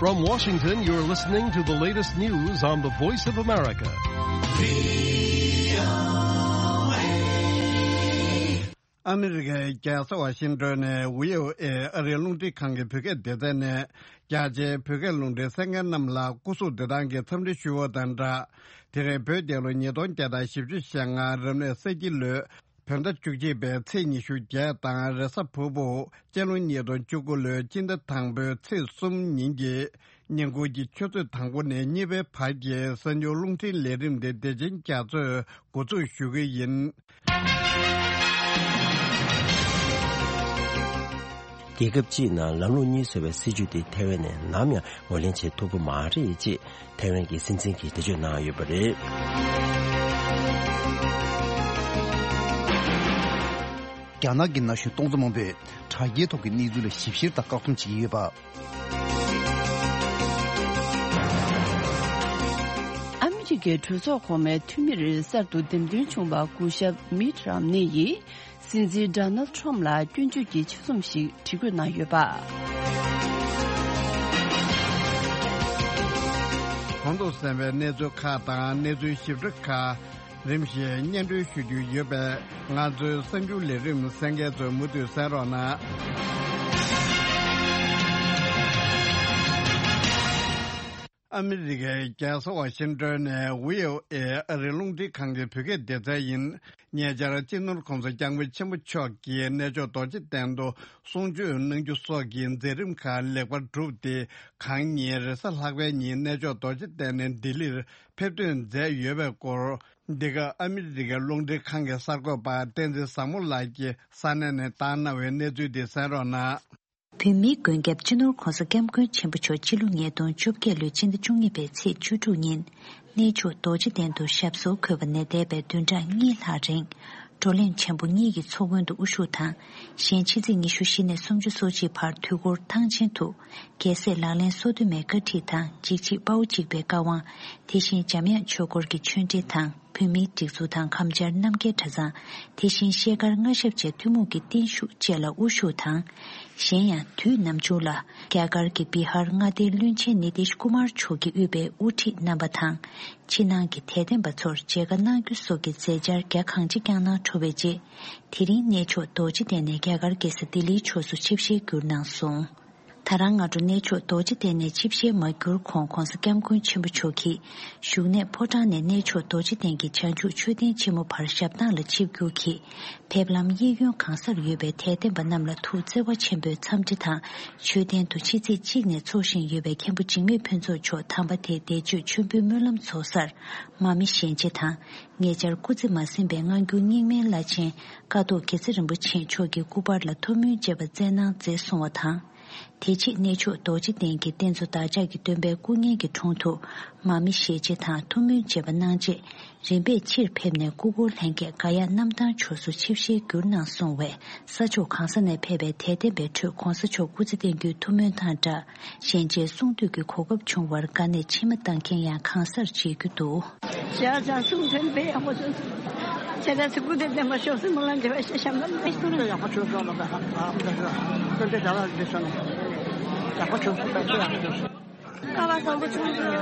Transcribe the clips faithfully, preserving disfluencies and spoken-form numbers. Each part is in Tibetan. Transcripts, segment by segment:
From Washington, you're listening to the latest news on the Voice of America. ཨ་མི་རི་ཀའི་རྒྱལ་ས་ཝ་ཤིང་ཏོན་ནས་ཝི་ཨོ་ཨེ་ཨ་རིའི་རླུང་འཕྲིན་ཁང་གི་བོད་སྐད་སྡེ་ཚན་ནས། རྒྱ་ཆེའི་བོད་སྐད་རླུང་འཕྲིན་གསན་མཁན་རྣམས་ལ་སྐུ་གཟུགས་བདེ་ཐང་གི་འཚམས་འདྲི་ཞུ་བ་དང་སྦྲགས། དེ་རིང་བོད་རྒྱལ་ལོ་ཉིས་སྟོང་བརྒྱ་དང་བཞི་བཅུ་ཞེ་ལྔ་རབ་གནས་ས་ཁྱི་ལོའི་བོད་ཟླ་བཅུ་གཅིག་པའི་ཚེས་ཉི་ཤུ་བརྒྱད་དང་། རེས་གཟའ་ཕུར་བུ་སྤྱི་ལོ་ཉིས་སྟོང་བཅུ་དགུ་ལོའི་སྤྱི་ཟླ་དང་པོའི་ཚེས་གསུམ་ཉིན་གྱི་ཉིན་གུང་གི་ཆུ་ཚོད་དང་པོ་ནས་གཉིས་པའི་བར་གྱི་གསར་འགྱུར་རླུང་འཕྲིན་ལས་རིམ་དེ་བདེ་ཆེན་རྒྱ་མཚོས་འགོ་འཛུགས་ཞུ་གི་ཡིན། རྒྱལ་ཁབ་སྤྱིའི་ནང་ལམ་ལུགས་གཉིས་བཟོ་བའི་སྲིད་ཇུས་དེ་ཐའེ་ཝན་ནས་ནམ་ཡང་ངོས་ལེན་བྱེད་ཐུབ་ཀྱི་མ་རེད་ཅེས་ཐའེ་ཝན་གྱི་སྲིད་འཛིན་གྱིས་འགྲེལ་བརྗོད་གནང་ཡོད་པ་རེད། རྒྱ་ནག་གི་ན་གཞོན་སྟོང་ཚོ་མང་པོས་དྲ་རྒྱའི་ཐོག་གི་གནས་ཚུལ་ལ་ཞིབ་བཤེར་དང་བཀག་སྡོམ་བྱེད་ཀྱི་ཡོད་པ། ཨ་མི་རི་ཀའི་གྲོས་ཚོགས་གོང་མའི་འཐུས་མིར་གསར་དུ་འདེམས་ཐོན་བྱུང་བ་སྐུ་ཞབས་མིད་རམ་ནེ་ཡིས། སྲིད་འཛིན་ཌོ་ནལ་ཁྲམ་ལ་སྐྱོན་བརྗོད་ཀྱི་ཆེད་རྩོམ་ཞིག་བྲིས་འགོད་གནང་ཡོད་པ། གོང་དུ་གསན་པའི་གནས་ཚུལ་ཁག་དང་། གནས་ཚུལ་ཞིབ་ཕྲ་ཁག་རིམ་བཞིན་སྙན་སྒྲོན་ཞུ་རྒྱུ་ཡོད་པས། ང་ཚོའི་གསར་འགྱུར་ལས་རིམ་གསན་མཁན་ཚོས་མུ་མཐུད་གསན་རོགས་གནང་། ཨ་མི་རི་ཀའི་རྒྱལ་ས་ཝ་ཤིང་ཏོན་ནས་ཝི་ཨོ་ཨེ་ཨ་རིའི་རླུང་འཕྲིན་ཁང་གི་བོད་སྐད་སྡེ་ཚན་ཡིན། ཉེ་ཆར་སྤྱི་ནོར་༸གོང་ས་༸སྐྱབས་མགོན་ཆེན་པོ་མཆོག་གིས་གནས་མཆོག་རྡོ་རྗེ་གདན་དུ་གསུང་ཆོས་གནང་རྒྱུ་སོགས་ཀྱི་མཛད་རིམ་ཁག་ལེགས་པར་གྲུབ་སྟེ། གང་ཉིན་རེས་གཟའ་ལྷག་པའི་ཉིན་གནས་མཆོག་རྡོ་རྗེ་གདན་ནས་ལྡི་ལིར་ཕེབས་ཐོན་མཛད་ཡོད་པའི་སྐོར། འདི་ག་ཨ་མི་རི་ཀའི་རླུང་འཕྲིན་ཁང་གི་གསར་འགོད་པ་བསྟན་འཛིན་བཟང་མོ་ལགས་ཀྱིས་ས་གནས་ནས་བཏང་གནང་བའི་གནས་ཚུལ་དེ་གསན་རོགས་གནང་། བོད་མིའི་མགོན་སྐྱབས་སྤྱི་ནོར་༸གོང་ས་༸སྐྱབས་མགོན་ཆེན་པོ་མཆོག་སྤྱི་ལོ་ཉིས་སྟོང་བཅོ་བརྒྱད་ལོའི་སྤྱི་ཟླ་བཅུ་གཉིས་པའི་ཚེས་བཅུ་དྲུག་ཉིན། གནས་མཆོག་རྡོ་རྗེ་གདན་དུ་ཞབས་སོར་འཁོད་པ་ནས་འདས་པའི་བདུན་ཕྲག་གཉིས་ལྷག་རིང་། བགྲོ་གླེང་ཆེན་པོ་གཉིས་ཀྱི་ཚོགས་མགོན་དུ་དབུ་བཞུགས་དང་། གཞན་ཕྱི་ཚེས་ཉི་ཤུ་བཞི་ནས་སུམ་ཅུ་སོ་གཅིག་བར་དུས་འཁོར་ཐང་ཆེན་དུ། རྒྱལ་སྲས་ལག་ལེན་སོ་བདུན་མའི་བཀའ་ཁྲིད་དང་། འཇིགས་བྱེད་དཔའ་བོ་འཇིགས་པའི་བཀའ་དབང་། དེ་བཞིན་འཇམ་དབྱངས་ཆོས་འཁོར་གྱི་ཆོས་འབྲེལ་དང་། བོད་མིའི་སྒྲིག་འཛུགས་དང་། གམ་བཅར་རྣམ་རྒྱལ་གྲྭ་ཚང་། དེ་བཞིན་ཤེལ་དཀར་མངའ་ཞབས་བཅས་ཐུན་མོང་གི་བརྟན་བཞུགས་བཅས་ལ་དབུ་བཞུགས་དང་། གཞན་ཡང་དུས་ནམ་བྱུང་ལ་རྒྱ་གར་གྱི་བི་ཧར་མངའ་སྡེའི་བློན་ཆེན་ནི་ཏིཤ་ཀུ་མར་མཆོག་གིས་དབུས་པའི་དབུ་ཁྲིད་རྣམ་པ་དང་། ཕྱི་ནང་གི་དད་ལྡན་པ་ཚོར་མཇལ་ཁ་གནང་རྒྱུ་སོགས་ཀྱི་མཛད་འཆར་རྒྱ་གང་ཆེ་བསྐྱངས་གནང་གྲུབ་པའི་རྗེས། དེ་རིང་གནས་མཆོག་རྡོ་རྗེ་གདན་ནས་རྒྱ་གར་རྒྱལ་ས་ལྡི་ལིའི་ཕྱོགས་སུ་ཆིབས་ཞལ་བསྒྱུར་གནང་སོང་། ད་རང་སྔ་དྲོ་གནས་མཆོག་རྡོ་རྗེ་གདན་ནས་ཆིབས་ཞལ་མ་བསྒྱུར་གོང་༸གོང་ས་༸སྐྱབས་མགོན་ཆེན་པོ་མཆོག་གིས་བཞུགས་གནས་ཕོ་བྲང་ནས་གནས་མཆོག་རྡོ་རྗེ་གདན་གྱི་བྱང་ཆུབ་མཆོད་རྟེན་ཆེན་མོ་བར་ཞབས་ཐང་ལ་ཆིབས་བསྒྱུར་གྱིས། ཕེབས་ལམ་གཡས་གཡོན་གང་སར་ཡོད་པའི་དད་ལྡན་པ་རྣམས་ལ་ཐུགས་བརྩེ་བ་ཆེན་པོས་འཚམས་འདྲི་དང་། མཆོད་རྟེན་དུ་ཕྱི་ཚེས་གཅིག་ནས་འཚོགས་བཞིན་ཡོད་པའི་མཁན་པོ་འཇིགས་མེད་ཕུན་ཚོགས་མཆོག་དམ་པ་དེའི་འདས་མཆོད་མཆོད་འབུལ་སྨོན་ལམ་ཚོགས་སར་མ་མི་ཞལ་མཇལ་དང་། ཉེ་ཆར་སྐུ་ཚེ་མ་ཟིན་པའི་སྔ་འགྱུར་རྙིང་མའི་བླ་ཆེན་ཀཿཐོག་དགེ་རྩེ་རིན་པོ་ཆེ་མཆོག་གི་སྐུ་པར་ལ་ཐུགས་སྨོན་བཅས་པ་སྩལ་གནང་མཛད་སོང་བ་དང་། དེ་རྗེས་གནས་མཆོག་རྡོ་རྗེ་གདན་གྱི་རྟེན་གཙོ་བདག་ཅག་གི་སྟོན་པའི་སྐུ་བརྙན་གྱི་དྲུང་དུ་མ་མི་ཞལ་མཇལ་དང་ཐུགས་སྨོན་བཅས་པ་གནང་རྗེས། རིམ་པས་ཕྱིར་ཕེབས་ནས་སྐུ་འཁོར་ལྷན་རྒྱས་ག་ཡ་གནམ་ཐང་ཕྱོགས་སུ་ཆིབས་ཞལ་བསྒྱུར་གནང་སོང་བས། ས་ཕྱོགས་གང་ས་ནས་ཕེབས་པའི་དད་ལྡན་པའི་ཁྲོད་༸གོང་ས་མཆོག་སྐུ་ཚེ་བརྟན་རྒྱུའི་ཐུགས་སྨོན་དང་སྦྲགས། ཞལ་མཇལ་གསུང་འདུས་ཀྱི་གོ་སྐབས་བྱུང་བར་དགའ་ནས་མཆི་མ་བཏང་མཁན་ཡང་གང་སར་མཇལ་རྒྱུ་འདུག་ཞལ་བྱང་གསུང་འདུས་དཔེ་ཡག་པོ་བྱུང་སོང་། ཁྱེད་རང་ཚོ་སྐུ་ཚེ་བརྟན་པར་ཤོག་ཟེར་སྨོན་ལམ་རྒྱབ་པ་ཞིག་བཤམས་པ་ལ། ཡག་པོ་བྱུང་སོང་ལ། ད་ཧ་ཧ་ད་ཧ་ད་ད་ད་ད་ད་ད་ད་ཡག་པོ་བྱུང་སོང་། ད་ཚོད་ཡག་པོ་བྱུང་སོང་། ཀ་བ་བཟང་པོ་བྱུང་འདུག་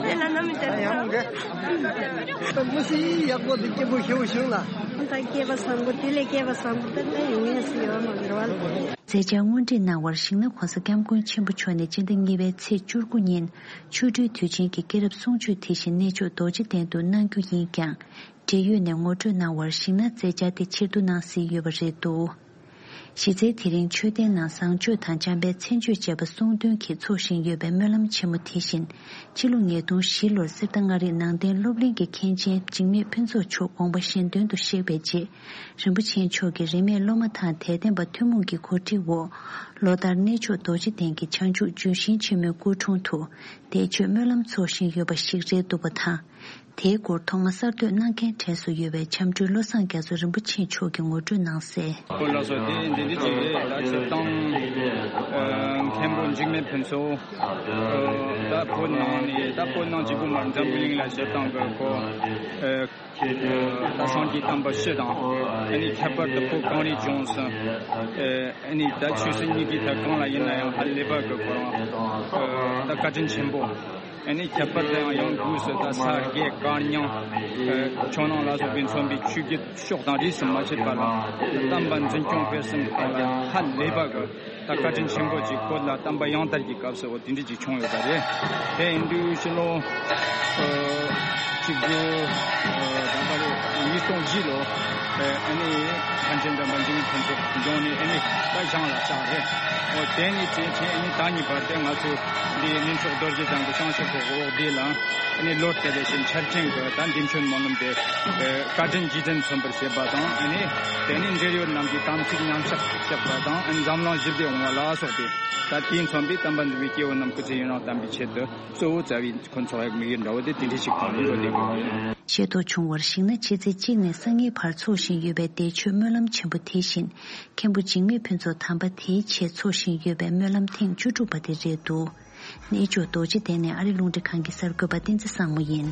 དེ་ལ་ནམ་ཡང་དེ་ཡང་དེ་མུ་སི་ཡག་པོ་འདུག་སྐྱིད་པོ་ཞེ་པོ་བྱུང་ལ། ད་སྐྱེས་པ་བཟང་པོ་དེ་ལས་སྐྱེས་པ་བཟང་པོ་ད་ལྟ་ཡོང་ངེས་སུ་ཡོད་མ་རེད་བ། མཛད་འཆར་དངོས་བྲིས་གནང་བར་ཞིང་ནག་༸གོང་ས་༸སྐྱབས་མགོན་ཆེན་པོ་མཆོག་ནས་སྤྱི་ཟླ་གཉིས་པའི་ཚེས་བཅུ་དགུ་ཉིན་ཆོ་འཕྲུལ་དུས་ཆེན་གྱི་སྐྱེས་རབས་གསུང་ཆོས་དེ་བཞིན་གནས་མཆོག་རྡོ་རྗེ་གདན་དུ་གནང་རྒྱུ་ཡིན་ཀྱང་། འབྲེལ་ཡོད་ནས་ངོ་སྤྲོད་གནང་བར་ཞིང་ནག་མཛད་འཆར་དེ་ཕྱིར་བསྡུ་གནང་སྲིད་ཡོད་པ་རེད་འདུག་གཞི་རྩའི་དེ་རིང་མཆོད་རྟེན་ནང་བཟང་སྤྱོད་དང་འཇམ་དཔལ་མཚན་བརྗོད་བཅས་པ་གསུང་འདོན་གྱིས་འཚོགས་བཞིན་ཡོད་པའི་སྨོན་ལམ་ཆེན་མོ་དེ་བཞིན། ཕྱི་ལོ་ཉིས་སྟོང་བཞི་ལོར་གསེར་རྟ་མངའ་རིས་ནང་བསྟན་སློབ་གླིང་གི་མཁན་ཆེན་འཇིགས་མེད་ཕུན་ཚོགས་མཆོག་དགོངས་པ་གཞན་དོན་དུ་གཤེགས་པའི་རྗེས། རིན་པོ་ཆེ་མཆོག་གིས་རིས་མེད་སློབ་མ་དང་དད་ལྡན་པ་ཐུན་མོང་གི་གོ་སྒྲིག་འོག་ལོ་ལྟར་གནས་མཆོག་རྡོ་རྗེ་གདན་གྱི་བྱང་ཆུབ་ལྗོན་ཤིང་ཆེན་མོའི་སྐུ་དྲུང་དུ་འདས་མཆོད་སྨོན་ལམ་འཚོགས་བཞིན་ཡོད་པ་ཞིག་རེད་འདུག་པ་དང་། དེའི་སྐོར་ཐོག་མ་གསར་གཏོད་གནང་མཁན་གྲས་སུ་ཡོད་པའི་འཆམ་མགྲོན་བློ་བཟང་རྒྱ་མཚོ་རིན་པོ་ཆེ་མཆོག་གིས་ངོ་སྤྲོད་གནང་གསལ། སྐོར་ལ་སོགས་དེ་འདི་འདྲ་ཅིག་རེད། ད་སྤྱིར་བཏང་ཨ་མཁན་པོ་འཇིགས་མེད་ཕུན་ཚོགས་ཨ་ད་བོད་ནང་ནས་ད་བོད་ནང་གཅིག་པུ་མ་འཛམ་བུ་གླིང་ལ་སྤྱིར་བཏང་གི་གོ་ཨ་ད་སངས་རྒྱས་བསྟན་པ་སྤྱི་དང་ཨ་ནི་ཁྱད་པར་དུ་བོད་གངས་རིའི་ལྗོངས་སུ་ཨ་ནི་ད་ཆོས་སྲིད་གཉིས་ཀའི་ཐད་གང་ལ་ཡིན་ན་ཡང་ཧ་ལས་པ་གི་ཁོ་རང་ཨ་ད་བཀའ་དྲིན་ཆེན་པོ། ཨ་ནི་ཁྱད་པར་དུ་ཡང་ཡང་སྒོས་སུ་ད་ས་དགེ་བཀའ་རྙིང་ཨ་ཆོས་ནང་ལ་སོགས་པའི་མཚོན་པའི་ཆོས་བརྒྱུད་ཕྱོགས་དང་རིས་སུ་མ་ཆད་པ་ལ་བསྟན་པ་འཛིན་སྐྱོང་སྤེལ་གསུམ་གི་ཐོག་ལ་ཧ་ལས་པ་གི་ད་བཀའ་དྲིན་ཆེན་པོ་ཅིག་བོད་ལ་བསྟན་པ་ཡང་དར་གྱི་སྐབས་སུ་འོ་དེ་འདྲ་ཅིག་བྱུང་ཡོད་པ་རེད། དེ་ཡིན་དུས་ཕྱི་ལོ་ཨ་གཅིག་དགུ་ཨ་ད་ལྟ་རེད་ཉིས་སྟོང་བཞི་ལོ་ཨ་ནི་མཁན་ཆེན་དམ་པ་འཇིགས་མེད་ཕུན་ཚོགས་འབྱུང་གནས་ཨ་ནི་ད་བཞེངས་ལ་བཞག་རེད། འོ་དེ་ནི་དེ་དེ་ཨ་ནི་ད་ཉིན་བར་དེ་ང་ཚོ་འདི་གླིང་ཕྲུག་རྡོ་རྗེ་ཚང་གི་བྱང་ཆུབ་ཀྱི་འོག་དེ་ལ་ཨ་ནི་ལོ་དེ་ལས་ཕྱིན་འཆར་ཅན་གྱི་ད་འདི་མཆོད་སྨོན་ལམ་དེ་བཀའ་དྲིན་རྗེས་དྲན་མཚོན་པར་བྱེད་པ་དང་ཨ་ནི་དེ་ནི་འབྲེལ་ཡོད་རྣམས་ཀྱི་དམ་ཚིག་ཉམས་ཆག་བཞག་པ་དང་ཨ་ནི་འཛམ་གླིང་ཞི་བདེ་འོང་བ་ལ་སོགས་ཏེ་ད་དེས་མཚོན་པའི་བསྟན་པ་འདུལ་བའི་སྐྱེ་བོ་རྣམས་སྐུ་ཚེ་ཡུན་རིང་བརྟན་པའི་ཆེད་དུ་གཙོ་བོ་རྩ་བའི་ཁོ་ཚོ་ཡག་དམིགས་ཡུལ་འདྲ་བོ་དེ་དེ་འདྲ་ཞིག་གང་ཡིན་འགྲོ་དེ་དགོས་ཡིན། ཤེས་རྟོགས་བྱུང་བར་གཞིགས་ན་ཕྱི་ཚེས་གཅིག་ནས་སང་ཉིན་བར་འཚོགས་བཞིན་ཡོད་པའི་འདས་མཆོད་སྨོན་ལམ་ཆེན་པོ་དེ་བཞིན་མཁན་པོ་འཇིགས་མེད་ཕུན་ཚོགས་དམ་པ་དེའི་ཆེད་འཚོགས་བཞིན་ཡོད་པའི་སྨོན་ལམ་ཐེངས་བཅུ་དྲུག་པ་དེ་རེད་འདུག་གནས་མཆོག་རྡོ་རྗེ་གདན་ནས་ཨ་རི་རླུང་འཕྲིན་ཁང་གི་གསར་འགོད་པ་བསྟན་འཛིན་བཟང་མོ་ཡིན།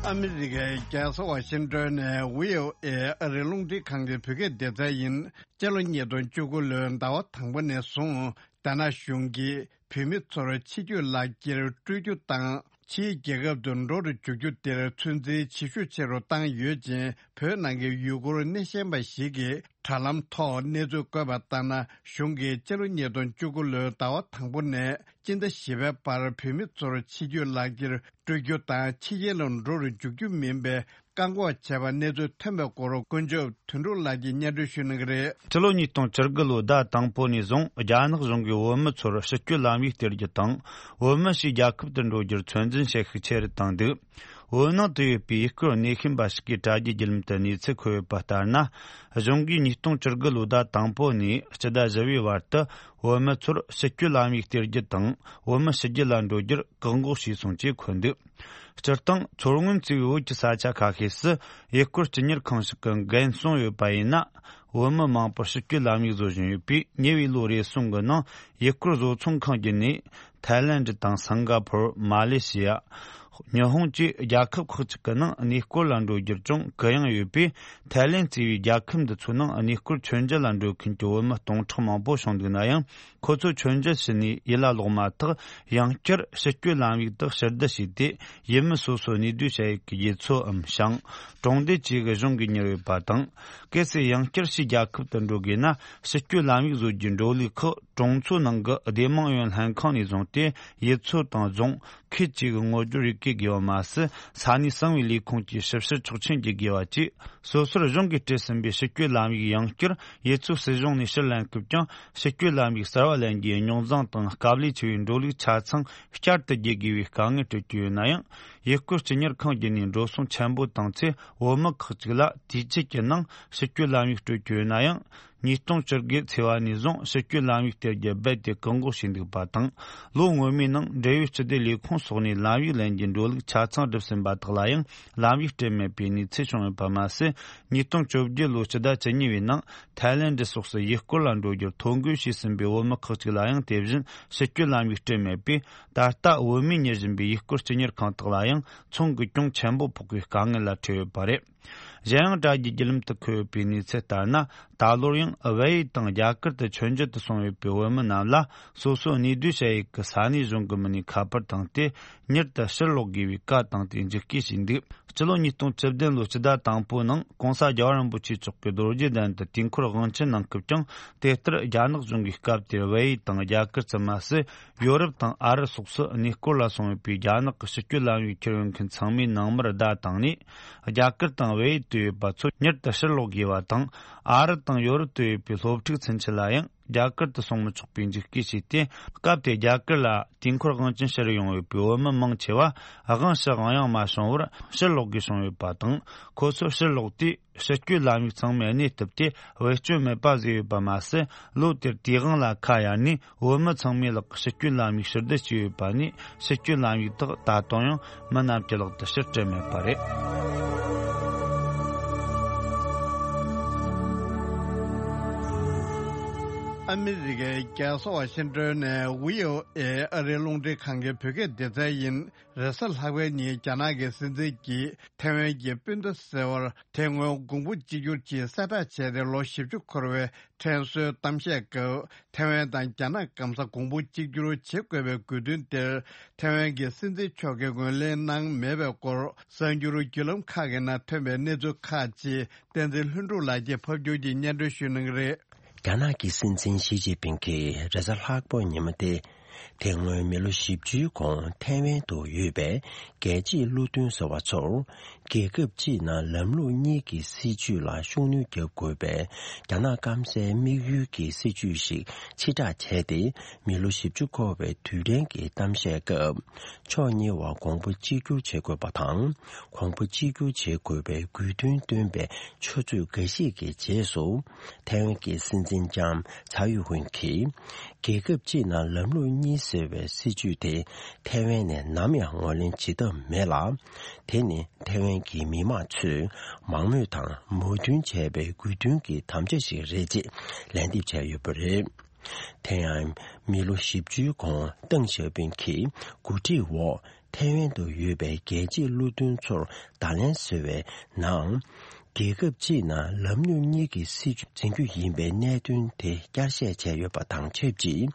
ཨ་མི་རི་ཀའི་རྒྱལ་ས་ཝ་ཤིང་ཏོན་ནས་བྷི་ཨོ་ཨེ་ཨ་རི་རླུང་འཕྲིན་ཁང་གི་བོད་སྐད་སྡེ་ཚན་ཡིན། སྤྱི་ལོ་ཉིས་སྟོང་བཅུ་དགུ་ལོའི་ཟླ་བ་དང་པོ་ནས་བཟུང་རྒྱ་ནག་གཞུང་གིས་བོད་མི་ཚོར་ཕྱི་སྐྱོད་ལག་འཁྱེར་སྤྲོད་རྒྱུ་དང་། ཕྱིའི་རྒྱལ་ཁབ་ཏུ་འགྲོ་རུ་འཇུག་རྒྱུ་དེར་ཚོད་འཛིན་ཇེ་ཤུགས་ཆེ་རུ་བཏང་ཡོད་ཅིང་། བོད་ནང་གི་ཡུལ་སྐོར་སྣེ་ཤན་པ་ཞིག་གིས་དྲ་ལམ་ཐོག་གནས་ཚུལ་བཀོད་པ་ལྟར་ན། གཞུང་གིས་སྤྱི་ལོ་ཉིས་སྟོང་བཅུ་དགུ་ལོའི་ཟླ་བ་དང་པོ་ནས་སྤྱི་ཟླ་བཞི་པའི་བར་བོད་མི་ཚོར་ཕྱི་སྐྱོད་ལག་འཁྱེར་སྤྲོད་རྒྱུ་དང་། ཕྱི་རྒྱལ་ལ་འགྲོ་རུ་འཇུག་རྒྱུ་མིན་པའི་བཀག་འགོག་བྱས་པ་གནས་ཚུལ་ཐོན་པའི་སྐོར་དཀོན་མཆོག་དོན་གྲུབ་ལགས་ཀྱིས་སྙན་སྒྲོན་ཞུ་གནང་གི་རེད། སྤྱི་ལོ་ཉིས་སྟོང་བཅུ་དགུ་ལོའི་ཟླ་དང་པོ་ནས་བཟུང་རྒྱ་ནག་གཞུང་གིས་བོད་མི་ཚོར་ཕྱི་སྐྱོད་ལམ་ཡིག་སྟེར་རྒྱུ་དང་། བོད་མི་ཕྱིའི་རྒྱལ་ཁབ་ཏུ་འགྲོ་རྒྱུར་ཚོད་འཛིན་བྱེད་ཤུགས་ཆེ་རུ་བཏང་འདུག་བོད་ནང་དུ་ཡོད་པའི་ཡུལ་སྐོར་སྣེ་ཤན་པ་ཞིག་གིས་དྲ་རྒྱའི་བརྒྱུད་ལམ་དུ་གནས་ཚུལ་འཁོད་ཡོད་པ་ལྟར་ན། གཞུང་གིས་ཉིས་སྟོང་བཅུ་དགུ་ལོའི་ཟླ་དང་པོ་ནས་སྤྱི་ཟླ་བཞི་པའི་བར་དུ་བོད་མི་ཚོར་ཕྱི་སྐྱོད་ལམ་ཡིག་སྟེར་རྒྱུ་དང་བོད་མི་ཕྱི་རྒྱལ་ལ་འགྲོ་རྒྱུར་བཀག་འགོག་བྱས་སོང་ཅེས་འཁོད་འདུག་སྤྱིར་བཏང་མཚོ་སྔོན་གཙོས་པའི་བོད་ཀྱི་ས་ཆ་ཁ་ཤས་སུ་ཡུལ་སྐོར་སྤྱི་གཉེར་ཁང་ཞིག་གི་འགན་སྲུང་ཡོད་པ་ཡིན་ན། བོད་མི་མང་པོར་ཕྱི་སྐྱོད་ལམ་ཡིག་བཟོ་བཞིན་ཡོད་པས། ཉེ་བའི་ལོ་རེ་ཟུང་གི་ནང་ཡུལ་སྐོར་བཟོ་ཚོང་ཁང་བརྒྱུད་ནས་ཐའི་ལེནྡ་དང་སིང་ག་ཕོར། མ་ལེ་ཤི་ཡ། ཉི་ཧོང་བཅས་རྒྱལ་ཁབ་ཁག་ཅིག་གི་ནང་གནས་སྐོར་ལ་འགྲོ་རྒྱུར་ཀྱང་གུ་ཡངས་ཡོད་པས། ཐའི་ལེནྡ་གཙོས་པའི་རྒྱལ་ཁབ་འདི་ཚོའི་ནང་གནས་སྐོར་མཆོད་མཇལ་ལ་འགྲོ་མཁན་གྱི་བོད་མི་སྟོང་ཕྲག་མང་པོ་བྱུང་འདུག་ན་ཡང་། ཁོ་ཚོས་མཆོད་མཇལ་ཕྱིན་ནས་ཡུལ་ལ་ལོག་མ་ཐག་ཡང་བསྐྱར་ཕྱི་སྐྱོད་ལམ་ཡིག་དག་ཕྱིར་བསྡུ་བྱས་ཏེ། ཡུལ་མི་སོ་སོའི་གནས་སྡོད་བྱ་ཡུལ་གྱི་རྒྱུ་ཚོའམ་ཞིང་། གྲོང་སྡེ་བཅས་ཀྱི་གཞུང་གིས་གཉེར་ཡོད་པ་དང་། གལ་སྲིད་ཡང་བསྐྱར་ཕྱིའི་རྒྱལ་ཁབ་ཏུ་འགྲོ་དགོས་ན། ཕྱི་སྐྱོད་ལམ་ཡིག་བཟོ་རྒྱུའི་འགྲོ་ལུགས་ཁག་གྲོང་ཚོའི་ནང་གི་སྡེ་དམངས་ཡོངས་ལྷན་ཁང་ནས་བཟུང་སྟེ། ཡུལ་ཚོ་དང་རྫོང་ཁུལ་བཅས་ཀྱི་ངོ་སྦྱོར་ཡི་གེ་དགོས་པ་མ་ཟད། ས་གནས་གསང་བའི་ལས་ཁུངས་ཀྱི་ཞིབ་བཤེར་ཆོག་མཆན་གྱི་དགོས་པ་བཅས། སོ་སོར་གཞུང་གིས་སྤྲད་ཟིན་པའི་ཕྱི་སྐྱོད་ལམ་ཡིག་ཡང་བསྐྱར་ཡུལ་ཚོའི་སྲིད་གཞུང་ནས་ཕྱིར་ལེན་སྐབས་ཀྱང་། ཕྱི་སྐྱོད་ལམ་ཡིག་གསར་བ་ལེན་རྒྱུའི་རྙོག་འཛིང་དང་། དཀའ་ལས་ཆེ་བའི་འགྲོ་ལུགས་ཆ་ཚང་བསྐྱར་དུ་བརྗེ་དགོས་པའི་དཀའ་ངལ་སྤྲོད་ཀྱི་ཡོད་ན་ཡང་། ཡུལ་སྐོར་སྤྱི་གཉེར་ཁང་བརྒྱུད་ནས་འགྲོ་སོང་ཆེན་པོ་བཏང་ཚེ། བོད་མི་ཁག་ཅིག་ལ་དུས་ཆད་ཀྱི་ནང་ཕྱི་སྐྱོད་ལམ་ཡིག་སྤྲོད་ཀྱི་ཡོད་ན་ཡང་། ཉིས་སྟོང་བཅུ་དགུ་ཚེས་པ་ནས་བཟུང་ཕྱི་སྐྱོད་ལམ་ཡིག་སྟེར་རྒྱུ་རྦད་དེ་བཀག་འགོག་བྱས་འདུག་པ་དང་། ལོ་སྔོན་མའི་ནང་འབྲེལ་ཡོད་སྤྱི་བདེ་ལས་ཁུངས་སོགས་ནས་ལམ་ཡིག་ལེན་རྒྱུའི་འགྲོ་ལུགས་ཆ་ཚང་བསྒྲུབས་ཟིན་པ་དག་ལ་ཡང་ལམ་ཡིག་སྤྲད་མེད་པའི་གནས་ཚུལ་བྱུང་ཡོད་པ་མ་ཟད། ཉིས་སྟོང་བཅོ་བརྒྱད་ལོའི་སྤྱི་ཟླ་བཅུ་གཉིས་པའི་ནང་ཐའི་ལེནྡ་སོགས་སུ་ཡུལ་སྐོར་ལ་འགྲོ་རྒྱུར་ཐོ་འགོད་བྱས་ཟིན་པའི་བོད་མི་ཁག་ཅིག་ལ་ཡང་དེ་བཞིན་ཕྱི་སྐྱོད་ལམ་ཡིག་སྤྲད་མེད་པས། ད་ལྟ་བོད་མིས་གཉེར་བཞིན་པའི་ཡུལ་སྐོར་སྤྱི་གཉེར་ཁང་དག་ལ་ཡང་ཚོང་གི་གྱོང་ཆེན་པོ་ཕོག་པའི་དཀའ་ངལ་ལ་འཕྲད་ཡོད་པ་རེད། གཞན་ཡང་དྲ་རྒྱའི་བརྒྱུད་ལམ་དུ་འཁོད་ཡོད་པའི་གནས་ཚུལ་ལྟར་ན། ད་ལོར་ཡང་བལ་ཡུལ་དང་རྒྱ་གར་དུ་མཆོད་མཇལ་དུ་སོང་ཡོད་པའི་བོད་མི་རྣམས་ལ། སོ་སོའི་གནས་སྡོད་བྱ་ཡུལ་གྱི་ས་གནས་གཞུང་གི་མི་སྣས་ཁ་པར་བཏང་སྟེ། མྱུར་དུ་ཕྱིར་ལོག་དགོས་པའི་བཀའ་བཏང་སྟེ་འཇིགས་སྐུལ་བྱས་འདུག་སྤྱི་ལོ་ཉིས་སྟོང་བཅུ་བདུན་ལོའི་སྤྱི་ཟླ་དང་པོའི་ནང་། ྋགོང་ས་རྒྱལ་བ་རིན་པོ་ཆེ་མཆོག་གིས་རྡོ་རྗེ་གདན་དུ་དུས་འཁོར་དབང་ཆེན་གནང་སྐབས་ཀྱང་། དེ་ལྟར་རྒྱ་ནག་གཞུང་གིས་སྐབས་དེར་བལ་ཡུལ་དང་རྒྱ་གར་ཙམ་མ་ཟད། ཡོ་རོབ་དང་ཨ་རི་སོགས་སུ་གནས་སྐོར་ལ་སོང་ཡོད་པའི་རྒྱ་ནག་གི་ཕྱི་སྐྱོད་ལམ་ཡིག་ཁྱེར་ཡོང་མཁན་ཚང་མའི་ནང་མར་བརྡ་བཏང་ནས། རྒྱ་གར་དང་བལ་ཡུལ་དུ་ཡོད་པ་ཚོ་མྱུར་དུ་ཕྱིར་ལོག་དགོས་པ་དང་། ཨ་རི་དང་ཡོ་རོབ་ཏུ་ཡོད་པའི་སློབ་ཕྲུག་ཚུན་ཆད་ལ་ཡང་ རྒྱ་གར་དུ་སོང་མི་ཆོག་པའི་འཇིགས་སྐུལ་བྱས་ཏེ། སྐབས་དེར་རྒྱ་གར་ལ་དུས་འཁོར་དབང་ཆེན་ཕྱིར་ཡོང་བའི་བོད་མི་མང་ཆེ་བ་དབང་ཕྱི་དབང་ཡང་མ་བྱུང་བར་ཕྱིར་ལོག་དགོས་བྱུང་ཡོད་པ་དང་། ཁོ་ཚོ་ཕྱིར་ལོག་དུས། ཕྱི་སྐྱོད་ལམ་ཡིག་ཚང་མ་གནས་ཐུབ་སྟེ་བེད་སྤྱོད་མེད་པ་བཟོས་ཡོད་པ་མ་ཟད། ལོ་དེར་དུས་དབང་ལ་ཁ་གཡར་ནས་བོད་མི་ཚང་མའི་ལག་གི་ཕྱི་སྐྱོད་ལམ་ཡིག་ཕྱིར་བསྡུ་བྱས་ཡོད་པ་ནས། ཕྱི་སྐྱོད་ལམ་ཡིག་དག་ད་དུང་ཡང་མི་རྣམས་ཀྱི་ལག་ཏུ་ཕྱིར་སྤྲད་མེད་པ་རེད། ཨ་མི་རི་ཀའི་རྒྱལ་ས་ཝ་ཤིང་ཏོན་ནས་བྷི་ཨོ་ཨེ་ཨ་རིའི་རླུང་འཕྲིན་ཁང་གི་བོད་སྐད་སྡེ་ཚན་ཡིན། རེས་གཟའ་ལྷག་པའི་ཉིན་རྒྱ་ནག་གི་སྲིད་འཛིན་གྱིས་ཐའེ་ཝན་གྱི་སྤུན་ཟླ་ཟེར་བར་དེ་སྔོན་གོང་བུ་གཅིག་གྱུར་གྱི་གསལ་བསྒྲགས་བྱས་ཏེ་ལོ་བཞི་བཅུ་འཁོར་བའི་དྲན་གསོའི་གཏམ་བཤད་སྐབས། ཐའེ་ཝན་དང་རྒྱ་ནག་སྐམ་ས་གོང་བུ་གཅིག་གྱུར་བྱེད་དགོས་པའི་དགོས་འདུན་དེར། ཐའེ་ཝན་གྱི་སྲིད་འཛིན་མཆོག་གིས་ངོས་ལེན་གནང་མེད་པའི་སྐོར། གསར་འགྱུར་བརྒྱུད་ལམ་ཁག་གི་ནང་ཐོན་པའི་གནས་ཚུལ་ཁག་ཅིག་བསྟན་འཛིན་ལྷུན་གྲུབ་ལགས་ཀྱིས་ཕབ་སྒྱུར་གྱིས་སྙན་སྒྲོན་ཞུ་གནང་གི་རེད། རྒྱ་ནག་གི་སྲིད་འཛིན་ཞི་ཅིན་ཕིང་གིས་རེས་གཟའ་ལྷག་པའི་ཉིན་མོ་སྟེ། དེ་སྔོན་མི་ལོ་བཞི་བཅུའི་གོང་ཐའེ་ཝན་དུ་ཡོད་པའི་རྒྱལ་གཅེས་བློ་མཐུན་ཟེར་བ་ཚོར། རྒྱལ་ཁབ་གཅིག་ནང་ལམ་ལུགས་གཉིས་ཀྱི་སྲིད་བྱུས་ལ་ཤུགས་སྣོན་རྒྱག་དགོས་པའི་རྒྱ་ནག་སྐམ་སའི་དམིགས་ཡུལ་གྱི་སྲིད་བྱུས་ཤིག་ཕྱིར་བསྒྲགས་བྱས་ཏེ། མི་ལོ་བཞི་བཅུ་འཁོར་བའི་དུས་དྲན་གྱི་གཏམ་བཤད་སྐབས། ཕྱོགས་གཉིས་བར་གོང་བུ་གཅིག་གྱུར་བྱེད་དགོས་པ་དང་། གོང་བུ་གཅིག་གྱུར་བྱེད་དགོས་པའི་དགོས་འདུན་བཏོན་པའི་ཆུ་ཚོད་འགའ་ཤས་ཀྱི་རྗེས་སུ། ཐའེ་ཝན་གྱི་སྲིད་འཛིན་ལྕམ་ཚའེ་ཡུན་ཧུན་གྱིས། རྒྱལ་ཁབ་གཅིག་ནང་ལམ་ལུགས་གཉིས་ཟེར་བའི་སྲིད་བྱུས་དེ་ཐའེ་ཝན་ནས་ནམ་ཡང་ངོས་ལེན་བྱེད་ཐབས་མེད་ལ། དེ་ནི་ཐའེ་ཝན་གྱི་མི་དམངས་ཚོས་མང་མོས་དང་མོས་མཐུན་བྱས་པའི་དགོས་འདུན་གྱི་དམ་བཅའ་ཞིག་རེད་ཅེས་ལན་འདེབས་བྱས་ཡོད་པ་རེད། དེ་ཡང་མི་ལོ་བཞི་བཅུའི་གོང་ཏེང་ཞའོ་ཕིང་གི་འགོ་ཁྲིད་འོག་ཐའེ་ཝན་དུ་ཡོད་པའི་རྒྱལ་གཅེས་བློ་མཐུན་ཚོར་བརྡ་ལན་བཟོས་པའི་ནང་། རྒྱལ་ཁབ་གཅིག་ནང་ལམ་ལུགས་གཉིས་ཀྱི་སྲིད་བྱུས་འཛིན་རྒྱུ་ཡིན་པའི་གནད་དོན་དེ་བསྐྱར་བཤད་བྱས་ཡོད་པ་དང་ཆབས་ཅིག་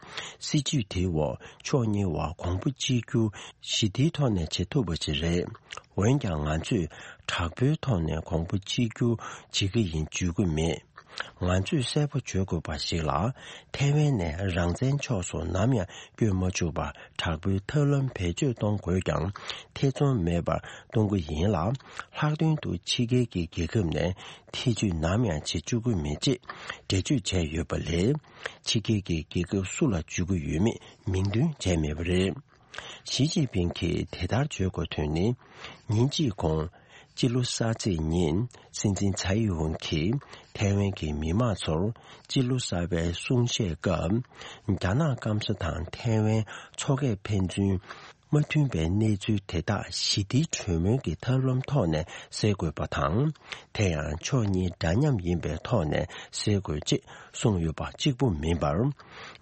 སྲིད་བྱུས་དེའི་འོག་ཕྱོགས་གཉིས་བར་གོང་བུ་གཅིག་གྱུར་ཞི་བདེའི་ཐོག་ནས་བྱེད་ཐུབ་པ་ཞིག་རེད། འོན་ཀྱང་ང་ཚོས་དྲག་པོའི་ཐོག་ནས་གོང་བུ་གཅིག་གྱུར་བྱེད་ཀྱི་ཡིན་བརྗོད་ཀྱི་མེད། ང་ཚོས་གསལ་པོ་བརྗོད་དགོས་པ་ཞིག་ལ། ཐའེ་ཝན་ནས་རང་བཙན་ཕྱོགས་སུ་ནམ་ཡང་བསྐྱོད་མ་བཅུག་པར་དྲག་པོའི་ཐབས་ལམ་བེད་སྤྱོད་གཏོང་དགོས་ཀྱང་། ཐེ་ཚོམ་མེད་པར་གཏོང་གི་ཡིན་ལ། ལྷག་དོན་དུ་ཕྱི་རྒྱལ་གྱི་རྒྱལ་ཁབ་ནས་ཐེ་ཇུས་ནམ་ཡང་བྱེད་བཅུག་གི་མེད་ཅེས་འགྲེལ་བརྗོད་བྱས་ཡོད་པ་ལས། ཕྱི་རྒྱལ་གྱི་རྒྱལ་ཁབ་སུ་ལ་བརྗོད་ཀྱི་ཡོད་མེད་མིང་འདོན་བྱས་མེད་པ་རེད། ཞི་ཅིན་ཕིང་གིས་དེ་ལྟར་བརྗོད་དགོས་དོན་ནི། ཉིན་གཅིག་གོང་། སྤྱི་ལོ་གསར་ཚེས་ཉིན་སྲིད་འཛིན་ཚའེ་ཡིན་ཝུན་གྱིས་ཐའེ་ཝན་གྱི་མི་དམངས་ཚོར་སྤྱི་ལོ་གསར་པའི་གསུང་བཤད་སྐབས། རྒྱ་ནག་སྐམ་ས་དང་ཐའེ་ཝན་མཚོ་ཁའི་ཕན་ཚུན་མ་མཐུན་པའི་གནས་ཚུལ་དེ་དག་ཞི་བདེའི་གྲོས་མོལ་གྱི་ཐབས་ལམ་ཐོག་ནས་སེལ་དགོས་པ་དང་། དེ་ཡང་ཕྱོགས་གཉིས་འདྲ་མཉམ་ཡིན་པའི་ཐོག་ནས་སེལ་དགོས་ཅེས་གསུངས་ཡོད་པ་གཅིག་པུ་མིན་པར།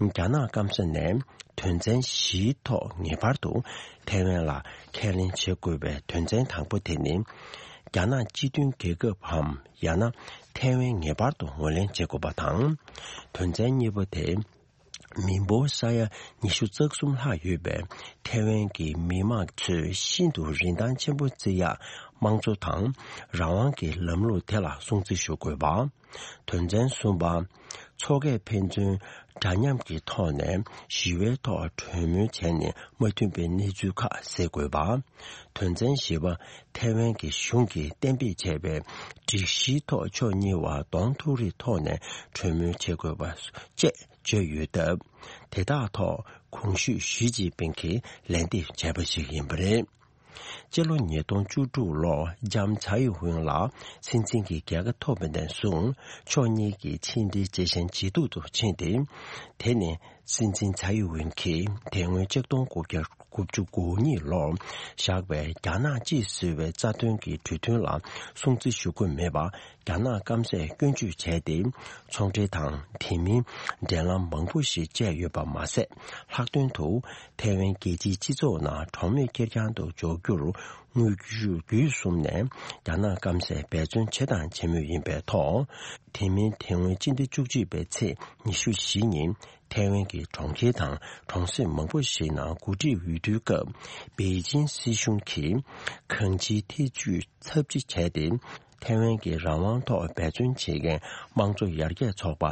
རྒྱ་ནག་སྐམ་ས་ནས། དོན་ཚན་བཞིའི་ཐོག་ངེས་པར་དུ་ཐའེ་ཝན་ལ་ཁས་ལེན་བྱེད་དགོས་པའི་དོན་ཚན་དང་པོ་དེ་ནི། རྒྱ་ནག་སྤྱི་མཐུན་རྒྱལ་ཁབ་བམ་ཡང་ན་ཐའེ་ཝན་ངེས་པར་དུ་ངོས་ལེན་བྱེད་དགོས་པ་དང་། དོན་ཚན་གཉིས་པ་དེ། མི་འབོར་ས་ཡ་ཉི་ཤུ་རྩ་གསུམ་ལྷག་ཡོད་པའི་ཐའེ་ཝན་གྱི་མི་དམངས་ཚོས་ཤིན་ཏུ་རིན་ཐང་ཆེན་པོ་བརྩི་ཡག་དམངས་གཙོ་དང་རང་དབང་གི་ལམ་ལུགས་དེ་ལ་སྲུང་བརྩི་ཞུ་དགོས་པ། དོན་ཚན་གསུམ་པ། མཚོ་ཁའི་ཕན་ཚུན་འདྲ་མཉམ་གྱི་ཐོག་ནས་ཞི་བའི་ཐོག་གྲོས་མོལ་བྱས་ནས་མ་མཐུན་པའི་གནས་ཚུལ་ཁག་སེལ་དགོས་པ། དོན་ཚན་བཞི་པ། ཐའེ་ཝན་གྱི་གཞུང་གིས་གཏན་འབེབས་བྱས་པའི་སྒྲིག་གཞིའི་ཐོག་ཕྱོགས་གཉིས་བར་གདོང་ཐུག་རེའི་ཐོག་ནས་གྲོས་མོལ་བྱེད་དགོས་པ་བཅས་བརྗོད་ཡོད་སྟབས། དེ་དག་ཐོག་གོང་ཞུས་ཞི་ཅིན་ཕིང་གིས་ལན་འདེབས་བྱས་པ་ཞིག་ཡིན་པ་རེད། སྤྱི་ལོ་ཉིས་སྟོང་བཅུ་དྲུག་ལོར་ལྕམ་ཚའེ་ཡིན་ཧུན་ལགས་སྲིད་འཛིན་གྱི་རྒྱལ་ཁ་ཐོབ་པ་ནས་བཟུང་ཕྱོགས་གཉིས་ཀྱི་ཕྱི་འབྲེལ་ཇེ་ཞན་ཇེ་སྡུག་ཏུ་ཕྱིན་ཏེ། དེ་ནི་སྲིད་འཛིན་ཚའེ་ཡིན་ཧུན་གྱིས་དེ་སྔོན་ཆིག་སྟོང་དགུ་བརྒྱ་དགུ་བཅུ་གོ་གཉིས་ལོར་བཞག་པའི་རྒྱ་ནག་གཅིག་ཟེར་བའི་རྩ་དོན་གྱི་གྲོས་མཐུན་ལ་སྲུང་བརྩི་ཞུ་དགོས་མེད་པ། རྒྱ་ནག་སྐམ་སས་སྐྱོན་བརྗོད་བྱས་ཏེ། ཚོང་འབྲེལ་དང་དེ་མིན་འབྲེལ་ལམ་མང་པོ་ཞིག་བཅད་ཡོད་པ་མ་ཟད། ལྷག་དོན་དུ་ཐའེ་ཝན་རྒྱལ་སྤྱིའི་སྤྱི་ཚོགས་ནང་གྲོགས་མེད་ཁེར་རྐྱང་དུ་འཇོག་རྒྱུར་དངོས་བརྒྱུད་བརྒྱུད་གསུམ་ནས་རྒྱ་ནག་སྐམ་སས་འབད་བརྩོན་བྱས་དང་བྱེད་མུས་ཡིན་པའི་ཐོག་དེ་མིན་དེ་སྔོན་སྤྱི་ཟླ་བཅུ་གཅིག་པའི་ཚེས་ཉི་ཤུ་བཞི་ཉིན་ཐའེ་ཝན་གྱི་གྲོང་ཁྱེར་དང་གྲོང་གསེབ་མང་པོ་ཞིག་ནང་འགོ་ཁྲིད་འོས་བསྡུའི་སྐབས་པེ་ཅིན་སྲིད་གཞུང་གིས་གང་ཅིའི་ཐེ་ཇུས་ཚབས་ཆེ་བྱས་ཏེ། ཐའེ་ཝན་གྱི་རང་དབང་ཐོག་འབད་བརྩོན་བྱེད་མཁན་དམངས་གཙོ་ཡར་རྒྱས་ཚོགས་པ་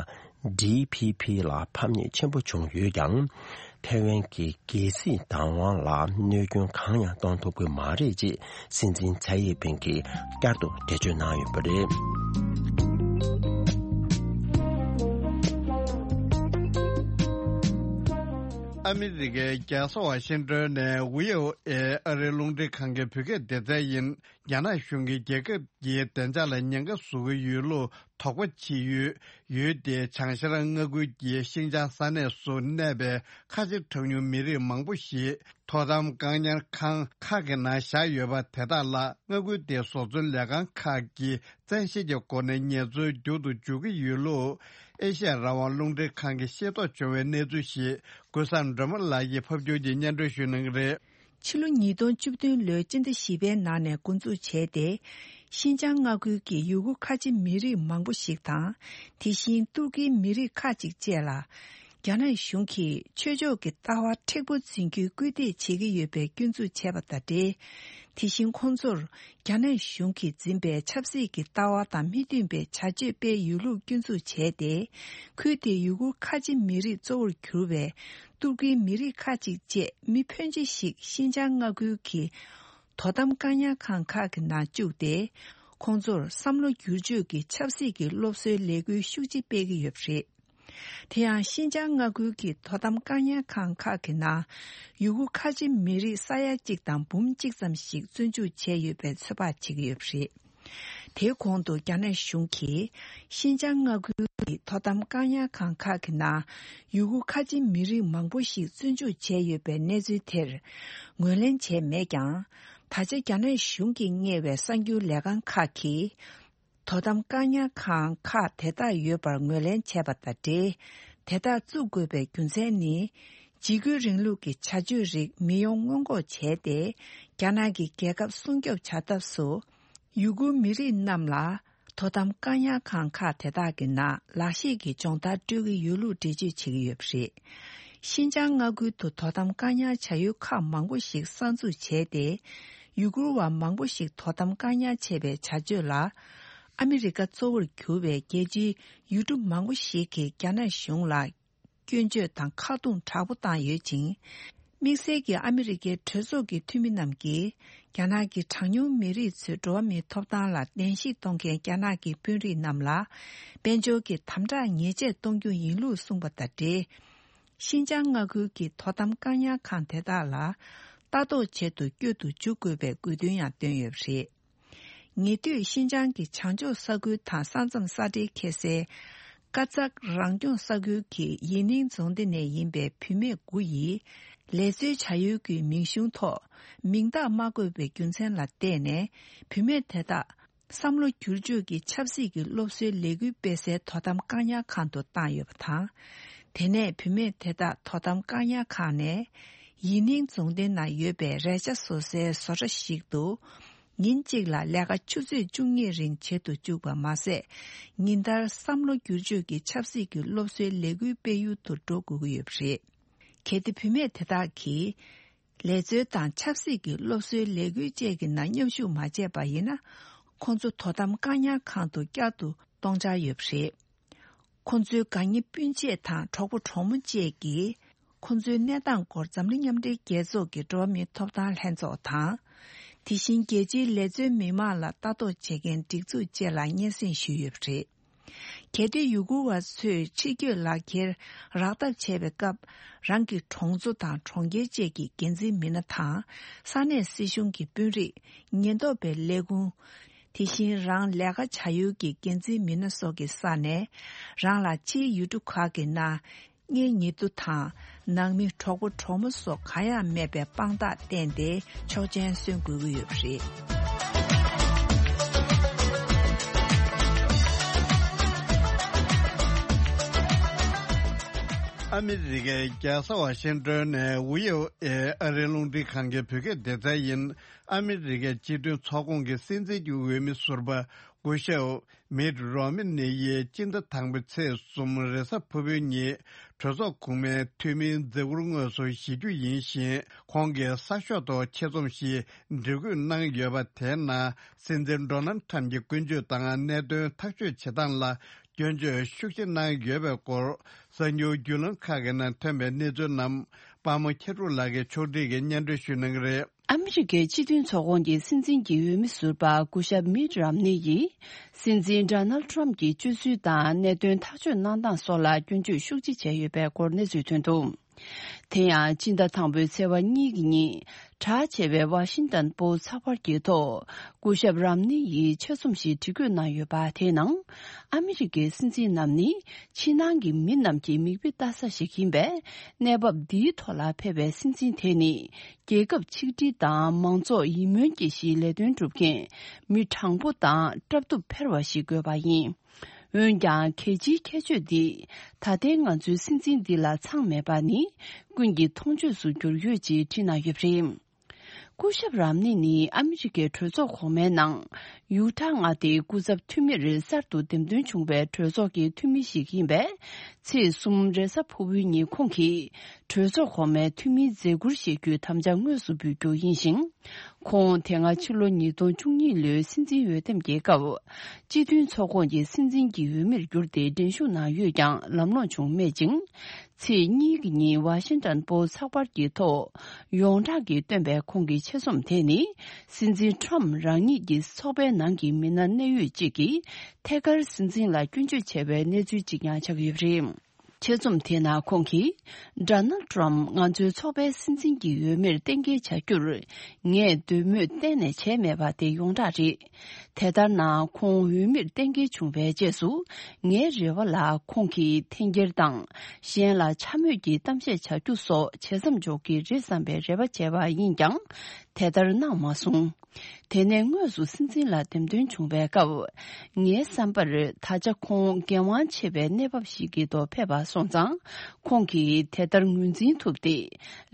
ཌི་ཕི་ཕི་ལ་ཕམ་ཉེས་ཆེན་པོ་བྱུང་ཡོད་ཀྱང་། ཐའེ་ཝན་གྱི་རྒྱལ་སྲིད་བདག་དབང་ལ་གནོད་སྐྱོན་གང་ཡང་གཏོང་ཐུབ་ཀྱི་མ་རེད་ཅེས་སྲིད་འཛིན་ཚའེ་ཡིན་ཕིང་གིས་བསྐྱར་དུ་འགྲེལ་བརྗོད་གནང་ཡོད་པ་རེད། ཨ་མི་རི་ཀའི་རྒྱལ་ས་ཝ་ཤིང་ཏོན་ནས་ཝི་ཨོ་ཨེ་ཨ་རིའི་རླུང་འཕྲིན་ཁང་གི་བོད་སྐད་སྡེ་ཚན་ཡིན། རྒྱ་ནག་གཞུང་གིས་རྒྱལ་ཁབ་ཀྱི་བདེ་འཇགས་ལ་ཉེན་ཁ་བཟོ་གི་ཡོད་ལུགས་དོགས་པ་བྱེད་ཡུལ་ཡུལ་དེའི་བྱང་ཤར་མངའ་ཁུལ་གྱི་ཤིན་ཅང་ས་གནས་སུ་གནས་པའི་ཁ་ཆེ་གྲངས་ཉུང་མི་རིགས་མང་པོ་ཞིག་དོ་དམ་བཀག་ཉར་ཁང་ཁག་གི་ནང་བཞག་ཡོད་པ་དེ་དག་ལ་མངའ་ཁུལ་དེའི་བཟོ་ཚོང་ལས་ཁང་ཁག་གིས་བཙན་ཤེད་ཀྱི་སྒོ་ནས་ངལ་རྩོལ་རྒྱུག་ཏུ་འཇུག་གི་ཡོད་ལུགས། ཨེ་ཤ་ཡ་རང་དབང་རླུང་འཕྲིན་ཁང་གིས་ཤེས་རྟོགས་བྱུང་བའི་གནས་ཚུལ་ཞིག་ཀུན་བཟང་སྒྲོལ་མ་ལགས་ཀྱིས་ཕབ་སྒྱུར་གྱིས་སྙན་སྒྲོན་ཞུ་གནང་གི་རེད། ཕྱི་ལོ་ཉིས་སྟོང་བཅུ་བདུན་ལོའི་སྤྱི་ཟླ་བཞི་པའི་ནང་ནས་འགོ་འཛུགས་བྱས་ཏེ། ཤིན་ཅང་མངའ་ཁུལ་གྱི་ཡུ་གུར་ཁ་ཆེ་མི་རིགས་མང་པོ་ཞིག་དང་། དེ་བཞིན་ཏུར་ཀིའི་མི་རིགས་ཁག་ཅིག་བཅས་ལ། རྒྱ་ནག་གཞུང་གིས་ཆོས་ཕྱོགས་ཀྱི་ལྟ་བ་མཁྲེགས་པོ་འཛིན་རྒྱུའི་སྐུལ་འདེད་བྱེད་ཀྱི་ཡོད་པའི་སྐྱོན་འཛུགས་བྱས་པ་དང་འབྲེལ། དེ་བཞིན་ཁོང་ཚོར་རྒྱ་ནག་གཞུང་གིས་འཛིན་པའི་ཆབ་སྲིད་ཀྱི་ལྟ་བ་དང་མི་མཐུན་པའི་བྱ་སྤྱོད་སྤེལ་ཡོད་ལུགས་སྐྱོན་འཛུགས་བྱས་ཏེ། ཁུལ་དེའི་ཡུ་གུར་ཁ་ཆེ་མི་རིགས་གཙོ་བོར་གྱུར་པའི་ཏུར་ཀིའི་མི་རིགས་ཁག་ཅིག་བཅས་མི་ཕོན་ཆེ་ཞིག་ཤིན་ཅང་མངའ་ཁུལ་གྱི་དོ་དམ་བཀག་ཉར་ཁང་ཁག་གི་ནང་བཅུག་སྟེ། ཁོང་ཚོར་བསམ་བློ་བསྒྱུར་བཅོས་ཀྱི་ཆབ་སྲིད་ཀྱི་སློབ་གསོའི་ལས་འགུལ་ཤུགས་ཆེ་སྤེལ་གྱི་ཡོད་པ་རེད། དེ་ཡང་ཤིན་ཅང་མངའ་ཁུལ་གྱི་དོ་དམ་བཀག་ཉར་ཁང་ཁག་གི་ནང་ཡུ་གུར་ཁ་ཆེ་མི་རིགས་ས་ཡ་གཅིག་དང་འབུམ་གཅིག་ཙམ་ཞིག་བཙོན་འཇུག་བྱས་ཡོད་པའི་ཚོད་དཔག་བྱེད་ཀྱི་ཡོད་པ་རེད། དེའི་གོང་དུ་རྒྱ་ནག་གཞུང་གིས་ཤིན་ཅང་མངའ་ཁུལ་གྱི་དོ་དམ་བཀག་ཉར་ཁང་ཁག་གི་ནང་ཡུ་གུར་ཁ་ཆེ་མི་རིགས་མང་པོ་ཞིག་བཙོན་འཇུག་བྱས་ཡོད་པའི་གནས་ཚུལ་དེར་ངོས་ལེན་བྱས་མེད་ཀྱང་། ད་ཆ་རྒྱ་ནག་གཞུང་གིས་གཉེར་བའི་གསར་འགྱུར་ལས་ཁང་ཁག་གིས། དོ་དམ་བཀག་ཉར་ཁང་ཁག་དེ་དག་ཡོད་པར་ངོས་ལེན་བྱས་པ་དང་འབྲེལ། དེ་དག་བཙུགས་དགོས་པའི་རྒྱུ་མཚན་ནི། འཇིགས་སྐུལ་རིང་ལུགས་ཀྱི་བྱ་སྤྱོད་རིགས་མི་ཡོང་སྔོན་འགོག་བྱས་ཏེ། རྒྱ་ནག་གི་རྒྱལ་ཁབ་སྲུང་སྐྱོབ་བྱ་ཐབས་སུ། ཡུ་གུར་མི་རིགས་རྣམས་ལ་དོ་དམ་བཀག་ཉར་ཁང་ཁག་དེ་དག་གི་ནང་ལག་ཤེས་ཀྱི་སྦྱོང་བརྡར་སྤྲོད་ཀྱི་ཡོད་ལུགས་འགྲེལ་བརྗོད་བྱེད་ཀྱི་ཡོད་པ་རེད། ཤིན་ཅང་མངའ་ཁུལ་དུ་དོ་དམ་བཀག་ཉར་བྱ་ཡུལ་ཁག་མང་པོ་ཞིག་གསར་འཛུགས་བྱས་ཏེ། ཡུ་གུར་བ་མང་པོ་ཞིག་དོ་དམ་བཀག་ཉར་བྱས་པའི་བྱ་སྤྱོད་ལ། ཨ་མི་རི་ཀ་གཙོ་བོར་གྱུར་པའི་རྒྱལ་སྤྱིའི་ཡུལ་གྲུ་མང་པོ་ཞིག་གིས་རྒྱ་ནག་གཞུང་ལ་སྐྱོན་བརྗོད་དང་ཁ་རྡུང་དྲག་པོ་བཏང་ཡོད་ཅིང་། དམིགས་བསལ་གྱིས་ཨ་མི་རི་ཀའི་གྲོས་ཚོགས་ཀྱི་འཐུས་མི་རྣམས་ཀྱིས་རྒྱ་ནག་གི་གྲངས་ཉུང་མི་རིགས་ཚོའི་འགྲོ་བ་མིའི་ཐོབ་ཐང་ལ་གདན་ཞུ་གཏོང་མཁན་རྒྱ་ནག་གི་དཔོན་རིགས་རྣམས་ལ་དཔལ་འབྱོར་གྱི་དམ་དྲག་ཉེས་ཆད་གཏོང་རྒྱུ་ཡིན་ལུགས་གསུངས་པ་དང་འབྲེལ། ཤིན་ཅང་མངའ་ཁུལ་གྱི་དོ་དམ་བཀག་ཉར་ཁང་དེ་དག་ལ་ལྟ་རྟོག་བྱེད་དུ་བསྐྱོད་དུ་འཇུག་དགོས་པའི་དགོས་འདུན་ཡང་བཏོན་ཡོད་པ་རེད། ཉེ་དུས་ཤིན་ཅང་གི་བྱང་ཕྱོགས་ས་ཁུལ་དང་ས་མཚམས་ས་འབྲེལ་ཁེལ་སའི་ཀ་ཙག་རང་སྐྱོང་ས་ཁུལ་གྱི་ཡི་ནིང་རྫོང་སྡེ་ནས་ཡིན་པའི་བུད་མེད་དགུ་ཡིས་ལས་རྩོལ་བྱ་ཡུལ་གྱི་མིང་གཞུང་ཐོག་མིང་རྟགས་མ་བཀོད་པའི་རྒྱུ་མཚན་ལ་བརྟེན་ནས་བུད་མེད་དེ་དག་བསམ་བློ་བསྒྱུར་བཅོས་ཀྱི་ཆབ་སྲིད་ཀྱི་སློབ་གསོའི་ལས་འགུལ་སྤེལ་སའི་དོ་དམ་བཀག་ཉར་ཁང་དུ་བཏང་ཡོད་པ་དང་། དེ་ནས་བུད་མེད་དེ་དག་དོ་དམ་བཀག་ཉར་ཁང་ནས་ཡི་ནིང་རྫོང་སྡེ་ན་ཡོད་པའི་རས་ཆ་བཟོ་སའི་བཟོ་གྲྭ་ཞིག་ཏུ། ཉིན་གཅིག་ལ་ལས་ཀ་ཆུ་ཚོད་བཅུ་གཉིས་རིང་བྱེད་དུ་བཅུག་པ་མ་ཟད། ཉིན་ལྟར་བསམ་བློ་བསྒྱུར་བཅོས་ཀྱི་ཆབ་སྲིད་ཀྱི་སློབ་གསོའི་ལས་འགུལ་སྤེལ་ཡུལ་དུ་འགྲོ་དགོས་ཀྱི་ཡོད་པ་རེད། གལ་ཏེ་བུད་མེད་དེ་དག་གིས་ལས་རྩོལ་དང་ཆབ་སྲིད་ཀྱི་སློབ་གསོའི་ལས་འགུལ་བཅས་ཀྱི་ནང་མཉམ་ཞུགས་མ་བྱས་པ་ཡིན་ན། ཁོང་ཚོ་དོ་དམ་བཀག་ཉར་ཁང་དུ་བསྐྱར་དུ་གཏོང་འཆར་ཡོད་པ་རེད། ཁོང་ཚོའི་དགའ་ཉེ་སྤུན་མཆེད་དང་གྲོགས་པོ་གྲོགས་མོ་བཅས་ཀྱིས་ཁོང་ཚོའི་གནས་སྟངས་སྐོར་འཛམ་གླིང་མཉམ་འབྲེལ་རྒྱལ་ཚོགས་ཀྱི་འགྲོ་བ་མིའི་ཐོབ་ཐང་ལྷན་ཚོགས་དང་། དེ་བཞིན་རྒྱལ་སྤྱིའི་ལས་རྩོལ་མི་མང་ལ་ལྟ་རྟོག་བྱེད་མཁན་སྒྲིག་འཛུགས་བཅས་ལ་སྙན་སེང་ཞུས་ཡོད་པ་རེད། གལ་ཏེ་ཡུ་གུར་བ་ཚོས་ཕྱི་སྐྱོད་ལག་འཁྱེར་རག་ཐབས་བྱས་པའི་སྐབས། རང་གི་གྲོང་ཚོ་དང་གྲོང་ཁྱེར་བཅས་ཀྱི་འགན་འཛིན་མི་སྣ་དང་། ས་གནས་སྲིད་གཞུང་གི་དཔོན་རིགས། ཉེན་རྟོག་པའི་ལས་ཁུངས། དེ་བཞིན་རང་ལས་ཀ་བྱ་ཡུལ་གྱི་འགན་འཛིན་མི་སྣ་སོགས་ཀྱི་ས་ནས། རང་ལ་ཕྱིའི་ཡུལ་གྲུ་ཁག་གི་ནང་། གཉེན་ཉེ་དུ་དང་། ནང་མི་གྲོགས་པོ་གྲོགས་མོ་སོགས་གང་ཡང་མེད་པའི་དཔང་རྟགས་བསྟན་ཏེ་ཆོག་མཆན་སོན་དགོས་ཀྱི་ཡོད་པ་རེད། ཨ་མི་རི་ཀའི་རྒྱལ་ས་ཝ་ཤིང་ཏོན་ནས་ཝི་ཨོ་ཨེ་ཨ་རིའི་རླུང་འཕྲིན་ཁང་གི་བོད་སྐད་སྡེ་ཚན་ཡིན། ཨ་མི་རི་ཀའི་སྤྱི་མཐུན་ཚོགས་ཁོངས་ཀྱི་སྲིད་འཛིན་གྱི་འོས་མི་ཟུར་པ་སྐུ་ཞབས་མིད་རོ་མི་ནི་ཡིས་སྤྱི་ཟླ་དང་པོའི་ཚེས་གསུམ་རེས་གཟའ་ཕུར་བུའི་ཉིན་གྲོས་ཚོགས་གོང་མའི་འཐུས་མིའི་མཛད་ཁུར་དངོས་སུ་བཞེས་རྒྱུ་ཡིན་ཞིང་། ཁོང་གིས་གསར་ཤོག་ཐོག་ཆེད་རྩོམ་ཞིག་འབྲི་འགོད་གནང་ཡོད་པ་དེའི་ནང་། སྲིད་འཛིན་ཌོ་ནལ་ཁྲམ་གྱི་ཀུན་སྤྱོད་དང་གནད་དོན་ཐག་གཅོད་བྱེད་སྟངས་ལ་སྐྱོན་བརྗོད་ཤུགས་ཆེ་གནང་ཡོད་པའི་སྐོར། གསར་འགྱུར་བརྒྱུད་ལམ་ཁག་གི་ནང་ཐོན་པའི་གནས་ཚུལ་རྣམས། པདྨ་མཁས་གྲུབ་ལགས་ཀྱིས་ཕྱོགས་སྒྲིག་གིས་སྙན་སྒྲོན་ཞུ་གནང་གི་རེད། ཨ་མི་རི་ཀའི་སྤྱི་མཐུན་ཚོགས་ཁོངས་ཀྱི་སྲིད་འཛིན་གྱི་འོས་མི་ཟུར་པ་སྐུ་ཞབས་མིད་རམ་ནི་ཡིས། སྲིད་འཛིན་ཌོ་ནལ་ཁྲམ་གྱི་སྤྱོད་ཚུལ་དང་གནད་དོན་ཐག་གཅོད་གནང་སྟངས་སོགས་ལ་སྐྱོན་བརྗོད་ཤུགས་ཆེ་བྱས་ཡོད་པའི་སྐོར་གནས་ཚུལ་ཐོན་འདུག་དེ་ཡང་སྤྱི་ཟླ་དང་པོའི་ཚེས་པ་གཉིས་ཀྱི་ཉིན་གྲགས་ཆེ་བའི་ཝ་ཤིང་ཏན་པོ་སྟ་ཚགས་པར་གྱི་ཐོག་སྐུ་ཞབས་རམ་ནི་ཡིས་ཆེད་རྩོམ་ཞིག་འབྲི་འགོད་གནང་ཡོད་པ་དེའི་ནང་། ཨ་མི་རི་ཀའི་སྲིད་འཛིན་རྣམས་ནི་ཕྱི་ནང་གི་མི་རྣམས་ཀྱི་མིག་དཔེ་ལྟ་ས་ཞིག་ཡིན་པས། གནས་བབ་འདིའི་ཐོག་ལ་ཕེབས་པའི་སྲིད་འཛིན་དེ་ནི། རྒྱལ་ཁབ་ཆིག་སྒྲིལ་དང་མང་ཚོགས་ཡིད་སྨོན་སྐྱེ་གཞིའི་ལས་དོན་སྒྲུབ་མཁན་མི་དྲང་པོ་དང་སྲབ་ཐུབ་ཕེར་བ་ཞིག་དགོས་པ་ཡིན། འོན་ཀྱང་གལ་ཆེའི་ཁྱད་ཆོས་འདི་ད་ལྟའི་ང་ཚོའི་སྲིད་འཛིན་འདི་ལ་ཚང་མེད་པ་ནི་ཀུན་གྱིས་མཐོང་ཆོས་སུ་གྱུར་ཡོད་ཅེས་བྲིས་གནང་ཡོད་པ་རེད། སྐུ་ཞབས་རམ་ནི་ནི་ཨ་མི་རི་ཀའི་གྲོས་ཚོགས་གོང་མའི་ནང་ཡུ་ཊ་མངའ་སྡེའི་སྐུ་ཚབ་འཐུས་མིར་གསར་དུ་འདེམས་ཐོན་བྱུང་བའི་གྲོས་ཚོགས་ཀྱི་འཐུས་མི་ཞིག་ཡིན་པས། ཚེས་གསུམ་རེས་གཟའ་ཕུར་བུའི་ཉིན་ཁོང་གིས་གྲོས་ཚོགས་གོང་མའི་འཐུས་མིའི་མཛད་ཁུར་བཞེས་རྒྱུའི་དམ་བཅའ་དངོས་སུ་འབུལ་རྒྱུ་ཡིན་ཞིང་། ཁོང་དེ་སྔ་ཕྱི་ལོ་ཉིས་སྟོང་བཅུ་གཉིས་ལོའི་སྲིད་འཛིན་འོས་འདེམས་ཀྱི་སྐབས། སྤྱི་མཐུན་ཚོགས་ཁོངས་ཀྱི་སྲིད་འཛིན་གྱི་འོས་མིར་གྱུར་ཏེ་འགྲན་ཞུགས་གནང་ཡོད་ཀྱང་ལམ་ལྷོང་བྱུང་མེད་ཅིང་། ཚེས་གཉིས་ཀྱི་ཉིན་ཝ་ཤིང་ཏན་པོ་སྟ་ཚགས་པར་གྱི་ཐོག་ཡོངས་གྲགས་ཀྱིས་བཏོན་པའི་ཁོང་གི་ཆེད་རྩོམ་དེ་ནི། སྲིད་འཛིན་ཊམ་རང་ཉིད་ཀྱི་ཚོགས་པའི་ནང་གི་མི་སྣ་གནད་ཡོད་ཅིག་གིས་ཐད་ཀར་སྲིད་འཛིན་ལ་སྐྱོན་བརྗོད་བྱས་པའི་གནས་ཚུལ་ཅིག་ཀྱང་ཆགས་ཡོད་པ་རེད། ཆེད་རྩོམ་དེའི་ནང་ཁོང་གིས། ཌོ་ནལ་ཌི་ཊམ་ང་ཚོའི་ཚོགས་པའི་སྲིད་འཛིན་གྱི་འོས་མིར་གཏན་འཁེལ་བྱ་རྒྱུར་ངས་འདོད་མོས་གཏན་ནས་བྱས་མེད་པ་དེ་ཡོངས་གྲགས་རེད། དེ་ལྟར་ན་ཁོང་འོས་མིར་གཏན་འཁེལ་བྱུང་བའི་རྗེས་སུ། ངའི་རེ་བ་ལ་ཁོང་གིས་འཐེན་འཁྱེར་དང་གཞན་ལ་འཕྱ་སྨོད་ཀྱི་གཏམ་བཤད་བྱ་རྒྱུ་སོགས་བྱེད་མཚམས་འཇོག་གི་རེད་བསམ་པའི་རེ་བ་བྱས་པ་ཡིན་ཀྱང་། དེ་ལྟར་གནང་མ་སོང་། དེ་ནས་དངོས་སུ་སྲིད་འཛིན་ལ་འདེམས་ཐོན་བྱུང་བའི་སྐབས། ངའི་བསམ་པར་ད་ཆ་ཁོང་འགན་དབང་ཆེ་བའི་གནས་བབ་ཞིག་གི་ཐོག་ཕེབས་པ་སོང་ཙང་། ཁོང་གིས་དེ་ལྟར་ངོས་འཛིན་ཐུབ་སྟེ།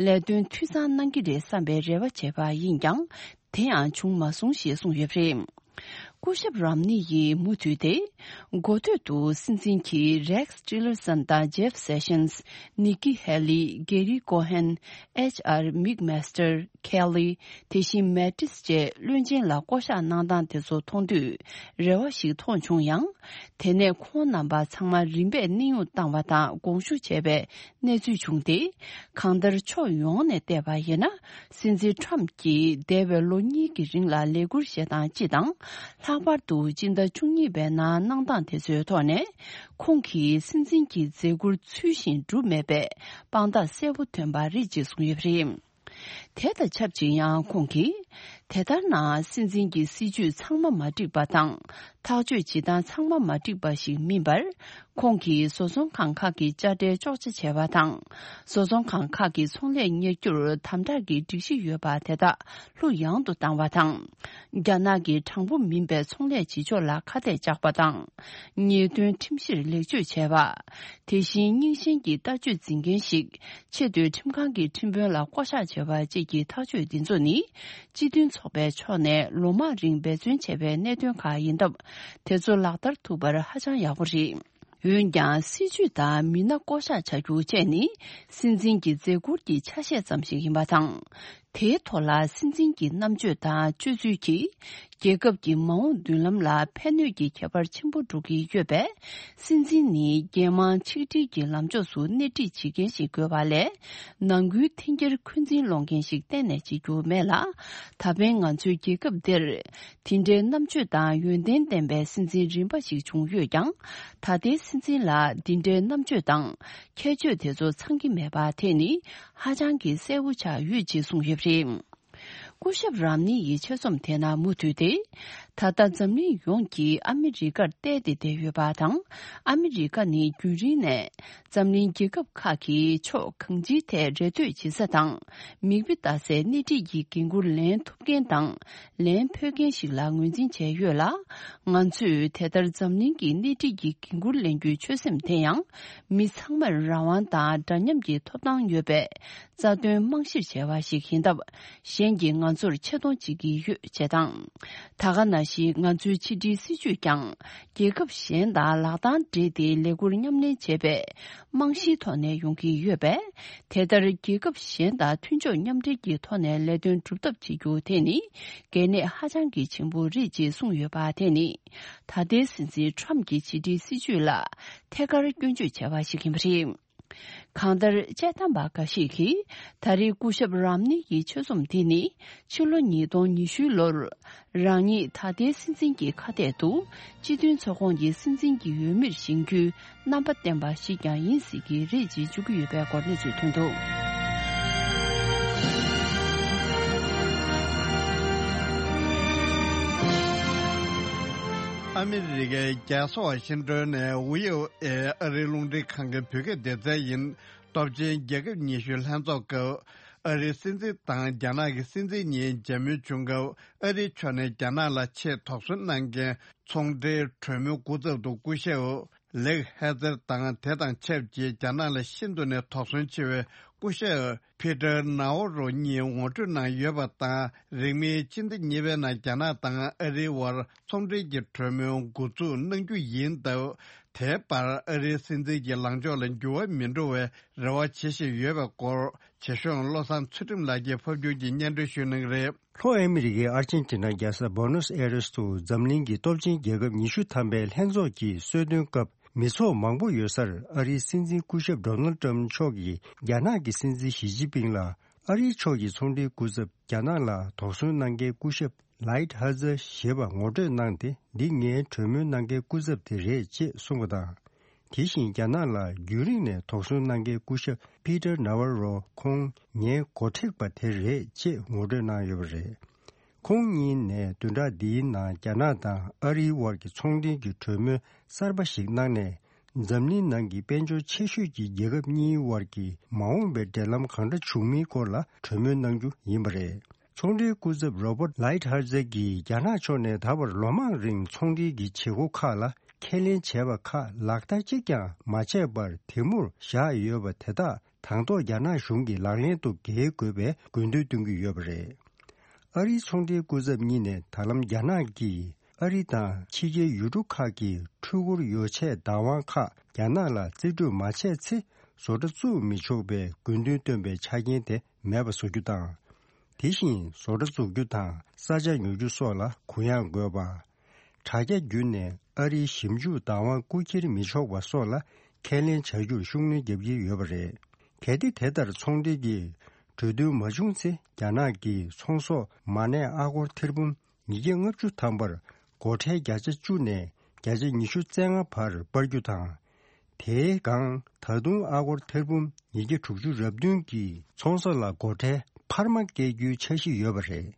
ལས་དོན་འཐུས་ཚང་གནང་གི་རེད་བསམ་པའི་རེ་བ་བྱས་པ་ཡིན་ཀྱང་། དེ་ཡང་བྱུང་མ་སོང་ཞེས་གསུངས་ཡོད་པ་རེད། སྐུ་ཞབས་རམ་ནི་ཡིས་མུ་མཐུད་དེ། འགོ་སྟོད་དུ་སྲིད་འཛིན་གྱིས་རེགས་ཊི་ལར་སན་དང་ཇེབ་སེ་ཤན། ནི་ཀི་ཧེ་ལི། གེ་རི་ཀོ་ཧན། ཨེཆ་ཨར་མིག་མེ་སི་ཊར། ཁེ་ལི། དེ་བཞིན་མེ་ཏིས་བཅས་བློན་ཆེན་ལ་བསྐོ་གཞག་གནང་སྟངས་དེ་ཚོ་མཐོང་དུས་རེ་བ་ཞིག་མཐོང་བྱུང་ཡང་། དེ་ནས་ཁོང་རྣམ་པ་ཚང་མ་རིམ་པས་གནས་དབྱུང་བཏང་བ་དང་དགོངས་ཞུ་བྱས་པའི་གནས་ཚུལ་བྱུང་སྟེ། གང་ལྟར་ཕྱོགས་ཡོངས་ནས་བལྟས་པ་ཡིན་ན། སྲིད་འཛིན་ཊམ་གྱིས་འདས་པའི་ལོ་གཉིས་ཀྱི་རིང་ལ་ལས་འཁུར་བཞེས་སྟངས་སྤྱི་དང་། ལྷག་པར་དུ་སྤྱི་ཟླ་བཅུ་གཉིས་པའི་ནང་གནང་སྟངས་དེ་ཚོའི་ཐོག་ནས། ཁོང་གིས་སྲིད་འཛིན་གྱི་མཛད་ཁུར་ཚུལ་བཞིན་བསྒྲུབས་མེད་པའི་དཔང་རྟགས་གསལ་པོ་ཐོན་པ་རེད་ཅེས་གསུངས་ཡོད་པ་རེད། དེ་དང་ཆབས་ཅིག་ཡང་ཁོང་གིས། དེ་ལྟར་ན་སྲིད་འཛིན་གྱི་སྲིད་ཇུས་ཚང་མ་མ་འགྲིག་པ་དང་། ཐག་གཅོད་བྱེད་སྟངས་ཚང་མ་མ་འགྲིག་པ་ཞིག་མིན་པར། ཁོང་གིས་བཟོ་ཚོང་ཁང་ཁག་གི་དཔྱ་ཁྲལ་གཅོག་ཆ་བྱས་པ་དང་། བཟོ་ཚོང་ཁང་ཁག་གི་ཚོང་ལས་གཉེར་རྒྱུར་དམ་དྲག་གི་སྒྲིག་གཞི་ཡོད་པ་དེ་དག་ལྷུག་ཡངས་དུ་བཏང་བ་དང་། རྒྱ་ནག་གི་དྲང་པོ་མིན་པའི་ཚོང་ལས་བྱེད་ཕྱོགས་ལ་ཁ་གཏད་བཅག་པ་དང་། ཉེས་དོན་ཁྲིམས་གཞིར་ལེགས་བཅོས་བྱས་པ། དེ་བཞིན་རྙིང་ཞེན་གྱི་ལྟ་སྤྱོད་འཛིན་མཁན་ཞིག་ཆེས་མཐོའི་ཁྲིམས་ཁང་གི་ཁྲིམས་དཔོན་ལ་བསྐོ་གཞག་བྱས་པ་བཅས་ཀྱི་ཐག་གཅོད་འདི་ཚོ་ནི། སྤྱི་མཐུན་ཚོགས་པའི་ཕྱོགས་ནས་ལོ་མང་རིང་འབད་བརྩོན་བྱས་པའི་གནད་དོན་ཁག་ཡིན་སྟབས། དེ་ཚོ་ལག་བསྟར་ཐུབ་པར་ཧ་ཅང་ཡག་པོ་རེད། འོན་ཀྱང་། སྲིད་ཇུས་དང་མི་སྣ་བསྐོ་གཞག་བྱ་རྒྱུ་བཅས་ནི། སྲིད་འཛིན་གྱི་མཛད་ཁུར་གྱི་ཆ་ཤས་ཙམ་ཞིག་ཡིན་པ་དང་། དེའི་ཐོག་ལ་སྲིད་འཛིན་གྱི་རྣམ་དཔྱོད་དང་སྤྱོད་ཚུལ་གྱིས། རྒྱལ་ཁབ་ཀྱི་མ་འོངས་མདུན་ལམ་ལ་ཕན་གནོད་ཀྱི་ཁྱད་པར་ཆེན་པོ་འགྲོ་གི་ཡོད་པས། སྲིད་འཛིན་ནི་རྒྱལ་དམངས་ཆིག་སྒྲིལ་གྱི་ལམ་ཕྱོགས་སུ་སྣེ་ཁྲིད་བྱེད་མཁན་ཞིག་དགོས་པ་ལས། ནང་ཁུལ་འཐེན་འཁྱེར་འཁོན་འཛིན་སློང་མཁན་ཞིག་གཏན་ནས་བྱེད་རྒྱུ་མེད་ལ། ད་ཕན་ང་ཚོའི་རྒྱལ་ཁབ་འདིར། དེ་འདྲའི་རྣམ་དཔྱོད་དང་ཡོན་ཏན་ལྡན་པའི་སྲིད་འཛིན་རིམ་པ་ཞིག་བྱུང་ཡོད་ཀྱང་། ད་ལྟའི་སྲིད་འཛིན་ལ་འདི་འདྲའི་རྣམ་དཔྱོད་དང་། ཁྱད་ཆོས་དེ་ཚོ་ཚང་གི་མེད་པ་དེ་ནི་ཧ་ཅང་གི་གསལ་པོ་ཆགས་ཡོད་ཅེས་གསུངས་ཡོད་པ་རེད། སྐུ་ཞབས་རམ་ནི་ཡི་ཆེད་རྩོམ་དེ་ནང་མུ་མཐུད་དེ། ད་ལྟ་འཛམ་གླིང་ཡོངས་ཀྱིས་ཨ་མི་རི་ཀར་བལྟས་ཏེ་བསྡད་ཡོད་པ་དང་། ཨ་མི་རི་ཀ་ནི་རྒྱུན་རིང་ནས་འཛམ་གླིང་རྒྱལ་ཁབ་ཁག་གི་ཕྱོགས་གང་ཅིའི་ཐད་རེ་ལྟོས་བྱེད་ས་དང་། མིག་དཔེ་ལྟ་སའི་སྣེ་ཁྲིད་ཀྱི་འགན་འཁུར་ལེན་ཐུབ་མཁན་དང་། ལེན་ཕོད་མཁན་ཞིག་ལ་ངོས་འཛིན་བྱས་ཡོད་ལ། ང་ཚོས་དེ་ལྟར་འཛམ་གླིང་གི་སྣེ་ཁྲིད་ཀྱི་འགན་འཁུར་ལེན་རྒྱུའི་ཆོད་སེམས་དེ་ཡང་། མི་ཚང་མར་རང་དབང་དང་འདྲ་མཉམ་གྱི་ཐོབ་ཐང་ཡོད་པའི་རྩ་དོན་རྨང་གཞིར་བྱས་པ་ཞིག་ཡིན་སྟབས། གཞན་གྱིས་ང་ཚོར་ཆེ་མཐོང་བྱེད་ཀྱི་ཡོད་ཅེས་དང་། ད་ག་ནང་བཞིན་ང་ཚོའི་ཕྱི་འབྲེལ་སྲིད་ཇུས་ཀྱང་། རྒྱལ་ཁབ་གཞན་དང་ལག་གདང་སྦྲེལ་ཏེ་ལས་འཁུར་མཉམ་ལེན་བྱེད་པའི་རྨང་གཞིའི་ཐོག་ནས་ཡོང་གི་ཡོད་པས། དེ་ལྟར་རྒྱལ་ཁབ་གཞན་དང་མཐུན་ཕྱོགས་མཉམ་འབྲེལ་གྱི་ཐོག་ནས་ལས་དོན་སྒྲུབ་ཐབས་བྱེད་རྒྱུ་དེ་ནི་གལ་གནད་ཧ་ཅང་གི་ཆེན་པོ་རེད་ཅེས་གསུངས་ཡོད་པ་དེ་ནི། ད་ལྟའི་སྲིད་འཛིན་ཁྲམ་གྱི་ཕྱི་འབྲེལ་སྲིད་ཇུས་ལ་ཐད་ཀར་སྐྱོན་བརྗོད་བྱས་པ་ཞིག་ཡིན་པ་རེད། གང་ལྟར། དཔྱད་གཏམ་པ་འགའ་ཞིག་གིས། ད་རེས་སྐུ་ཞབས་རམ་ནི་ཡི་ཆོད་སེམས་འདི་ནི། ཕྱི་ལོ་ཉིས་སྟོང་ཉི་ཤུ་ལོར། རང་ཉིད་ད་ལྟའི་སྲིད་འཛིན་གྱི་ཁ་གཏད་དུ། སྤྱི་མཐུན་ཚོགས་ཁོངས་ཀྱི་སྲིད་འཛིན་གྱི་འོས་མིར་བཞེངས་རྒྱུའི་རྣམ་པ་བསྟན་པ་ཞིག་ཀྱང་ཡིན་སྲིད་ཀྱི་རེད་ཅེས་བརྗོད་ཀྱི་ཡོད་པའི་སྐོར་གནས་ཚུལ་ཐོན་འདུག། ཨ་མི་རི་ཀའི་རྒྱལ་ས་ཝ་ཤིང་ཏོན་ནས་ཝི་ཨོ་ཨེ་ཨ་རིའི་རླུང་འཕྲིན་ཁང་གི་བོད་སྐད་སྡེ་ཚན་ཡིན། སྟོབས་ཆེན་རྒྱལ་ཁབ་ཉི་ཤུའི་ལྷན་ཚོགས་སྐབས། ཨ་རིའི་སྲིད་འཛིན་དང་རྒྱ་ནག་གི་སྲིད་འཛིན་གཉིས་མཇལ་མོལ་བྱུང་སྐབས། ཨ་རིའི་ཕྱོགས་ནས་རྒྱ་ནག་ལ་ཆེས་དོགས་ཟོན་གནང་མཁན་ཚོང་འབྲེལ་གྲོས་མོལ་སྐུ་ཚབ་ཏུ་སྐུ་ཞབས་ལེག་ཧེ་ཛར་དང་། དེ་དང་ཆབས་ཅིག་རྒྱ་ནག་ལ་ཤིན་ཏུ་ནས་དོགས་ཟོན་ཆེ་བའི་སྐུ་ཞབས་ཕི་ཏར་ནའོ་རོ་གཉིས་ངོ་སྤྲོད་གནང་ཡོད་པ་དང་། རིང་མིན་སྤྱི་ཟླ་གཉིས་པའི་ནང་རྒྱ་ནག་དང་ཨ་རིའི་དབར་ཚོང་འབྲེལ་གྱི་གྲོས་མོལ་འགོ་འཛུགས་གནང་རྒྱུ་ཡིན་སྟབས། དེའི་བར་ཨ་རིའི་སྲིད་འཛིན་གྱི་ལངས་ཕྱོགས་ལ་འགྱུར་བ་མི་འགྲོ་བའི་རེ་བ་བྱེད་བཞིན་ཡོད་པའི་སྐོར། བྱེད་གཞུང་བློ་བཟང་ཚུལ་ཁྲིམས་ལགས་ཀྱིས་ཕབ་སྒྱུར་གྱིས་སྙན་སྒྲོན་ཞུ་གནང་གི་རེད། ལྷོ་ཨ་མི་རི་ཀའི་ཨར་ཅན་ཊི་ན་རྒྱལ་ས་བོ་ནོས་ཨེ་རེས་དུ་འཛམ་གླིང་གི་སྟོབས་ཆེན་རྒྱལ་ཁབ་ཉི་ཤུ་ཐམ་པའི་ལྷན་ཚོགས་ཀྱི་གསོལ་སྟོན་སྐབས། མི་ཚོགས་མང་པོ་ཡོད་སར་ཨ་རིའི་སྲིད་འཛིན་སྐུ་ཞབས་ཌོ་ནལ་ཊམ་མཆོག་གིས་རྒྱ་ནག་གི་སྲིད་འཛིན་ཞི་ཅིན་ཕིང་ལ། ཨ་རིའི་ཕྱོགས་ཀྱི་ཚོང་འབྲེལ་སྐུ་ཚབ་རྒྱ་ནག་ལ་དོགས་ཟོན་གནང་མཁན་སྐུ་ཞབས་ལའིད་ཧ་ཛར་ཞེས་པ་ངོ་སྤྲོད་གནང་སྟེ། འདི་ངའི་གྲོས་མོལ་གནང་མཁན་སྐུ་ཚབ་དེ་རེད་ཅེས་གསུངས་པ་དང་། དེ་བཞིན་རྒྱ་ནག་ལ་རྒྱུན་རིང་ནས་དོགས་ཟོན་གནང་མཁན་སྐུ་ཞབས་ཕི་ཏར་ནཱ་ཝར་རོ་ཁོང་ངའི་འགོ་ཁྲིད་པ་དེ་རེད་ཅེས་ངོ་སྤྲོད་གནང་ཡོད་པ་རེད། ཁོང་གཉིས་ནས་བདུན་ཕྲག་འདིའི་ནང་རྒྱ་ནག་དང་ཨ་རིའི་དབར་གྱི་ཚོང་འབྲེལ་གྱི་གྲོས་མོལ་གསར་པ་ཞིག་གནང་ནས། འཛམ་གླིང་ནང་གི་དཔལ་འབྱོར་ཆེ་ཤོས་ཀྱི་རྒྱལ་ཁབ་གཉིས་དབར་གྱི་མ་འོངས་པའི་འབྲེལ་ལམ་གང་འདྲ་བྱུང་མིན་སྐོར་ལ་གྲོས་མོལ་གནང་རྒྱུ་ཡིན་པ་རེད། ཚོང་འབྲེལ་སྐུ་ཚབ་རོ་པར་ལའིད་ཧར་ཛར་གྱིས་རྒྱ་ནག་ཕྱོགས་ནས་ད་བར་ལོ་མང་རིང་ཚོང་འབྲེལ་གྱི་བྱེད་སྒོ་ཁག་ལ་ཁས་ལེན་བྱས་པ་ཁག་ལག་བསྟར་གཅིག་ཀྱང་མ་བྱས་པར་དེ་མུར་བཞག་ཡོད་པ་དེ་དག་དང་ཐོག་རྒྱ་ནག་གཞུང་གིས་ལག་ལེན་དུ་འགེལ་དགོས་པའི་དགོས་འདུན་བཏོན་གྱི་ཡོད་པ་རེད། ཨ་རིའི་ཚོང་འབྲེལ་སྐུ་ཚབ་གཉིས་ནས་ད་ལམ་རྒྱ་ནག་གིས་ཨ་རི་དང་ཕྱི་རྒྱལ་ཡུལ་གྲུ་ཁག་གི་འཕྲུལ་འཁོར་ཡོ་ཆས་བདག་དབང་ཁག་རྒྱ་ནག་ལ་རྩིས་སྤྲོད་མ་བྱས་ཚེ་བཟོ་གྲྭ་བཙུགས་མི་ཆོག་པའི་དགོས་འདུན་བཏོན་པའི་ཆ་རྐྱེན་དེ་མེད་པ་བཟོ་རྒྱུ་དང་། དེ་བཞིན་བཟོ་གྲྭ་བཙུགས་རྒྱུ་དང་ས་ཆ་ཉོ་རྒྱུ་སོགས་ལ་གུ་ཡངས་དགོས་པ། དྲ་རྒྱ་བརྒྱུད་ནས་ཨ་རིའི་ཞིབ་འཇུག་བདག་དབང་རྐུ་འཁྱེར་མི་ཆོག་པ་སོགས་ལ་ཁས་ལེན་བྱ་རྒྱུར་ཤུགས་སྣོན་རྒྱག་གི་ཡོད་པ་རེད། གལ་ཏེ་དེ་ལྟར་ཚོང་འབྲེལ་གྱི་གྲོས་མཐུན་མ་བྱུང་ཚེ། རྒྱ་ནག་གིས་ཚོང་ཟོག་མ་གནས་ཨ་སྒོར་ཐེར་འབུམ་ཉིས་བརྒྱ་ལྔ་བཅུ་ཐམ་པར་སྒོ་ཁྲལ་བརྒྱ་ཆ་བཅུ་ནས་བརྒྱ་ཆ་ཉི་ཤུ་རྩ་ལྔ་བར་སྤར་རྒྱུ་དང་། དེའི་སྒང་ད་དུང་ཨ་སྒོར་ཐེར་འབུམ་ཉིས་བརྒྱ་དྲུག་ཅུ་རེ་བདུན་གྱི་ཚོང་ཟོག་ལ་སྒོ་ཁྲལ་འཕར་མ་བཀལ་རྒྱུའི་འཆར་གཞི་ཡོད་པ་རེད།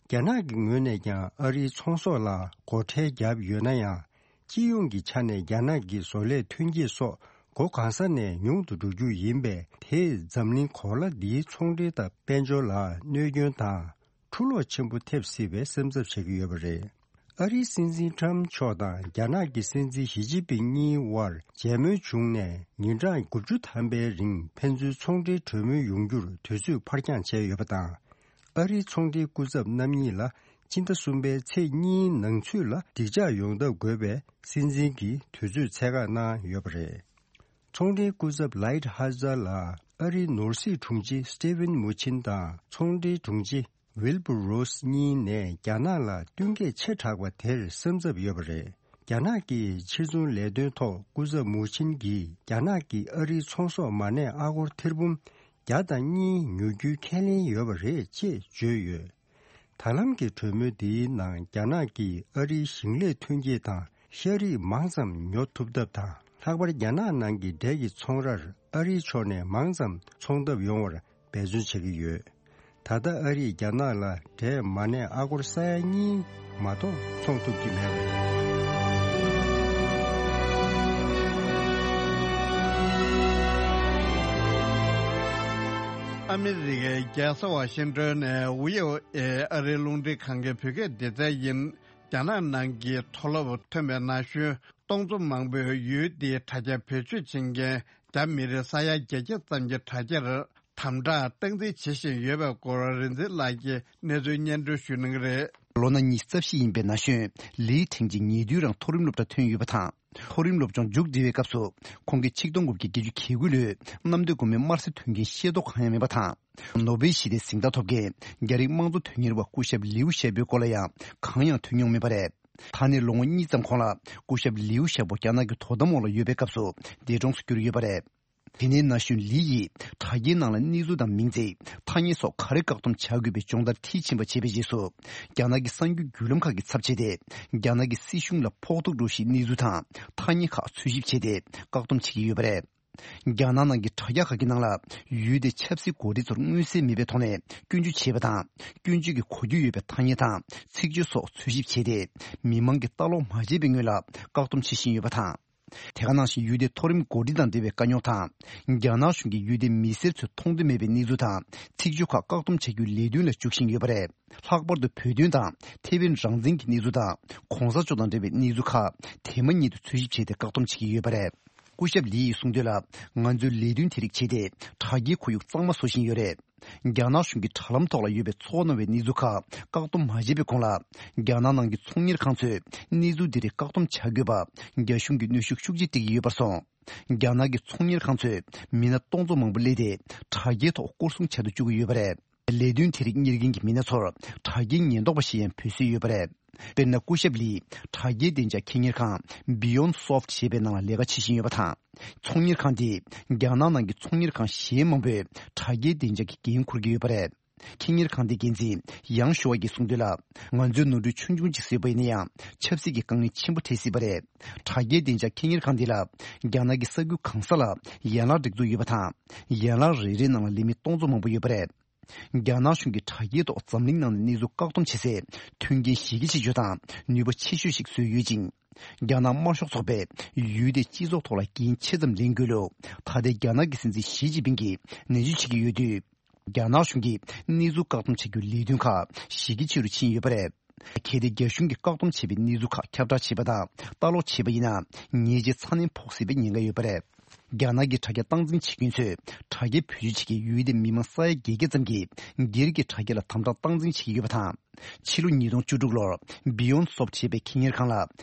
རྒྱ་ནག་གི་ངོས་ནས་ཀྱང་ཨ་རིའི་ཚོང་ཟོག་ལ་སྒོ་ཁྲལ་བརྒྱབ་ཡོད་ན་ཡང་། སྤྱི་ཡོངས་ཀྱི་ཆ་ནས་རྒྱ་ནག་གི་བཟོ་ལས་ཐོན་སྐྱེད་སོགས་སྒོ་གང་ས་ནས་ཉུང་དུ་འགྲོ་རྒྱུ་ཡིན་པས། དེས་འཛམ་གླིང་གོ་ལ་འདིའི་ཚོང་འབྲེལ་དང་དཔལ་འབྱོར་ལ་གནོད་སྐྱོན་དང་འཁྲུ་སློག་ཆེན་པོ་ཐེབས་སྲིད་པའི་སེམས་འཚབ་བྱེད་ཀྱི་ཡོད་པ་རེད། ཨ་རིའི་སྲིད་འཛིན་ཁྲམ་མཆོག་དང་རྒྱ་ནག་གི་སྲིད་འཛིན་ཞི་ཅིན་ཕིང་གཉིས་དབར་མཇལ་མོལ་བྱུང་ནས་ཉིན་གྲངས་དགུ་བཅུ་ཐམ་པའི་རིང་ཕན་ཚུན་ཚོང་འབྲེལ་གྲོས་མོལ་ཡོང་རྒྱུར་དུས་ཚོད་ཕར་འགྱངས་བྱས་ཡོད་པ་དང་། ཨ་རིའི་ཚོང་འབྲེལ་སྐུ་ཚབ་རྣམ་གཉིས་ལ་སྤྱི་ཟླ་གསུམ་པའི་ཚེས་གཉིས་ནང་ཚུད་ལ་འགྲིག་འཇགས་ཡོང་ཐབས་དགོས་པའི་སྲིད་འཛིན་གྱིས་དུས་ཚོད་ཚད་བཀག་གནང་ཡོད་པ་རེད། ཚོང་འབྲེལ་སྐུ་ཚབ་ལའིད་ཧ་ཛར་ལ་ཨ་རིའི་ནོར་སྲིད་དྲུང་ཆེ་སི་ཏི་ཝིན་མུ་ཆིན་དང་ཚོང་འབྲེལ་དྲུང་ཆེ་ཝིལ་བུ་རོ་སི་གཉིས་ནས་རྒྱ་ནག་ལ་བསྟུན་མཁས་ཆེ་དྲགས་པ་དེར་སེམས་འཚབ་ཡོད་པ་རེད། རྒྱ་ནག་གི་ཕྱིར་ཚོང་ལས་དོན་ཐོག་སྐུ་ཚབ་མུ་ཆིན་གྱིས་རྒྱ་ནག་གིས་ཨ་རིའི་ཚོང་ཟོག་མ་གནས་ཨ་སྒོར་ཐེར་འབུམ་བརྒྱ་དང་གཉིས་ཉོ་རྒྱུའི་ཁས་ལེན་ཡོད་པ་རེད་ཅེས་བརྗོད་ཡོད། ད་ལམ་གྱི་གྲོས་མོལ་འདིའི་ནང་རྒྱ་ནག་གིས་ཨ་རིའི་ཞིང་ལས་ཐོན་སྐྱེད་དང་ཤ་རིགས་མང་ཙམ་ཉོ་ཐུབ་ཐབས་དང་། ལྷག་པར་རྒྱ་ནག་ནང་གི་འབྲས་ཀྱི་ཚོང་རར་ཨ་རིའི་ཕྱོགས་ནས་མང་ཙམ་ཚོང་ཐབས་ཡོང་བར་འབད་བརྩོན་བྱེད་ཀྱི་ཡོད། ད་ལྟ་ཨ་རིས་རྒྱ་ནག་ལ་འབྲས་མ་གནས་ཨ་སྒོར་ས་ཡ་གཉིས་མ་གཏོགས་ཚོང་ཐུབ་ཀྱི་མེད་པ་རེད། ཨ་མི་རི་ཀའི་རྒྱལ་ས་ཝ་ཤིང་ཏོན་ནས་ཝི་ཨོ་ཨེ་ཨ་རིའི་རླུང་འཕྲིན་ཁང་གི་བོད་སྐད་སྡེ་ཚན་ཡིན། རྒྱ་ནག་ནང་གི་མཐོ་སློབ་ཐོན་པའི་ན་གཞོན་སྟོང་ཚོ་མང་པོས་ཡུལ་དེའི་དྲ་རྒྱ་བེད་སྤྱོད་བྱེད་མཁན་རྒྱ་མི་རིགས་ས་ཡ་བརྒྱད་བརྒྱ་ཙམ་གྱི་དྲ་རྒྱར་དམ་དྲག་སྟངས་འཛིན་བྱེད་བཞིན་ཡོད་པའི་སྐོར་རིག་འཛིན་ལགས་ཀྱིས་གནས་ཚུལ་སྙན་སྒྲོན་ཞུ་གནང་གི་རེད། ལོ་ན་ཉི་ཤུ་རྩ་བཞི་ཡིན་པའི་ན་གཞོན་ལི་ཁྲེང་ཅིང་ཉེ་དུས་རང་མཐོ་རིམ་སློབ་གྲྭ་ཐོན་ཡོད་པ་དང་། མཐོ་རིམ་སློབ་སྦྱོང་མཇུག་སྒྲིལ་བའི་སྐབས་སུ་ཁོང་གིས་ཆིག་སྟོང་དགུ་བརྒྱ་བརྒྱད་ཅུ་གྱ་དགུ་ལོའི་གནམ་བདེ་སྒོ་མོའི་དམར་གསོད་དོན་རྐྱེན་ཤེས་རྟོགས་གང་ཡང་མེད་པ་དང་། ནོ་བེལ་ཞི་བདེའི་གཟེངས་རྟགས་ཐོབ་མཁན་རྒྱ་རིགས་དམངས་གཙོ་དོན་གཉེར་བ་སྐུ་ཞབས་ལིའུ་ཞའོ་པོའི་སྐོར་ལ་ཡང་གང་ཡང་ཐོས་མྱོང་མེད་པ་རེད། ད་ནས་ལོ་ངོ་གཉིས་ཙམ་གོང་ལ་སྐུ་ཞབས་ལིའུ་ཞའོ་པོ་རྒྱ་ནག་གི་དོ་དམ་འོག་ལ་ཡོད་པའི་སྐབས་སུ་འདས་གྲོངས་སུ་གྱུར་ཡོད་པ་རེད། དེ་ནས་ན་གཞོན་ལི་ཡིས་དྲ་རྒྱའི་ནང་ལ་གནས་ཚུལ་དང་མིང་ཚིག་ཐ་སྙད་སོགས་ག་རེ་བཀག་སྡོམ་བྱ་དགོས་པའི་སྦྱོང་བརྡར་མཐིལ་ཕྱིན་པ་བྱས་པའི་རྗེས་སུ། རྒྱ་ནག་གི་གསར་འགྱུར་བརྒྱུད་ལམ་ཁག་གི་ཚབ་བྱས་ཏེ། རྒྱ་ནག་གི་སྲིད་གཞུང་ལ་ཕོག་ཐུག་འགྲོ་གཞིའི་གནས་ཚུལ་དང་ཐ་སྙད་ཁག་འཚོལ་ཞིབ་བྱས་ཏེ། བཀག་སྡོམ་བྱེད་ཀྱི་ཡོད་པ་རེད། རྒྱ་ནག་ནང་གི་དྲ་རྒྱ་ཁག་གི་ནང་ལ་ཡུལ་དེའི་ཆབ་སྲིད་འགོ་ཁྲིད་ཚོར་མངོན་གསལ་མེད་པའི་ཐོག་ནས་སྐྱོན་བརྗོད་བྱེད་པ་དང་། སྐྱོན་བརྗོད་ཀྱི་གོ་རྒྱུ་ཡོད་པའི་ཐ་སྙད་དང་ཚིག་བརྗོད་སོགས་འཚོལ་ཞིབ་བྱས་ཏེ། མི་མང་གིས་ལྟ་ཀློག་མ་བྱས་པའི་སྔོན་ལ་བཀག་སྡོམ་བྱེད་བཞིན་ཡོད་པ་དང་། དེ་ག་ནང་བཞིན་ཡུལ་དེའི་མཐོ་རིམ་འགོ་ཁྲིད་དང་འབྲེལ་བའི་དཀའ་རྙོག་དང་། རྒྱ་ནག་གཞུང་གིས་ཡུལ་དེའི་མི་སེར་ཚོས་མཐོང་འདོད་མེད་པའི་གནས་ཚུལ་དང་ཚིག་བརྗོད་ཁག་བཀག་སྡོམ་བྱ་རྒྱུའི་ལས་དོན་ལ་འཇུག་བཞིན་ཡོད་པ་རེད། ལྷག་པར་དུ་བོད་དོན་དང་ཐེ་ཝན་རང་བཙན་གྱི་གནས་ཚུལ་དང་གོང་ས་མཆོག་དང་འབྲེལ་བའི་གནས་ཚུལ་ཁག་དེ་མ་ཉིད་དུ་འཚོལ་ཞིབ་བྱས་ཏེ་བཀག་སྡོམ་བྱེད་ཀྱི་ཡོད་པ་རེད། སྐུ་ཞབས་ལི་ཡིས་གསུངས་དོན་ལ། ང་ཚོས་ལས་དོན་དེ་རིགས་བྱས་ཏེ་དྲ་རྒྱའི་ཁོར་ཡུག་གཙང་མ་བཟོ་བཞིན་ཡོད་རེད། རྒྱ་ནག་གཞུང་གིས་དྲ་ལམ་ཐོག་ལ་ཡོད་པའི་ཚོར་སྣང་བའི་གནས་ཚུལ་ཁག་བཀག་སྡོམ་མ་བྱས་པའི་གོང་ལ། རྒྱ་ནག་ནང་གི་ཚོང་གཉེར་ཁང་ཚོས་གནས་ཚུལ་འདི་རིགས་བཀག་སྡོམ་བྱ་དགོས་པ་རྒྱ་གཞུང་གིས་གནོན་ཤུགས་ཤུགས་ཆེ་སྤྲད་ཀྱི་ཡོད་པར་སོང་། རྒྱ་ནག་གི་ཚོང་གཉེར་ཁང་ཚོས་མི་སྣ་སྟོང་ཚོ་མང་པོ་གླས་ཏེ་དྲ་རྒྱའི་ཐོག་སྐོར་སྲུང་བྱ་དུ་བཅུག་གི་ཡོད་པ་རེད། ལས་དོན་དེ་རིགས་གཉེར་མཁན་གྱི་མི་སྣ་ཚོར་དྲ་རྒྱའི་ཉེན་རྟོག་པ་ཞེས་ཡང་འབོད་སྲོལ་ཡོད་པ་རེད། དཔེར་ན། སྐུ་ཞབས་ལིས་དྲ་རྒྱའི་བདེ་འཇགས་ཁེ་གཉེར་ཁང་Beyond Soft ཞེས་པའི་ནང་ལ་ལས་ཀ་བྱེད་བཞིན་ཡོད་པ་དང་། ཚོང་གཉེར་ཁང་དེས་རྒྱ་ནག་ནང་གི་ཚོང་གཉེར་ཁང་གཞན་མང་པོའི་དྲ་རྒྱའི་བདེ་འཇགས་ཀྱི་འགན་འཁུར་གྱི་ཡོད་པ་རེད། ཁེ་གཉེར་ཁང་དེའི་འགན་འཛིན་ཡང་ཞུ་བ་གིས་གསུངས་དོན་ལ། ང་ཚོའི་ནོར་འཁྲུལ་ཆུང་ཆུང་ཅིག་བཟོས་པ་ཡིན་ན་ཡང་ཆབ་སྲིད་ཀྱི་དཀའ་ངལ་ཆེན་པོ་འཕྲད་སྲིད་པ་རེད། དྲ་རྒྱའི་བདེ་འཇགས་ཁེ་གཉེར་ཁང་འདི་ལ་རྒྱ་ནག་གི་ས་ཁུལ་གང་ས་ལ་ཡན་ལག་སྒྲིག་འཛུགས་ཡོད་པ་དང་། ཡན་ལག་རེ་རེའི་ནང་ལ་ལས་མི་སྟོང་ཚོ་མང་པོ་ཡོད་པ་རེད། རྒྱ་ནག་གཞུང་གིས་དྲ་རྒྱའི་ཐོག་འཛམ་གླིང་ནང་ནས་གནས་ཚུལ་བཀག་སྡོམ་བྱེད་སའི་མཐུན་རྐྱེན་གཞི་རྒྱ་ཆེ་ཤོས་དང་ནུས་པ་ཆེ་ཤོས་ཤིག་བཟོས་ཡོད་ཅིང་། རྒྱ་ནག་དམར་ཤོག་ཚོགས་པས་ཡུལ་དེའི་སྤྱི་ཚོགས་ཐོག་ལ་འགན་ཆེ་ཙམ་ལེན་དགོས་ལུགས་ད་ལྟའི་རྒྱ་ནག་གི་སྲིད་འཛིན་ཞི་ཅིན་ཕིང་གིས་ནན་བརྗོད་བྱེད་ཀྱི་ཡོད་དུས། རྒྱ་ནག་གཞུང་གིས་གནས་ཚུལ་བཀག་སྡོམ་བྱ་རྒྱུའི་ལས་དོན་ཁག་གཞི་རྒྱ་ཆེ་རུ་ཕྱིན་ཡོད་པ་རེད། གལ་ཏེ་རྒྱ་གཞུང་གིས་བཀག་སྡོམ་བྱས་པའི་གནས་ཚུལ་ཁག་ཁྱབ་བསྒྲགས་བྱས་པ་དང་ལྟ་ཀློག་བྱས་པ་ཡིན་ན། ཉེས་ཆད་ཚ་ནན་ཕོག་སྲིད་པའི་ཉེན་ཁ་ཡོད་པ་རེད། རྒྱ་ནག་གི་དྲ་རྒྱ་སྟངས་འཛིན་བྱེད་མཁན་ཚོས་དྲ་རྒྱའི་བེད་སྤྱོད་བྱེད་མཁན་ཡུལ་དེའི་མི་མང་ས་ཡ་བརྒྱད་བརྒྱ་ཙམ་གྱིས་སྒེར་གྱི་དྲ་རྒྱ་ལ་དམ་དྲག་སྟངས་འཛིན་བྱེད་ཀྱི་ཡོད་པ་དང་། ཕྱི་ལོ་ཉིས་སྟོང་བཅུ་དྲུག་ལོར་Beyond Soft ཞེས་པའི་ཁེ་གཉེར་ཁང་ལ་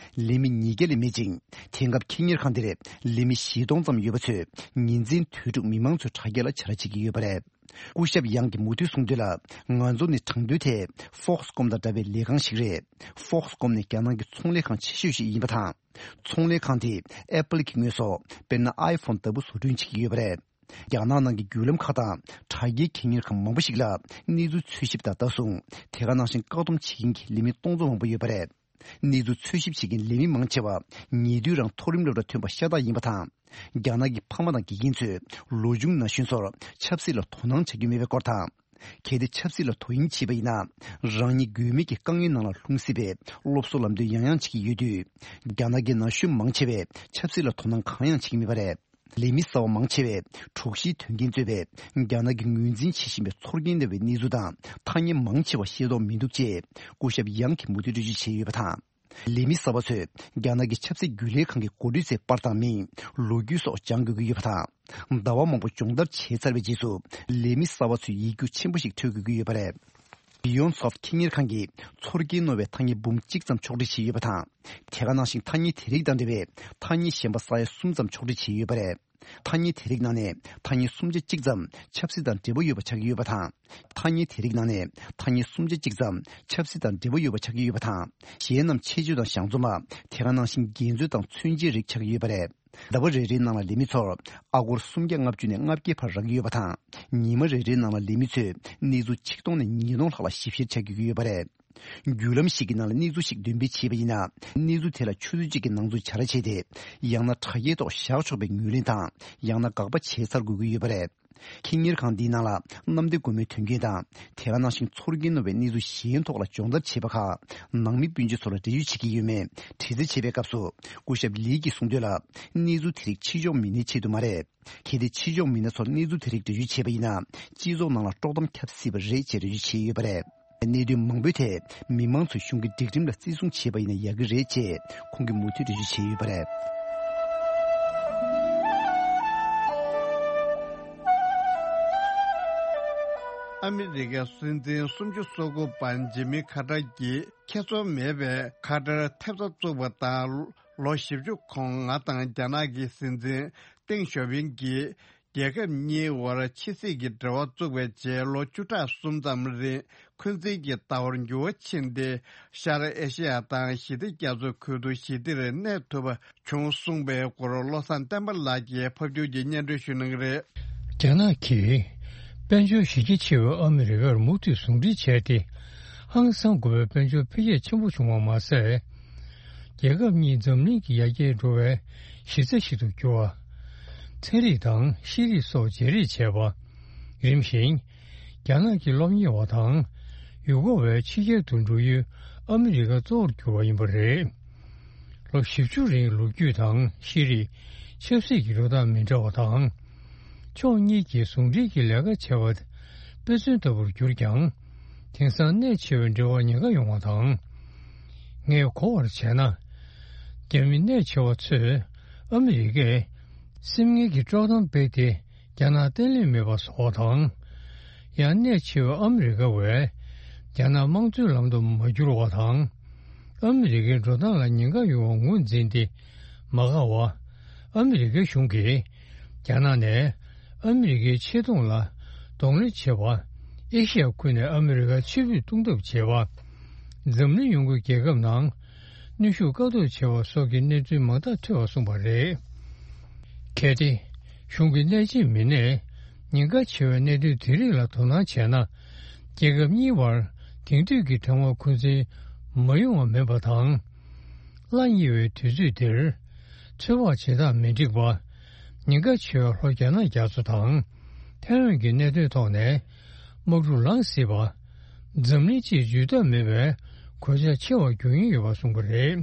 ལས་མི་ཉིས་བརྒྱ་ལས་མེད་ཅིང་། དེང་སྐབས་ཁེ་གཉེར་ཁང་འདིར་ལས་མི་བཞི་སྟོང་ཙམ་ཡོད་པ་ཚོས་ཉིན་མཚན་དུས་དྲུག་མི་མང་ཚོའི་དྲ་རྒྱ་ལ་བྱ་ར་བྱེད་ཀྱི་ཡོད་པ་རེད། སྐུ་ཞབས་ཡང་གིས་མུ་མཐུད་གསུངས་དོན་ལ། ང་ཚོ་ནི་དྲང་དོན་ཐད་Foxconn དང་འདྲ་བའི་ལས་ཁང་ཞིག་རེད། Foxconn ནི་རྒྱ་ནག་གི་ཚོང་ལས་ཁང་ཆེ་ཤོས་ཤིག་ཡིན་པ་དང་། ཚོང་ལས་ཁང་དེས་Apple གྱི་དངོས་ཟོག་དཔེར་ན་iPhone ལྟ་བུ་བཟོ་སྐྲུན་བྱེད་ཀྱི་ཡོད་པ་རེད། རྒྱ་ནག་ནང་གི་བརྒྱུད་ལམ་ཁག་དང་དྲ་རྒྱའི་ཁེ་གཉེར་ཁང་མང་པོ་ཞིག་ལ་གནས་ཚུལ་འཚོལ་ཞིབ་དང་ལྟ་སྲུང་། དེ་ག་ནང་བཞིན་བཀག་སྡོམ་བྱེད་མཁན་གྱི་ལས་མི་སྟོང་ཚོ་མང་པོ་ཡོད་པ་རེད། གནས་ཚུལ་འཚོལ་ཞིབ་བྱེད་མཁན་ལས་མི་མང་ཆེ་བ་ཉེ་དུས་རང་མཐོ་རིམ་སློབ་གྲྭ་ཐོན་པ་ཤ་སྟག་ཡིན་པ་དང་། རྒྱ་ནག་གི་ཕ་མ་དང་དགེ་རྒན་ཚོས་ལོ་ཆུང་ན་གཞོན་ཚོར་ཆབ་སྲིད་ལ་དོ་སྣང་བྱ་རྒྱུ་མེད་པའི་སྐོར་དང་། གལ་ཏེ་ཆབ་སྲིད་ལ་དོ་དབྱིངས་བྱས་པ་ཡིན་ན། རང་ཉིད་དགོས་མེད་ཀྱི་དཀའ་ངལ་ནང་ལ་ལྷུང་སྲིད་པས་སློབ་གསོ་ལམ་སྟོན་ཡང་ཡང་བྱེད་ཀྱི་ཡོད་དུས། རྒྱ་ནག་གི་ན་གཞོན་མང་ཆེ་བས་ཆབ་སྲིད་ལ་དོ་སྣང་གང་ཡང་བྱེད་ཀྱི་མེད་པ་རེད། ལས་མི་གསར་པ་མང་ཆེ་བས་དྲུག་བཞིའི་དོན་རྐྱེན་གཙོས་པའི་རྒྱ་ནག་གི་ངོས་འཛིན་བྱེད་བཞིན་པའི་ཚོར་སྐྱེན་སྣ་བའི་གནས་ཚུལ་དང་ཐ་སྙད་མང་ཆེ་བ་ཤེས་རྟོགས་མི་འདུག་ཅེས་སྐུ་ཞབས་ཡང་གིས་མུ་མཐུད་འགྲེལ་བརྗོད་བྱས་ཡོད་པ་དང་། ལས་མི་གསར་པ་ཚོས་རྒྱ་ནག་གི་ཆབ་སྲིད་རྒྱུན་ལས་ཁང་གི་འགོ་ཁྲིད་ཚོའི་པར་དང་མིང་། ལོ་རྒྱུས་སོགས་སྦྱང་དགོས་ཀྱི་ཡོད་པ་དང་། ཟླ་བ་མང་པོ་སྦྱོང་བརྡར་བྱས་ཚར་བའི་རྗེས་སུ་ལས་མི་གསར་པ་ཚོས་ཡིག་རྒྱུགས་ཆེན་པོ་ཞིག་འཕྲོད་དགོས་ཀྱི་ཡོད་པ་རེད། Beyond Soft ཁེ་གཉེར་ཁང་གིས་ཚོར་སྐྱེན་རྣོ་བའི་ཐ་སྙད་འབུམ་གཅིག་ཙམ་ཕྱོགས་སྒྲིག་བྱས་ཡོད་པ་དང་། དེ་ག་ནང་བཞིན་ཐ་སྙད་དེ་རིགས་དང་འབྲེལ་བའི་ཐ་སྙད་གཞན་པ་ས་ཡ་གསུམ་ཙམ་ཕྱོགས་སྒྲིག་བྱས་ཡོད་པ་རེད། ཐ་སྙད་དེ་རིགས་ནང་ནས་ཐ་སྙད་སུམ་ཆ་གཅིག་ཙམ་ཆབ་སྲིད་དང་འབྲེལ་བ་ཡོད་པ་ཆགས་ཀྱི་ཡོད་པ་དང་། ཐ་སྙད་དེ་རིགས་ནང་ནས་ཐ་སྙད་སུམ་ཆ་གཅིག་ཙམ་ཆབ་སྲིད་དང་འབྲེལ་བ་ཡོད་པ་ཆགས་ཀྱི་ཡོད་པ་དང་། གཞན་རྣམས་ཆེད་སྤྱོད་དང་གཞང་འཛོམས་པ། དེ་ག་ནང་བཞིན་འགལ་འཛོལ་དང་མཚོན་བྱེད་རིགས་ཆགས་ཀྱི་ཡོད་པ་རེད། ཟླ་བ་རེ་རེའི་ནང་ལ་ལས་མི་ཚོར་ཨ་སྒོར་སུམ་བརྒྱ་ལྔ་བཅུ་ནས་ལྔ་བརྒྱའི་བར་རག་གི་ཡོད་པ་དང་། ཉི་མ་རེ་རེའི་ནང་ལ་ལས་མི་ཚོས་གནས་ཚུལ་ཆིག་སྟོང་ནས་ཉིས་སྟོང་ལྷག་ལ་ཞིབ་བཤེར་བྱ་དགོས་ཀྱི་ཡོད་པ་རེད། བརྒྱུད་ལམ་ཞིག་གི་ནང་ལ་གནས་ཚུལ་ཞིག་འདོན་སྤེལ་བྱས་པ་ཡིན་ན། གནས་ཚུལ་དེ་ལ་ཆུ་ཚོད་གཅིག་གི་ནང་ཚུད་བྱ་ར་བྱས་ཏེ། ཡང་ན་དྲ་རྒྱའི་ཐོག་བཞག་ཆོག་པའི་ངོས་ལེན་དང་། ཡང་ན་དགག་པ་བྱས་ཚར་དགོས་ཀྱི་ཡོད་པ་རེད། ཁེ་གཉེར་ཁང་འདིའི་ནང་ལ་གནམ་བདེ་སྒོ་མོའི་དོན་རྐྱེན་དང་། དེ་ག་ནང་བཞིན་ཚོར་སྐྱེན་རྣོ་བའི་གནས་ཚུལ་གཞན་ཐོག་ལ་སྦྱོང་བརྡར་བྱེད་པ་ཁག་ནང་མི་སྤུན་མཆེད་ཚོ་ལ་འབྲེལ་ཡོད་བྱེད་ཀྱི་ཡོད་མེད་དྲི་རྩད་བྱེད་པའི་སྐབས་སུ། སྐུ་ཞབས་ལི་གིས་གསུངས་དོན་ལ། གནས་ཚུལ་དེ་རིགས་ཕྱི་ཕྱོགས་མི་སྣའི་ཆེད་དུ་མ་རེད། གལ་ཏེ་ཕྱི་ཕྱོགས་མི་སྣ་ཚོར་གནས་ཚུལ་དེ་རིགས་འགྲེལ་བརྗོད་བྱས་པ་ཡིན་ན། སྤྱི་ཚོགས་ནང་ལ་དཀྲོག་གཏམ་ཁྱབ་སྲིད་པ་རེད་ཅེས་འགྲེལ་བརྗོད་བྱས་ཡོད་པ་རེད། གནད་དོན་མང་པོའི་ཐད་མི་མང་ཚོས་གཞུང་གི་སྒྲིག་ཁྲིམས་ལ་བརྩི་སྲུང་བྱས་པ་ཡིན་ན་ཡག་གི་རེད་ཅེས་ཁོང་གིས་མུ་མཐུད་འགྲེལ་བརྗོད་བྱས་ཡོད་པ་རེད། ཨ་མི་རི་ཀའི་སྲིད་འཛིན་སུམ་ཅུ་སོ་དགུ་པ་ཇི་མི་ཁ་ཏར་གྱིས་ཁེ་བཟང་མེད་པའི་ཁ་ཏར་ཐེབས་རྩ་བཙུགས་པ་དང་། ལོ་བཞི་བཅུ་གོང་ང་དང་རྒྱ་ནག་གི་སྲིད་འཛིན་ཏེང་ཞའོ་ཕིང་གིས། རྒྱལ་ཁབ་གཉིས་དབར་ཕྱི་སྲིད་ཀྱི་འབྲེལ་བ་བཙུགས་པའི་རྗེས་ལོ་བཅུ་ཕྲག་གསུམ་ཙམ་རིང་འཁོན་འཛིན་གྱི་ལྟ་བར་འགྱུར་བ་ཕྱིན་ཏེ། ཤར་ཨེ་ཤེ་ཡ་དང་ཞི་བདེ་རྒྱ་མཚོའི་ཁུལ་དུ་ཞི་བདེར་གནས་ཐུབ་པ་བྱུང་གསུངས་པའི་སྐོར་བློ་བཟང་བསྟན་པ་ལགས་ཀྱིས་ཕབ་སྒྱུར་གྱིས་སྙན་སྒྲོན་ཞུ་གནང་གི་རེད། རྒྱ་ནག་གིས་དཔལ་འབྱོར་གཞི་རྒྱ་ཆེ་བའི་ཨ་མི་རི་ཀར་མུ་མཐུད་ཟུང་འབྲེལ་བྱས་ཏེ། ཧང་སང་དགོས་པའི་དཔལ་འབྱོར་འཕེལ་རྒྱས་ཆེན་པོ་བྱུང་བ་མ་ཟད། རྒྱལ་ཁབ་གཉིས་འཛམ་གླིང་གི་ཡར་རྒྱས་འགྲོ་བའི་གཞི་རྩ་ཞིག་ཏུ་གྱུར་བ། ཚན་རིག་དང་ཤེས་རིག་སོགས་བརྗེ་རེས་བྱས་པ། རིམ་བཞིན། རྒྱ་ནག་གི་སློབ་གཉེར་བ་དང་། ཡུལ་སྐོར་བའི་ཕྱི་རྒྱལ་དུ་འགྲོ་ཡུལ་ཨ་མི་རི་ཀ་གཙོ་བོར་གྱུར་བ་ཡིན་པ་རེད། ལོ་བཞི་བཅུ་རིང་ལོ་རྒྱུས་དང་ཤེས་རིག་ཆབ་སྲིད་ཀྱི་འགྲོ་སྟངས་མི་འདྲ་བ་དང་། ཕྱོགས་གཉིས་ཀྱིས་ཟུང་འབྲེལ་གྱི་ལས་ཀ་བྱས་པ་དཔེ་མཚོན་ལྟ་བུར་གྱུར་ཀྱང་། དེང་སང་གནད་ཆེ་བའི་འབྲེལ་བར་ཉེན་ཁ་ཡོང་བ་དང་། ངས་གོ་བར་བྱས་ན། རྒྱ་མི་གནད་ཆེ་བ་ཚོས་ཨ་མི་རི་ཀས་སེམས་ངལ་གྱི་དཀྲོག་གཏམ་སྤེལ་ཏེ། རྒྱ་ནག་བརྟན་ལྷིང་མེད་པ་བཟོ་བ་དང་། ཡང་གནད་ཆེ་བའི་ཨ་མི་རི་ཀ་བས་རྒྱ་ནག་དམངས་གཙོའི་ལམ་དུ་མ་བསྒྱུར་བ་དང་། ཨ་མི་རི་ཀའི་འགྲོ་སྟངས་ལ་ཉེན་ཁ་ཡོང་བ་ངོས་འཛིན་ཏེ་མ་དགའ་བ། ཨ་མི་རི་ཀའི་གཞུང་གིས་རྒྱ་ནག་ནས་ཨ་མི་རི་ཀའི་ཆེ་མཐོང་ལ་གདོང་ལེན་བྱེད་པ། ཨེ་ཤི་ཡ་ཁུལ་ནས་ཨ་མི་རི་ཀར་ཕྱིར་འབུད་གཏོང་ཐབས་བྱེད་པ། འཛམ་གླིང་ཡོངས་ཀྱི་རྒྱལ་ཁབ་ནང་གནོན་ཤུགས་བཀག་འདོམས་བྱེད་པ་སོགས་ཀྱི་གནས་ཚུལ་མང་དག་ཐོས་པར་གསུངས་པ་རེད། གལ་ཏེ། གཞུང་གི་གནད་བརྗེད་མི་སྣས་ཉེན་ཁ་ཆེ་བའི་གནད་དོན་དེ་རིགས་ལ་དོ་སྣང་བྱས་ན། རྒྱལ་ཁབ་གཉིས་བར་དེང་དུས་ཀྱི་དྲང་བ་འཁོན་འཛིན་མ་ཡོང་བ་མིན་པ་དང་། སླར་རྙེད་པའི་དུས་ཚོད་འདིར། ཚོད་དཔག་བྱེད་སྟངས་མི་འགྲིག་པ། ཉེན་ཁ་ཆེ་བའི་ལྷོ་རྒྱ་ནག་རྒྱ་མཚོ་དང་། ཐའེ་ཝན་གྱི་གནད་དོན་ཐོག་ནས། དམག་འཁྲུག་ལངས་སྲིད་པ། འཛམ་གླིང་སྤྱིའི་ཇུས་གཏོགས་མེད་པའི་གོད་ཆག་ཆེ་བར་འགྱུར་ཉེན་ཡོད་པ་གསུངས་པ་རེད།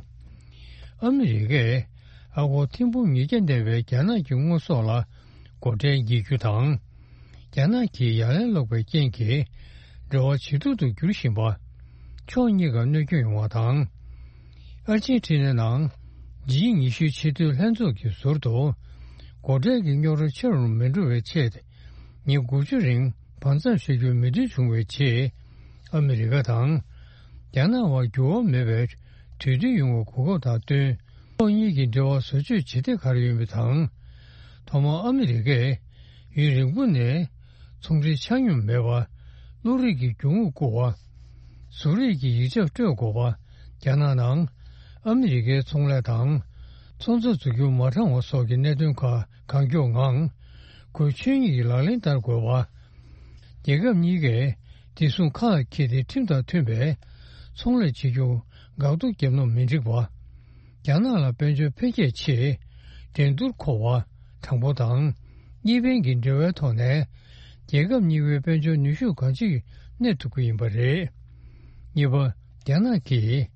ཨ་མི་རི་ཀས་ཨ་སྒོར་ཐེར་འབུམ་ཉིས་བརྒྱ་ལྡན་པའི་རྒྱ་ནག་གི་དངོས་ཟོག་ལ་སྒོ་ཁྲལ་འགེལ་རྒྱུ་དང་། རྒྱ་ནག་གིས་ཡ་ལན་སློག་པའི་རྐྱེན་གྱིས་འབྲེལ་བ་ཇེ་སྡུག་ཏུ་འགྱུར་བཞིན་པ། ཕྱོགས་གཉིས་ཀར་གནོད་སྐྱོན་ཡོང་བ་དང་། ཨར་ཇེན་ཊི་ནའི་ནང་ཇི་ཉི་ཤུའི་ཆེས་མཐོའི་ལྷན་ཚོགས་ཀྱི་ཟུར་དུ། སྒོ་ཁྲལ་གྱི་རྙོག་དྲ་ཆེ་རུ་མི་འགྲོ་བའི་ཆེད། ཉིན་དགུ་བཅུ་རིང་བར་མཚམས་བཞག་རྒྱུའི་མོས་མཐུན་བྱུང་བའི་རྗེས། ཨ་མི་རི་ཀ་དང་རྒྱ་ནག་དབར་འགྱུར་བ་མེད་པའི་གྲོས་མཐུན་ཡོང་བའི་གོ་སྐབས་དང་བསྟུན། ཕྱོགས་གཉིས་ཀྱི་འབྲེལ་བ་བཟོ་བཅོས་བྱེད་གཏན་འཁེལ་ཡོད་པ་དང་། ཐོག་མར་ཨ་མི་རི་ཀས་ཡུན་རིང་པོ་ནས་ཚོང་འབྲེལ་ཆ་སྙོམས་མེད་པ། བློ་རིག་གི་རྒྱུ་དངོས་བསྐུར་བ། གཟུགས་རིས་ཀྱི་ཡིག་ཆ་སྤྲོད་དགོས་པ། རྒྱ་ནག་ནང་ཨ་མི་རི་ཀའི་ཚོང་ལས་དང་། ཚོང་རྩ་འཛུགས་རྒྱུ་མ་དྲང་བ་སོགས་ཀྱི་གནད་དོན་ཁག་གང་མགྱོགས་ངང་། ཁོའི་ཆོས་ཉིད་ཀྱི་ལག་ལེན་བསྟར་དགོས་པ། རྒྱལ་ཁབ་གཉིས་ཀས་བདེ་སྲུང་ཁ་ལ་འཁྱེར་ཏེ་ཁྲིམས་དང་མཐུན་པའི་ཚོང་ལས་བྱེད་རྒྱུ་འགག་གཏོར་བརྒྱབ་ན་མི་འགྲིག་པ། རྒྱ་ནག་ལ་དཔལ་འབྱོར་འཕེལ་རྒྱས་ཆེད་འགྲན་བསྡུར་མཁོ་བ་དྲང་པོ་དང་གཉིས་ཕན་གྱི་འབྲེལ་བའི་ཐོག་ནས་རྒྱལ་ཁབ་གཉིས་པོའི་དཔལ་འབྱོར་ནུས་ཤུགས་གང་ཅིར་གནས་ཐུབ་ཀྱི་ཡིན་པ་རེད། གཉིས་པ། རྒྱ་ནག་གིས་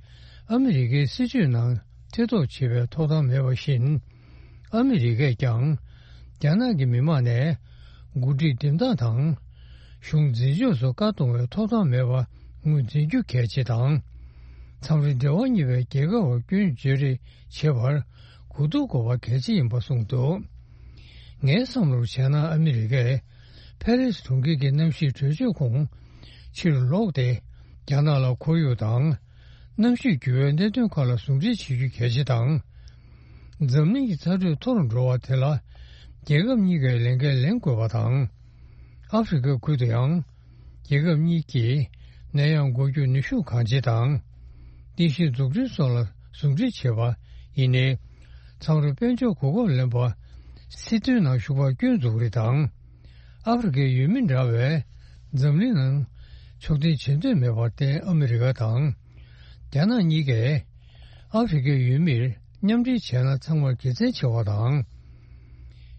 ཨ་མི་རི་ཀའི་སྲིད་ཇུས་ནང་ཐེ་གཏོགས་བྱེད་པའི་ཐོབ་ཐང་མེད་པ་བཞིན། ཨ་མི་རི་ཀས་ཀྱང་རྒྱ་ནག་གི་མི་དམངས་ནས་འགོ་ཁྲིད་འདེམས་སྟངས་དང་། གཞུང་འཛིན་སྐྱོང་སོགས་བཀག་གཏོང་བའི་ཐོབ་ཐང་མེད་པ་ངོས་འཛིན་རྒྱུ་གལ་ཆེ་དང་། མཚམས་རེ་འབྲེལ་བ་གཉིས་པའི་རྒྱལ་ཁབ་བར་སྐྱོན་བརྗོད་རེས་བྱེད་པར་གོ་བསྡུར་དགོས་པ་གལ་ཆེ་ཡིན་པ་གསུངས་འདུག། ངའི་བསམ་བློར་བྱས་ན། ཨ་མི་རི་ཀས་ཕེ་རེ་སི་གྲོང་ཁྱེར་གྱི་གནམ་གཤིས་གྲོས་ཆོད་ཁོངས་ཕྱིར་ལོག་སྟེ། རྒྱ་ནག་ལ་ཁོར་ཡུག་དང་གནམ་གཤིས་འགྱུར་བའི་གནད་དོན་ཁག་ལ་ཟུང་འབྲེལ་བྱེད་རྒྱུ་གལ་ཆེ་དང་། འཛམ་གླིང་གི་ཚ་དྲོད་མཐོ་རུ་འགྲོ་བ་དེ་ལ་རྒྱལ་ཁབ་གཉིས་ཀས་ལས་འགན་ལེན་དགོས་པ་དང་། ཨ་ཧྥེ་རི་ཁ་ཁུལ་དུ་ཡང་རྒྱལ་ཁབ་གཉིས་ཀྱིས་ནད་ཡམས་འགོག་རྒྱུར་ནུས་ཤུགས་གང་ཆེ་དང་། རྟེན་གཞི་འཛུགས་སྐྲུན་སོགས་ལ་ཟུང་འབྲེལ་བྱེད་པ་ཡིན་ནའི། མཚམས་རེ་དཔལ་འབྱོར་གོ་སྐབས་ལེན་པ། སྲིད་དོན་ནང་ཞུགས་པར་སྐྱོན་འཛུགས་རེས་དང་། ཨ་ཧྥེ་རི་ཁའི་ཡུལ་མི་འདྲ་བས་འཛམ་གླིང་ནང་ཕྱོགས་འཐེན་བྱེད་འདོད་མེད་པར་བརྟེན། ཨ་མི་རི་ཀ་དང་རྒྱ་ནག་གཉིས་ཀས་ཨ་ཧྥེ་རི་ཁའི་ཡུལ་མིར་མཉམ་འབྲེལ་བྱས་ན་ཚང་མར་དགེ་མཚན་ཆེ་བ་དང་།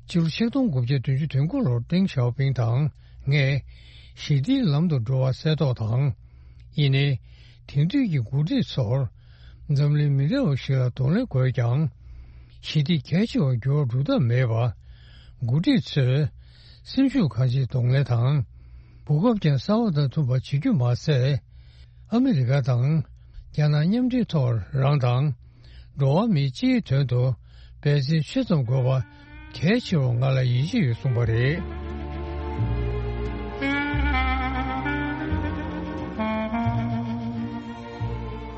ཕྱི་ལོ་ཆིག་སྟོང་དགུ་བརྒྱ་བདུན་ཅུ་དོན་དགུ་ལོར་ཏེང་ཞའོ་ཕིང་དང་ངས་ཞི་བདེའི་ལམ་དུ་འགྲོ་བ་གསལ་རྟོགས་དང་། ཡིན་ནའི། དེང་དུས་ཀྱི་འགོ་ཁྲིད་ཚོར་འཛམ་གླིང་མི་འདྲ་བ་ཞིག་ལ་གདོང་ལེན་དགོས་ཀྱང་། ཞི་བདེ་གལ་ཆེ་བར་འགྱུར་བ་འགྲོ་ཐབས་མེད་པ། འགོ་ཁྲིད་ཚོས་སེམས་ཤུགས་གང་ཆེ་གདོང་ལེན་དང་། གོ་སྐབས་ཀྱང་གསར་བ་དང་མཐུན་པ་བྱེད་རྒྱུ་མ་ཟད། ཨ་མི་རི་ཀ་དང་རྒྱ་ནག་མཉམ་འབྲེལ་ཐོག་རང་དང་འགྲོ་བ་མིའི་སྤྱིའི་དོན་དུ་འབད་བརྩོན་ཆེ་ཙམ་དགོས་པ་གལ་ཆེ་བར་ང་ལ་ཡིད་ཆེས་ཡོད་གསུངས་པ་རེད།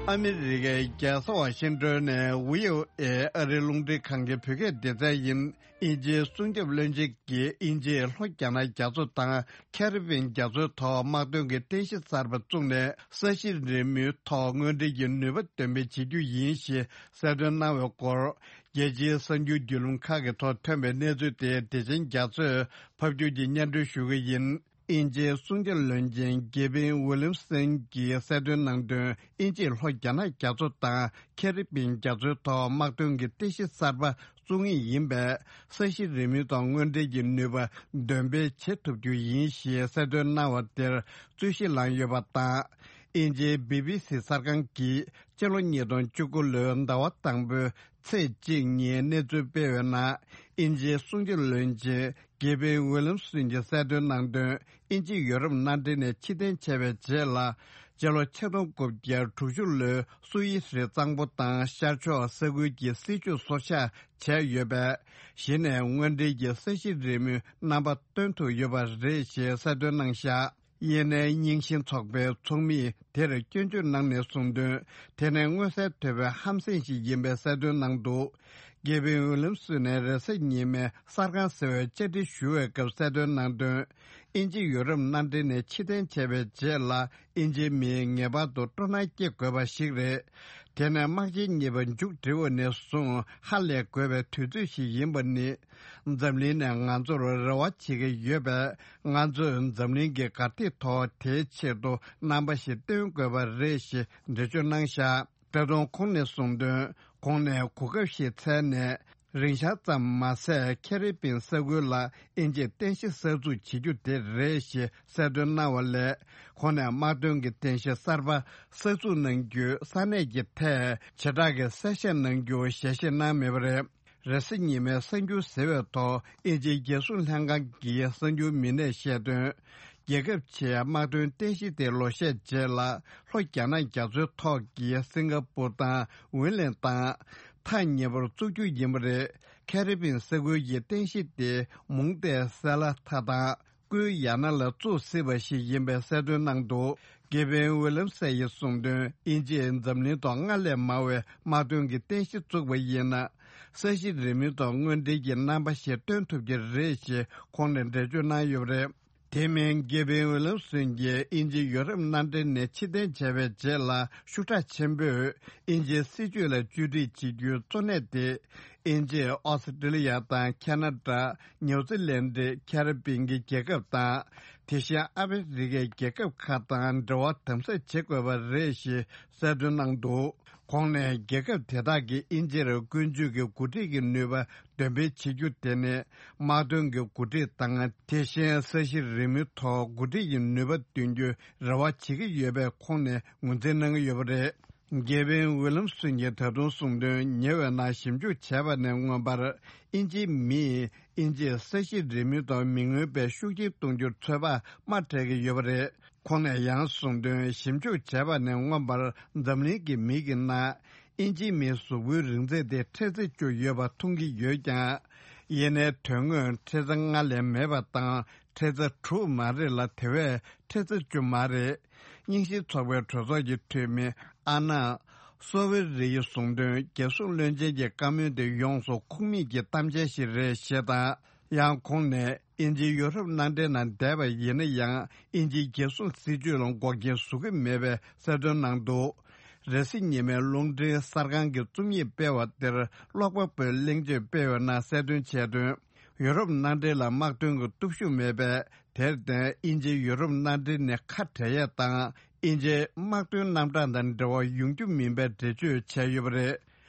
ཨ་མི་རི་ཀའི་རྒྱལ་ས་ཝ་ཤིང་ཏོན་ནས་ཝི་ཨོ་ཨེ་ཨ་རིའི་རླུང་འཕྲིན་ཁང་གི་བོད་སྐད་སྡེ་ཚན་ཡིན། དབྱིན་ཇིའི་སྲུང་སྐྱོབ་བློན་ཆེན་གྱིས་དབྱིན་ཇིས་ལྷོ་རྒྱ་ནག་རྒྱ་མཚོ་དང་ཁེ་རི་བྷིན་རྒྱ་མཚོའི་ཐོག་དམག་དོན་གྱི་རྟེན་གཞི་གསར་པ་བཙུགས་ནས་ས་གཞི་རི་མོའི་ཐོག་དངོས་འབྲེལ་གྱི་ནུས་པ་འདོན་སྤེལ་བྱེད་རྒྱུ་ཡིན་ཞེས་གསལ་སྟོན་གནང་བའི་སྐོར། རྒྱལ་སྤྱིའི་གསར་འགྱུར་བརྒྱུད་ལམ་ཁག་གི་ཐོག་ཐོན་པའི་གནས་ཚུལ་དེ་བདེ་ཆེན་རྒྱ་མཚོས་ཕབ་སྒྱུར་གྱིས་སྙན་སྒྲོན་ཞུ་གི་ཡིན། དབྱིན་ཇིའི་སྲུང་སྐྱོབ་བློན་ཆེན་གེ་ཝིན་ཝི་ལིམ་སན་གྱིས་གསལ་སྟོན་གནང་དོན། དབྱིན་ཇིས་ལྷོ་རྒྱ་ནག་རྒྱ་མཚོ་དང་ཁེ་རི་བིན་རྒྱ་མཚོའི་ཐོག་དམག་དོན་གྱི་རྟེན་གཞི་གསར་པ་བཙུགས་ངེས་ཡིན་པས། ས་གཞི་རི་མོའི་ཐོག་དངོས་འབྲེལ་གྱི་ནུས་པ་འདོན་སྤེལ་བྱེད་ཐུབ་རྒྱུ་ཡིན་ཞེས་གསལ་སྟོན་གནང་བ་དེར་རྩོད་གཞི་ལངས་ཡོད་པ་དང་། དབྱིན་ཇིའི་བི་བི་སི་གསར་ཁང་གིས་ཕྱི་ལོ་ཉིས་སྟོང་བཅུ་དགུ་ལོའི་ཟླ་བ་དང་པོའི་ཚེས་གཅིག་ཉིན་གནས་ཚུལ་སྤེལ་བའི་ནང་། དབྱིན་ཇིའི་སྲུང་སྐྱོབ་བློན་ཆེན་གེ་ཝིན་ཝི་ལིམ་སོན་གྱིས་གསལ་སྟོན་གནང་དོན། དབྱིན་ཇི་ཡུ་རོབ་མནའ་འབྲེལ་ནས་ཕྱིར་འཐེན་བྱས་པའི་རྗེས་ལ། སྤྱི་ལོ་ཆིག་སྟོང་དགུ་བརྒྱ་དྲུག་ཅུ་ལོའི་སུ་ཝེ་སི་རི་གཙང་པོ་དང་ཤར་ཕྱོགས་ས་ཁུལ་གྱི་སྲིད་ཇུས་སོར་ཆགས་བྱས་ཡོད་པས། གཞི་ནས་དངོས་འབྲེལ་གྱི་ས་གཞི་རི་མོའི་རྣམ་པ་སྟོན་ཐུབ་ཡོད་པ་རེད་ཞེས་གསལ་སྟོན་གནང་བཞག་ཡེ་ནས་རྙིང་ཞེན་ཚོགས་པའི་ཚོགས་མིས་དེར་སྐྱོན་བརྗོད་གནང་ནས་གསུངས་དོན། དེ་ནི་མངོན་གསལ་དོད་པའི་ཧམ་སེམས་ཤིག་ཡིན་པའི་གསལ་སྟོན་གནང་འདུག་གེ་ཝིན་ཝི་ལིམ་སོན་ནས་རེས་གཟའ་ཉི་མའི་གསར་ཁང་ཟེར་བའི་བཅར་འདྲི་ཞུ་བའི་སྐབས་གསལ་སྟོན་གནང་དོན། དབྱིན་ཇི་ཡུ་རོབ་མནའ་འབྲེལ་ནས་ཕྱིར་འཐེན་བྱས་པའི་རྗེས་ལ། དབྱིན་ཇིའི་མིས་ངེས་པར་དུ་སྤྲོ་སྣང་སྐྱེ་དགོས་པ་ཞིག་རེད། དེ་ནི་དམག་ཆེན་གཉིས་པ་མཇུག་སྒྲིལ་བ་ནས་བཟུང་ཧ་ལས་དགོས་པའི་དུས་ཚོད་ཞིག་ཡིན་པ་ནི། འཛམ་གླིང་ནས་ང་ཚོར་རེ་བ་བྱེད་ཀྱི་ཡོད་པས། ང་ཚོས་འཛམ་གླིང་གི་གར་སྟེགས་ཐོག་དེའི་ཆེད་དུ་རྣམ་པ་ཞིག་སྟོན་དགོས་པ་རེད་ཞེས་འགྲེལ་བརྗོད་གནང་བཞག་ད་དུང་ཁོང་ནས་གསུངས་དོན། གོང་ནས་གོ་སྐབས་ཤིག་འཚལ་ནས། རིང་ཤག་ཙམ་མ་ཟད། ཁེ་རི་བིན་ས་ཁུལ་ལ་དབྱིན་ཇིས་རྟེན་གཞི་གསར་འཛུགས་བྱེད་རྒྱུ་དེ་རེད་ཞེས་གསལ་སྟོན་གནང་བ་ལས། ཁོང་ནས་དམག་དོན་གྱི་རྟེན་གཞི་གསར་པ་གསར་འཛུགས་གནང་རྒྱུའི་ས་གནས་ཀྱི་ཐད་བྱེ་བྲག་གི་གསལ་བཤད་གནང་རྒྱུ་ཞལ་བཞེས་གནང་མེད་པ་རེད། རེས་གཟའ་ཉི་མའི་གསར་འགྱུར་ཟེར་བའི་ཐོག་དབྱིན་ཇིའི་རྒྱལ་སྲུང་ལྷན་ཁང་གི་གསར་འགྱུར་མི་སྣས་བཤད་དོན། རྒྱལ་ཁབ་ཆེའི་དམག་དོན་རྟེན་གཞི་དེ་ལོ་ཤས་རྗེས་ལ་ལྷོ་རྒྱ་ནག་རྒྱ་མཚོའི་ཐོག་གི་སིང་ག་པུར་དང་ཝིན་ལན་དང་ཐག་ཉེ་པོར་བཙུགས་རྒྱུ་ཡིན་པ་རེད། ཁེ་རི་བིན་ས་ཁུལ་གྱི་རྟེན་གཞི་དེ་མུང་སྟེ་སེ་ལ་ཐ་དང་། ཀུའི་ཡ་ན་ལ་བཙུགས་སྲིད་པ་ཞིག་ཡིན་པའི་གསལ་སྟོན་གནང་འདུག་གེ་ཝིན་ཝི་ལམ་སེ་ཡིས་གསུངས་དོན། དབྱིན་ཇིས་འཛམ་གླིང་ཐོག་སྔར་ལས་མང་བའི་དམག་དོན་གྱི་རྟེན་གཞི་བཙུགས་པ་ཡིན་ན། ས་གཞི་རི་མོའི་ཐོག་དངོས་འབྲེལ་གྱི་རྣམ་པ་ཞིག་སྟོན་ཐུབ་ཀྱི་རེད་ཞེས་ཁོང་ནས་འགྲེལ་བརྗོད་གནང་ཡོད་པ་རེད། དེ་མིན་གེ་ཝིན་ཝི་ལམ་སོན་གྱིས་དབྱིན་ཇི་ཡུ་རོབ་མནའ་འབྲེལ་ནས་ཕྱིར་འཐེན་བྱས་པའི་རྗེས་ལ་ཤུགས་དྲག་ཆེན་པོས་དབྱིན་ཇིའི་སྲིད་ཇུས་ལ་བཅོས་སྒྲིག་བྱེད་རྒྱུའི་གཙོ་གནད་དེ། དབྱིན་ཇི། ཨོ་སི་ཀྲི་ལི་ཡ་དང་ཁ་ན་ཌ། ནིའུ་ཛི་ལན་ཌི། ཁེ་རི་བིན་གྱི་རྒྱལ་ཁབ་དང་། དེ་བཞིན་ཨ་མི་རི་ཀའི་རྒྱལ་ཁབ་ཁག་དང་འབྲེལ་བ་དམ་ཟབ་བྱེད་དགོས་པ་རེད་ཞེས་གསལ་སྟོན་གནང་འདུག་ཁོང་ནས་རྒྱལ་ཁབ་དེ་དག་གིས་དབྱིན་ཇིར་ཀུན་སྤྱོད་ཀྱི་འགོ་ཁྲིད་ཀྱི་ནུས་པ་འདོན་སྤེལ་བྱེད་རྒྱུ་དེ་ནི་དམག་དོན་གྱི་འགོ་ཁྲིད་དང་། དེ་བཞིན་ས་གཞི་རི་མོའི་ཐོག་འགོ་ཁྲིད་ཀྱི་ནུས་པ་འདོན་རྒྱུའི་རེ་བ་བྱེད་ཀྱི་ཡོད་པའི་ཁོང་ནས་ངོས་འཛིན་གནང་གི་ཡོད་པ་རེད། གེ་ཝིན་ཝི་ལམ་སོན་གྱིས་ད་དུང་གསུངས་དོན། ཉེ་བའི་ནང་ཞིབ་འཇུག་བྱས་པ་ནས་མངོན་པར། དབྱིན་ཇིའི་མིས་དབྱིན་ཇིས་ས་གཞི་རི་མོའི་ཐོག་མི་མངོན་པའི་ཤུགས་རྐྱེན་གཏོང་རྒྱུར་ཚོད་དཔག་དམའ་སྤྲད་ཀྱི་ཡོད་པ་རེད། ཁོང་ནས་ཡང་གསུངས་དོན། ཞིབ་འཇུག་བྱས་པ་ནས་མངོན་པར་འཛམ་གླིང་གི་མི་གི་ནང་དབྱིན་ཇིའི་མིའི་གཟུགས་པོའི་རིང་ཚད་དེ་ཁྲི་ཚོ་བཅུ་ཡོད་པ་མཐོང་གི་ཡོད་ཀྱང་། ཡིན་ནའི་དོན་དངོས་ཁྲི་ཚོ་ལྔ་ལས་མེད་པ་དང་། ཁྲི་ཚོ་དྲུག་མ་རེད་ལ། དེ་བས་ཁྲི་ཚོ་བཅུ་མ་རེད། རྙིང་ཞེན་ཚོགས་པའི་གྲོས་ཚོགས་ཀྱི་འཐུས་མི་ཨ་ན་སོ་ཝེ་རི་ཡིས་གསུངས་དོན། རྒྱལ་སྲུང་བློན་ཆེན་གྱི་བཀའ་མོལ་དེ་ཡོངས་སུ་ཁུངས་མེད་ཀྱི་གཏམ་འཆལ་ཞིག་རེད་ཞེས་དང་། ཡང་ཁོང་ནས་དབྱིན་ཇི་ཡུ་རོབ་མནའ་འབྲེལ་ནང་བསྡད་པ་ཡིན་ན་ཡང་། དབྱིན་ཇིའི་རྒྱལ་སྲུང་སྲིད་ཇུས་ལ་འགོག་རྐྱེན་བཟོ་གི་མེད་པའི་གསལ་སྟོན་གནང་འདུག་རེས་གཟའ་ཉི་མའི་རླུང་འཕྲིན་གསར་ཁང་གི་རྩོམ་ཡིག་སྤེལ་བ་དེར་ཀློག་པ་པོས་གླེང་བརྗོད་སྤེལ་བའི་ནང་གསལ་སྟོན་བྱས་དོན། ཡུ་རོབ་མནའ་འབྲེལ་ལ་དམག་དོན་གྱི་སྟོབས་ཤུགས་མེད་པས། དེར་བརྟེན། དབྱིན་ཇི་ཡུ་རོབ་མནའ་འབྲེལ་ནས་ཁ་བྲལ་ཡས་དང་། དབྱིན་ཇིའི་དམག་དོན་རྣམ་གྲངས་དང་འབྲེལ་བ་ཡོང་རྒྱུ་མིན་པའི་འགྲེལ་བརྗོད་བྱས་ཡོད་པ་རེད།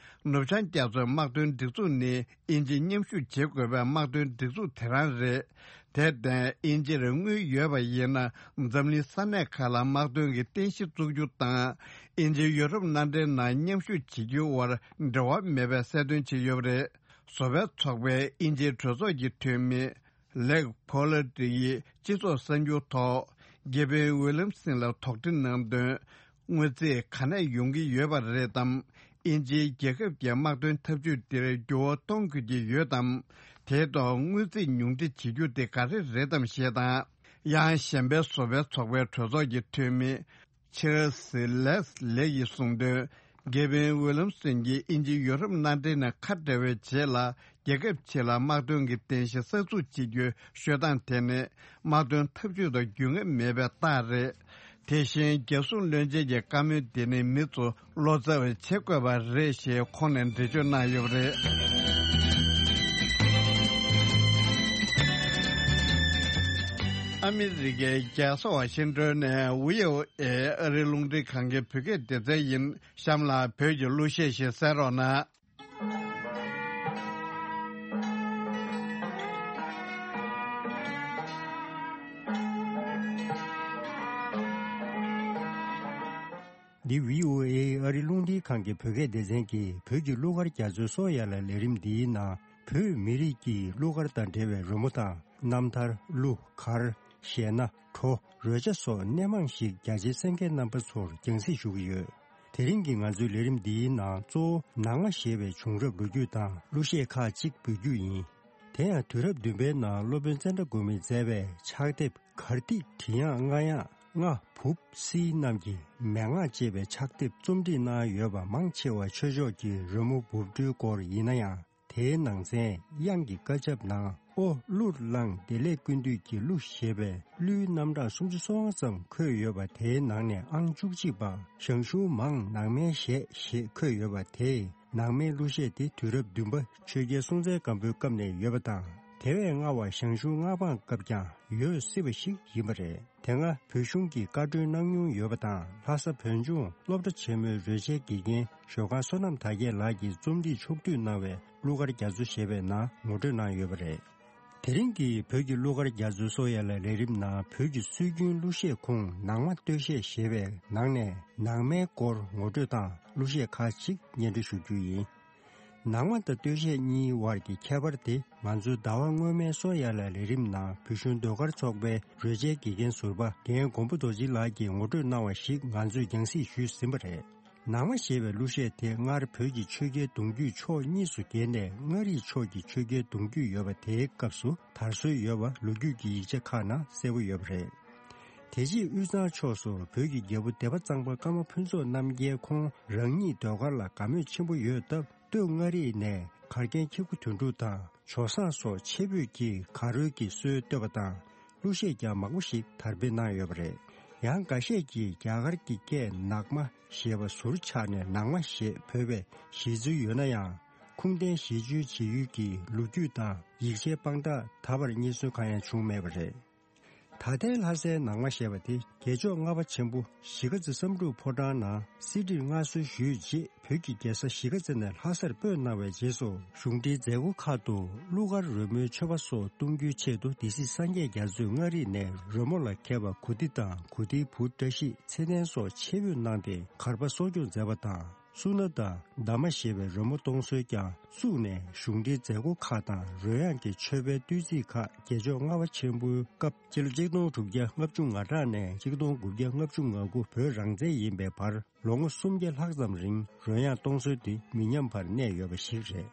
ནུབ་བྱང་རྒྱ་མཚོའི་དམག་དོན་སྒྲིག་འཛུགས་ནི་དབྱིན་ཇིས་མཉམ་ཞུགས་བྱེད་དགོས་པའི་དམག་དོན་སྒྲིག་འཛུགས་དེ་རང་རེད། དེར་བརྟེན། དབྱིན་ཇིར་དངུལ་ཡོད་པ་ཡིན་ན། འཛམ་གླིང་ས་གནས་ཁག་ལ་དམག་དོན་གྱི་རྟེན་གཞི་བཙུགས་རྒྱུ་དང་། དབྱིན་ཇི་ཡུ་རོབ་མནའ་འབྲེལ་ནང་མཉམ་ཞུགས་བྱེད་རྒྱུའི་དབར་འབྲེལ་བ་མེད་པའི་གསལ་སྟོན་བྱས་ཡོད་པ་རེད། བཟོ་པའི་ཚོགས་པའི་དབྱིན་ཇིའི་གྲོས་ཚོགས་ཀྱི་འཐུས་མི་ལེག་ཕོ་ལ་ཏི་ཡིས་སྤྱི་ཚོགས་གསར་འགྱུར་ཐོག་གེ་ཝིན་ཝི་ལམ་སིན་ལ་དོགས་འདྲི་གནང་དོན། དངུལ་རྩིས་ག་ནས་ཡོང་གི་ཡོད་པ་རེད་དམ། དབྱིན་ཇིའི་རྒྱལ་ཁབ་ཀྱི་དམག་དོན་འཐབ་ཇུས་འདིར་འགྱུར་བ་གཏོང་དགོས་ཀྱི་ཡོད་དམ། དེའི་ཐོག་དངུལ་རྩིས་ཉུང་འཕྲི་བྱེད་རྒྱུ་དེ་ག་རེ་རེད་དམ་ཞེས་དང་། ཡང་གཞན་པའི་བཟོ་པའི་ཚོགས་པའི་གྲོས་ཚོགས་ཀྱི་འཐུས་མི་ ཆར་ལི་སི་ལེས་ལེ་ཡིས་གསུངས་དོན། དགེ་འཕེན་ཝི་ལམ་སོན་གྱིས་དབྱིན་ཇི་ཡོ་རོབ་མནའ་འབྲེལ་ནས་ཁ་བྲལ་བའི་རྗེས་ལ། རྒྱལ་ཁབ་ཕྱི་ལ་དམག་དོན་གྱི་རྟེན་གཞི་གསར་འཛུགས་བྱེད་རྒྱུའི་ཤོད་སྟངས་དེ་ནི། དམག་དོན་འཐབ་ཇུས་དང་རྒྱུས་མངའ་མེད་པའི་རྟགས་རེད། དེ་བཞིན་རྒྱལ་སྲུང་བློན་ཆེན་གྱི་བཀའ་མོལ་འདི་ནི་མི་ཚོ་བློ་འཚབ་བྱེད་དགོས་པ་རེད་ཞེས་ཁོང་ནས་འགྲེལ་བརྗོད་གནང་ཡོད་པ་རེད། ཨ་མི་རི་ཀའི་རྒྱལ་ས་ཝ་ཤིང་ཏོན་ནས་བྷི་ཨོ་ཨེ་ཨ་རིའི་རླུང་འཕྲིན་ཁང་གི་བོད་སྐད་སྡེ་ཚན་ཡིན། གཤམ་ལ་བོད་ཀྱི་གླུ་གཞས་ཤིག་གསན་རོགས་གནང་། འདི་བྷི་ཨོ་ཨེ་ཨ་རིའི་རླུང་འཕྲིན་ཁང་གི་བོད་སྐད་སྡེ་ཚན་གྱིས་བོད་ཀྱི་གླུ་གར་རྒྱ་མཚོའི་སོ་ཡ་ལ་ལས་རིམ་འདིའི་ནང་བོད་མི་རིགས་ཀྱི་གླུ་གར་དང་འབྲེལ་བའི་རོལ་མོ་དང་རྣམ་ཐར། གླུ་གར། གཞས་སྣ། བྲོ། རོལ་ཆ་སོགས་སྣེ་མང་ཞིག་རྒྱ་ཆེའི་གསན་མཁན་རྣམ་པ་ཚོར་རྒྱང་སྲིང་ཞུ་གི་ཡོད། དེ་རིང་གི་ང་ཚོའི་ལས་རིམ་འདིའི་ནང་གཙོ་བོ་ནང་མ་ཞེས་པའི་བྱུང་རབས་ལོ་རྒྱུས་དང་གླུ་གཞས་ཁག་ཅིག་འབུལ་རྒྱུ་ཡིན། དེ་ཡང་དུས་རབས་བདུན་པའི་ནང་སློབ་དཔོན་ཙནྡྲ་གོ་མིས་མཛད་པའི་ཕྱག་དེབ་གར་ཐིག་བྲི་ཡག་རྔ་ཡག་རྔ་བུབ་སིལ་རྣམས་ཀྱི་མན་ངག་ཅེས་པའི་ཕྱག་དེབ་རྩོམ་སྒྲིག་གནང་ཡོད་པ་མང་ཆེ་བ་ཆོས་ཕྱོགས་ཀྱི་རོལ་མོ་འབུབ་སྒྲོལ་སྐོར་ཡིན་ན་ཡང་། དེའི་ནང་ཚན་དབྱངས་ཀྱི་བཀའ་ཁྱབ་ནང་ཨོ་གླུར་བླངས་བདེ་ལེགས་ཀུན་འདུས་ཀྱི་གླུ་ཞེས་པའི་གླུའི་རྣམ་གྲངས་སུམ་ཅུ་སོ་ལྔ་ཙམ་འཁོད་ཡོད་པ། དེའི་ནང་ནས་ཨང་བཅུ་གཅིག་པ་ཞང་ཞུང་མང་ནང་མའི་གཞས་ཞེས་འཁོད་ཡོད་པ། དེས་ནང་མའི་གླུ་གཞས་དེ་དུས་རབས་བདུན་པ་ཆོས་རྒྱལ་སྲོང་བཙན་སྒམ་པོའི་སྐབས་ནས་ཡོད་པ་དང་། དེ་བས་སྔ་བ་ཞང་ཞུང་མངའ་འབངས་སྐབས་ཀྱང་ཡོད་སྲིད་པ་ཞིག་ཡིན་པ་རེད། དེ་སྔ་བོད་གཞུང་གིས་བཀའ་འཁྲོལ་གནང་མྱོང་ཡོད་པ་དང་། ལྷ་ས་བོད་ལྗོངས་སློབ་གྲྭ་ཆེན་མོའི་རོལ་ཆའི་དགེ་རྒན་ཞོལ་ཁང་བསོད་ནམས་དར་རྒྱས་ལགས་ཀྱིས་རྩོམ་སྒྲིག་ཕྱོགས་བསྡུས་གནང་བའི་གླུ་གར་རྒྱ་མཚོ་ཞེས་པའི་ནང་ངོ་སྤྲོད་གནང་ཡོད་པ་རེད། དེ་རིང་གི་བོད་ཀྱི་གླུ་གར་རྒྱ་མཚོའི་སོ་ཡ་ལ་ལས་རིམ་ནང་བོད་ཀྱི་སྲོལ་རྒྱུན་གླུ་གཞས་ཁོངས་ནང་མ་སྟོད་གཞས་ཞེས་པའི་ནང་ནས་ནང་མའི་སྐོར་ངོ་སྤྲོད་དང་གླུ་གཞས་ཁག་ཅིག་སྙན་སྒྲོན་ཞུ་རྒྱུ་ཡིན། ནང་མ་དང་སྟོད་གཞས་གཉིས་དབར་གྱི་ཁྱད་པར་དེ་ང་ཚོའི་ཟླ་བ་སྔོན་མའི་སོ་ཡ་ལ་ལས་རིམ་ནང་བོད་གཞུང་ཟློས་གར་ཚོགས་པའི་རོལ་ཆའི་དགེ་རྒན་ཟུར་པ་རྒན་མགོན་པོ་རྡོ་རྗེ་ལགས་ཀྱིས་ངོ་སྤྲོད་གནང་བ་ཞིག་ང་ཚོས་རྒྱང་སྲིང་ཞུས་ཟིན་པ་རེད། ནང་མ་ཞེས་པའི་གླུ་གཞས་དེ་སྔར་བོད་ཀྱི་ཆོས་རྒྱལ་གདུང་རྒྱུད་ཕྱོགས་གཉིས་སུ་གྱེས་ནས་མངའ་རིས་ཕྱོགས་ཀྱི་ཆོས་རྒྱལ་གདུང་རྒྱུད་ཡོད་པ་དེའི་སྐབས་སུ་དར་སྲོལ་ཡོད་པ་ལོ་རྒྱུས་ཀྱི་ཡིག་ཆ་ཁག་ནང་གསལ་པོ་ཡོད་པ་རེད། དེ་རྗེས་དབུས་གཙང་ཕྱོགས་སུ་བོད་ཀྱི་རྒྱལ་པོ་སྡེ་པ་གཙང་པ་ཀརྨ་ཕུན་ཚོགས་རྣམ་རྒྱལ་ཁོང་རང་ཉིད་ཟློས་གར་ལ་དགའ་མོས་ཆེན་པོ་ཡོད་སྟབས། སྟོད་མངའ་རིས་ནས་གར་མཁན་ཁྱི་གུ་དོན་གྲུབ་དང་ཇོ་བཟང་སོགས་ཆེ་བོད་ཀྱི་གར་རོལ་གྱི་སྲོལ་བཏོད་པ་དང་། གླུ་གཞས་ཀྱང་མང་པོ་ཞིག་དར་སྤེལ་གནང་ཡོད་པ་རེད། ཡང་འགའ་ཤས་ཀྱིས་རྒྱ་གར་གྱི་སྐད་ནག་མ་ཞེས་པ་ཟུར་ཆག་ནས་ནང་མ་ཞེས་བོས་པའི་བཞེད་ཚུལ་ཡོད་ན་ཡང་། ཁུངས་ལྡན་གཞི་བཅོལ་བྱེད་ཡུལ་གྱི་ལོ་རྒྱུས་དང་ཡིག་ཆའི་དཔང་རྟགས་ད་བར་རྙེད་སོན་གང་ཡང་བྱུང་མེད་པ་རེད། ད་ལྟའི་ལྷ་སའི་ནང་མ་ཞེས་པ་དེ་རྒྱལ་མཆོག་ལྔ་པ་ཆེན་པོ་གཞིས་ཀ་རྩེ་བསམ་གྲུབ་ཕོ་བྲང་ནང་གསེར་བྲིས་མངའ་གསོལ་ཞུས་རྗེས། བོད་ཀྱི་རྒྱལ་ས་གཞིས་ཀ་རྩེ་ནས་ལྷ་སར་སྤོས་གནང་བའི་རྗེས་སུ། གཞུང་འབྲེལ་མཛད་སྒོ་ཁག་ཏུ་གླུ་གར་རོལ་མོའི་མཆོད་པ་སོགས་གཏོང་རྒྱུའི་ཆེད་དུ། སྡེ་སྲིད་སངས་རྒྱས་རྒྱ་མཚོས་མངའ་རིས་ནས་རོལ་མོ་ལ་མཁས་པ་གུ་ཏི་དང་། གུ་ཏིའི་བུ་བཀྲ་ཤིས། ཚེ་བརྟན་སོགས་ཆེད་འབོད་གནང་སྟེ་གར་པ་གསོ་སྐྱོང་མཛད་པ་དང་། སུ་ན་དང་། ཟླ་མ་ཞེས་པའི་རོལ་མོ་གཏོང་སྲོལ་ཀྱང་བཙུགས་ནས། གཞུང་འབྲེལ་མཛད་སྒོ་ཁག་དང་རོལ་དབྱངས་ཀྱི་མཆོད་པའི་བསྟོད་ཚིག་ཁག་རྒྱལ་མཆོག་ལྔ་པ་ཆེན་པོའི་སྐབས། སྤྱི་ལོ་གཅིག་སྟོང་དྲུག་བརྒྱ་ལྔ་བཅུ་ང་གྲངས་ནས་གཅིག་སྟོང་དགུ་བརྒྱ་ལྔ་བཅུ་ང་དགུ་བོད་རང་བཙན་ཡིན་པའི་བར། ལོ་ངོ་སུམ་བརྒྱ་ལྷག་ཙམ་རིང་རོལ་དབྱངས་གཏོང་སྲོལ་དེ་མི་ཉམས་པར་གནས་ཡོད་པ་ཞིག་རེད།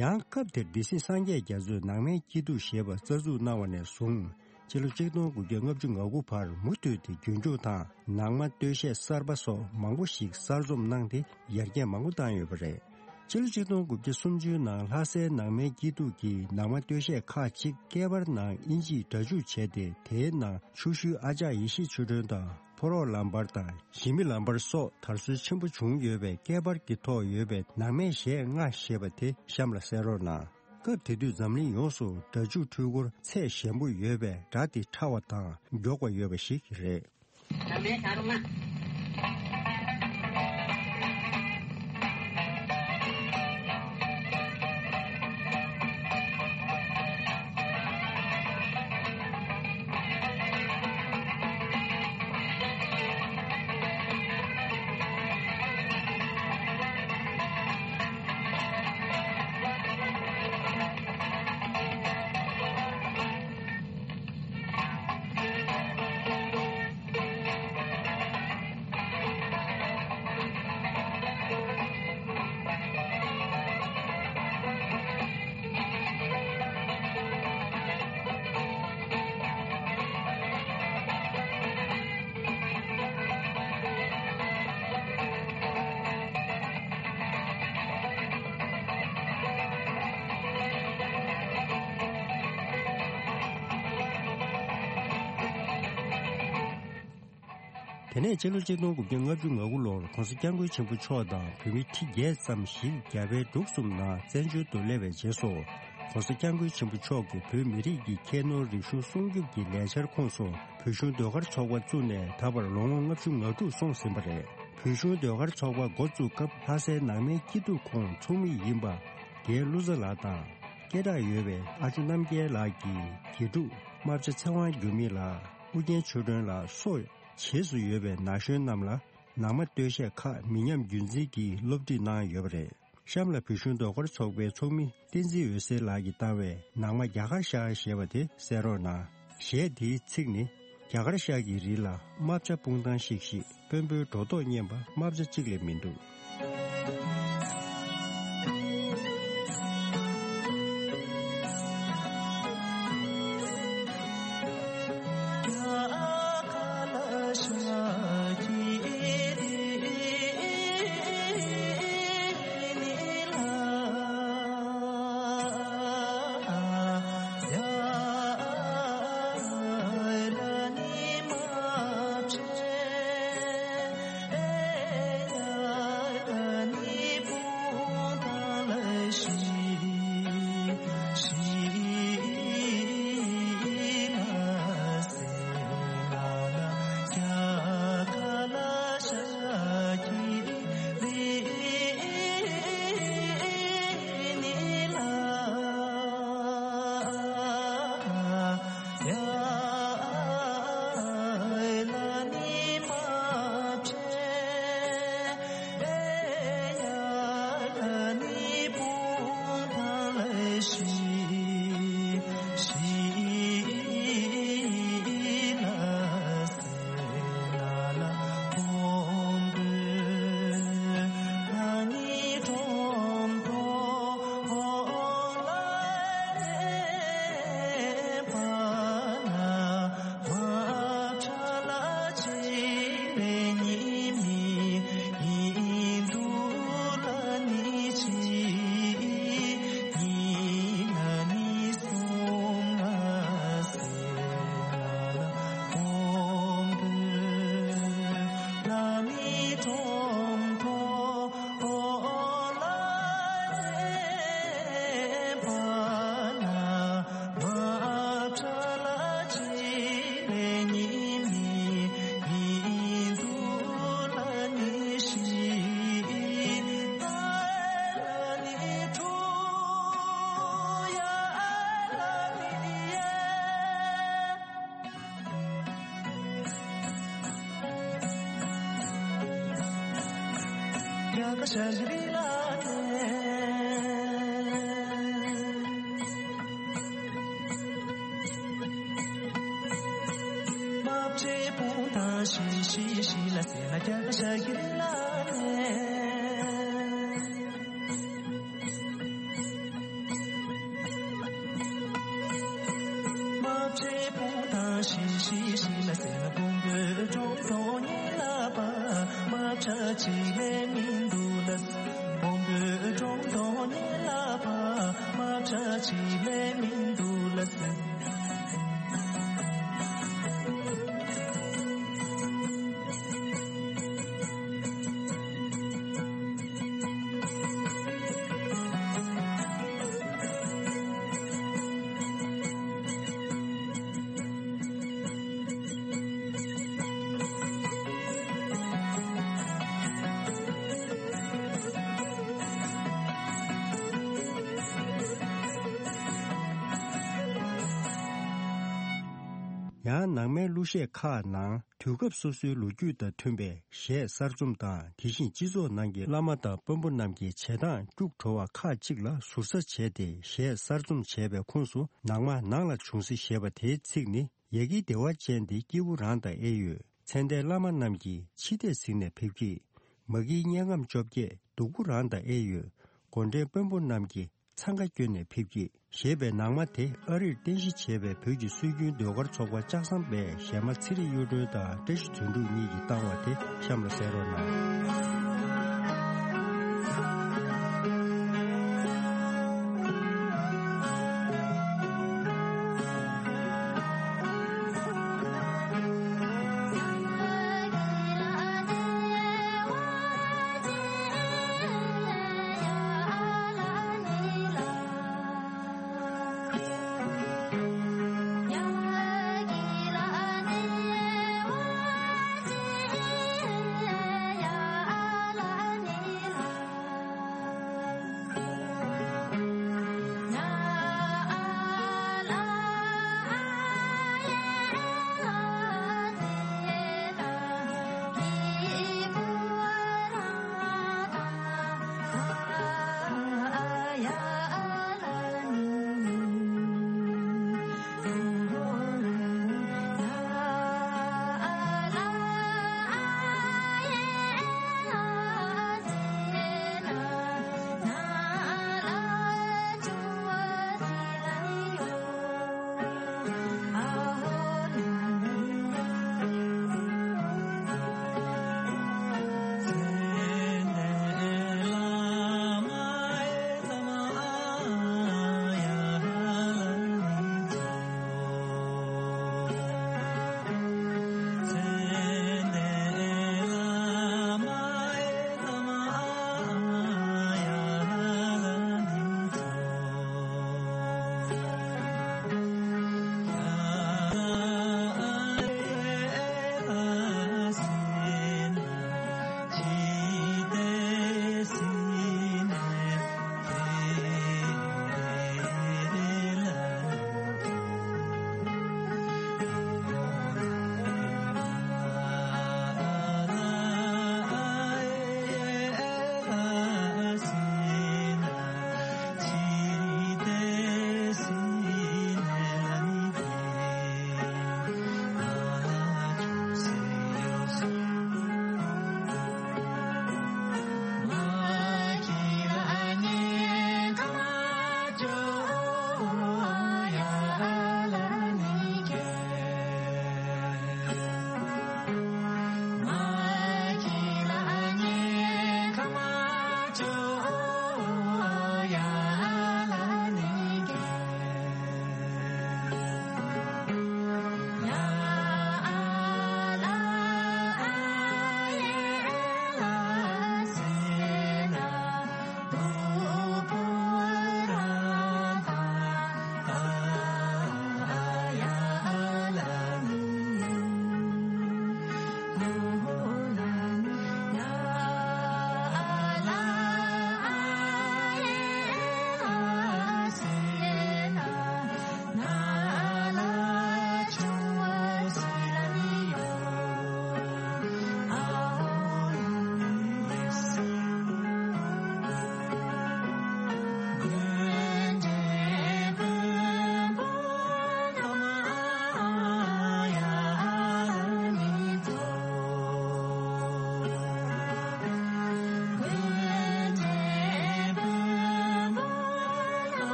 ཡང་སྐབས་དེར་སྡེ་སྲིད་སངས་རྒྱས་རྒྱ་མཚོས་ནང་མའི་སྐྱིད་སྡུག་ཞེས་པ་རྩ་འཛུགས་གནང་བ་ནས་བཟུང་། སྤྱི་ལོ་གཅིག་སྟོང་དགུ་བརྒྱ་ལྔ་བཅུ་ང་དགུ་བར་མུ་མཐུད་དེ་རྒྱུན་སྐྱོང་དང་། ནང་མ་སྟོད་གཞས་གསར་པ་སོགས་མང་པོ་ཞིག་གསར་རྩོམ་གནང་སྟེ་ཡར་རྒྱས་མང་པོ་བཏང་ཡོད་པ་རེད། སྤྱི་ལོ་གཅིག་སྟོང་དགུ་བརྒྱ་སུམ་ཅུའི་ནང་ལྷ་སའི་ནང་མའི་སྐྱིད་སྡུག་གི་ནང་མ་སྟོད་གཞས་ཁག་ཅིག་སྐད་འབར་ནང་དབྱིན་ཇིས་སྒྲ་འཇུག་བྱས་ཏེ། དེའི་ནང་ཆུ་ཤུལ་ཨ་ཅག་ཡེ་ཤེས་ཆོས་སྒྲོན་དང་། ཕོ་རོག་ལམ་བར་དང་ཞི་མི་ལམ་བར་སོགས་དར་སྲོལ་ཆེན་པོ་བྱུང་ཡོད་པས། སྐད་འབར་གྱི་ཐོག་ཡོད་པའི་ནང་མའི་གཞས་ལྔ་ཞེས་པ་དེ་གཤམ་ལ་གསན་རོགས་གནང་། སྐབས་དེ་དུས་འཛམ་གླིང་ཡོངས་སུ་སྒྲ་འཇུག་འཕྲུལ་འཁོར་ཚད་ཞན་པོ་ཡོད་པས། སྒྲ་དེ་ཕྲ་བ་དང་མགྱོགས་པ་ཡོད་པ་ཞིག་རེད། ནང་མའི་ཞག་རོང་ལ། དེ་ནས་སྤྱི་ལོ་ཆིག་སྟོང་དགུ་བརྒྱ་ལྔ་བཅུ་ང་དགུ་ལོར་༸གོང་ས་༸སྐྱབས་མགོན་ཆེན་པོ་མཆོག་དང་བོད་མི་ཁྲི་བརྒྱད་ཙམ་ཞིག་རྒྱ་བལ་འབྲུག་གསུམ་ནང་བཙན་བྱོལ་དུ་སླེབས་པའི་རྗེས་སུ། ༸གོང་ས་༸སྐྱབས་མགོན་ཆེན་པོ་མཆོག་གིས་བོད་མི་རིགས་ཀྱི་ཁྱད་ནོར་རིག་གཞུང་སྲུང་སྐྱོབ་ཀྱི་ལས་འཆར་ཁོངས་སུ་བོད་གཞུང་ཟློས་གར་ཚོགས་པ་བཙུགས་ནས་ད་བར་ལོ་ངོ་ལྔ་བཅུ་ང་དྲུག་སོང་ཟིན་པ་རེད། བོད་གཞུང་ཟློས་གར་ཚོགས་པ་འགོ་བཙུགས་སྐབས་ལྷ་སའི་ནང་མའི་སྐྱིད་སྡུག་ཁོངས་ཚོགས་མི་ཡིན་པ་རྒན་བློ་བཟང་ལགས་དང་། སྐད་གྲགས་ཡོད་པའི་ཨ་ཅོ་རྣམ་རྒྱལ་ལགས་ཀྱི་དགེ་ཕྲུག་རྨ་བྱ་ཚེ་དབང་འགྱུར་མེད་ལགས། ཨུ་རྒྱན་ཆོས་སྒྲོན་ལགས་སོགས་བྱེས་སུ་ཡོད་པའི་ན་གཞོན་རྣམས་ལ་ནང་མ་སྟོད་གཞས་ཁག་མི་ཉམས་རྒྱུན་འཛིན་གྱིས་སློབ་ཁྲིད་གནང་ཡོད་པ་རེད། གཤམ་ལ་བོད་གཞུང་ཟློས་གར་ཚོགས་པའི་ཚོགས་མི་བསྟན་འཛིན་འོད་ཟེར་ལགས་ཀྱིས་བཏང་བའི་ནང་མ་རྒྱ་གར་ཤར་ཞེས་པ་དེ་གསན་རོགས་གནང་། གཞས་དེའི་ཚིག་ནི། རྒྱ་གར་ཤར་གྱི་རི་ལ་རྨ་བྱ་སྤུངས་ཐང་ཤིག་ཤིག་དཔོན་པོའི་སྒྲོ་འདོགས་སྙན་པ་རྨ་བྱ་གཅིག་ལས་མི་འདུག་ཡང་ནང་མའི་གླུ་གཞས་ཁག་ནང་དུས་སྐབས་སོ་སོའི་ལོ་རྒྱུས་དང་མཐུན་པའི་གཞས་གསར་རྩོམ་དང་། དེ་བཞིན་སྤྱི་ཚོགས་ནང་གི་བླ་མ་དང་དཔོན་པོ་རྣམས་ཀྱི་བྱེད་སྟངས་སྐྱུག་བྲོ་བ་ཁག་ཅིག་ལ་ཟུར་ཟ་བྱས་ཏེ་གཞས་གསར་རྩོམ་བྱས་པའི་ཁོངས་སུ་ནང་མ་ནང་ལ་བྱུང་སྲིད་ཞེས་པ་དེའི་ཚིག་ནི། ཡ་གི་བདེ་བ་ཅན་དེ་སྐྱེས་བུ་རང་དང་ཨེ་ཡོད། ཚེ་འདས་བླ་མ་རྣམས་ཀྱིས་འཆི་ལྟས་གཟིགས་ནས་ཕེབས་ཀྱི། མ་གིའི་དམྱལ་ཁམས་བཅོ་བརྒྱད་སྡུག་པོ་རང་དང་ཨེ་ཡོད། སྒོ་འདྲེན་དཔོན་པོ་རྣམས་ཀྱིས་འཚང་ཁ་བསྐྱོན་ནས་ཕེབས་ཀྱི། ཞེས་པའི་ནང་མ་དེ་ཨ་རིར་རྟེན་གཞི་བྱས་པའི་བོད་ཀྱི་སྲོལ་རྒྱུན་ཟློས་གར་ཚོགས་པ་ལྕགས་ཟམ་པའི་གཞས་མ་ཚེ་རིང་གཡུ་སྒྲོན་དང་བཀྲ་ཤིས་དོན་གྲུབ་གཉིས་ཀྱིས་བཏང་བ་དེ་གཤམ་ལ་གསན་རོགས་གནང་།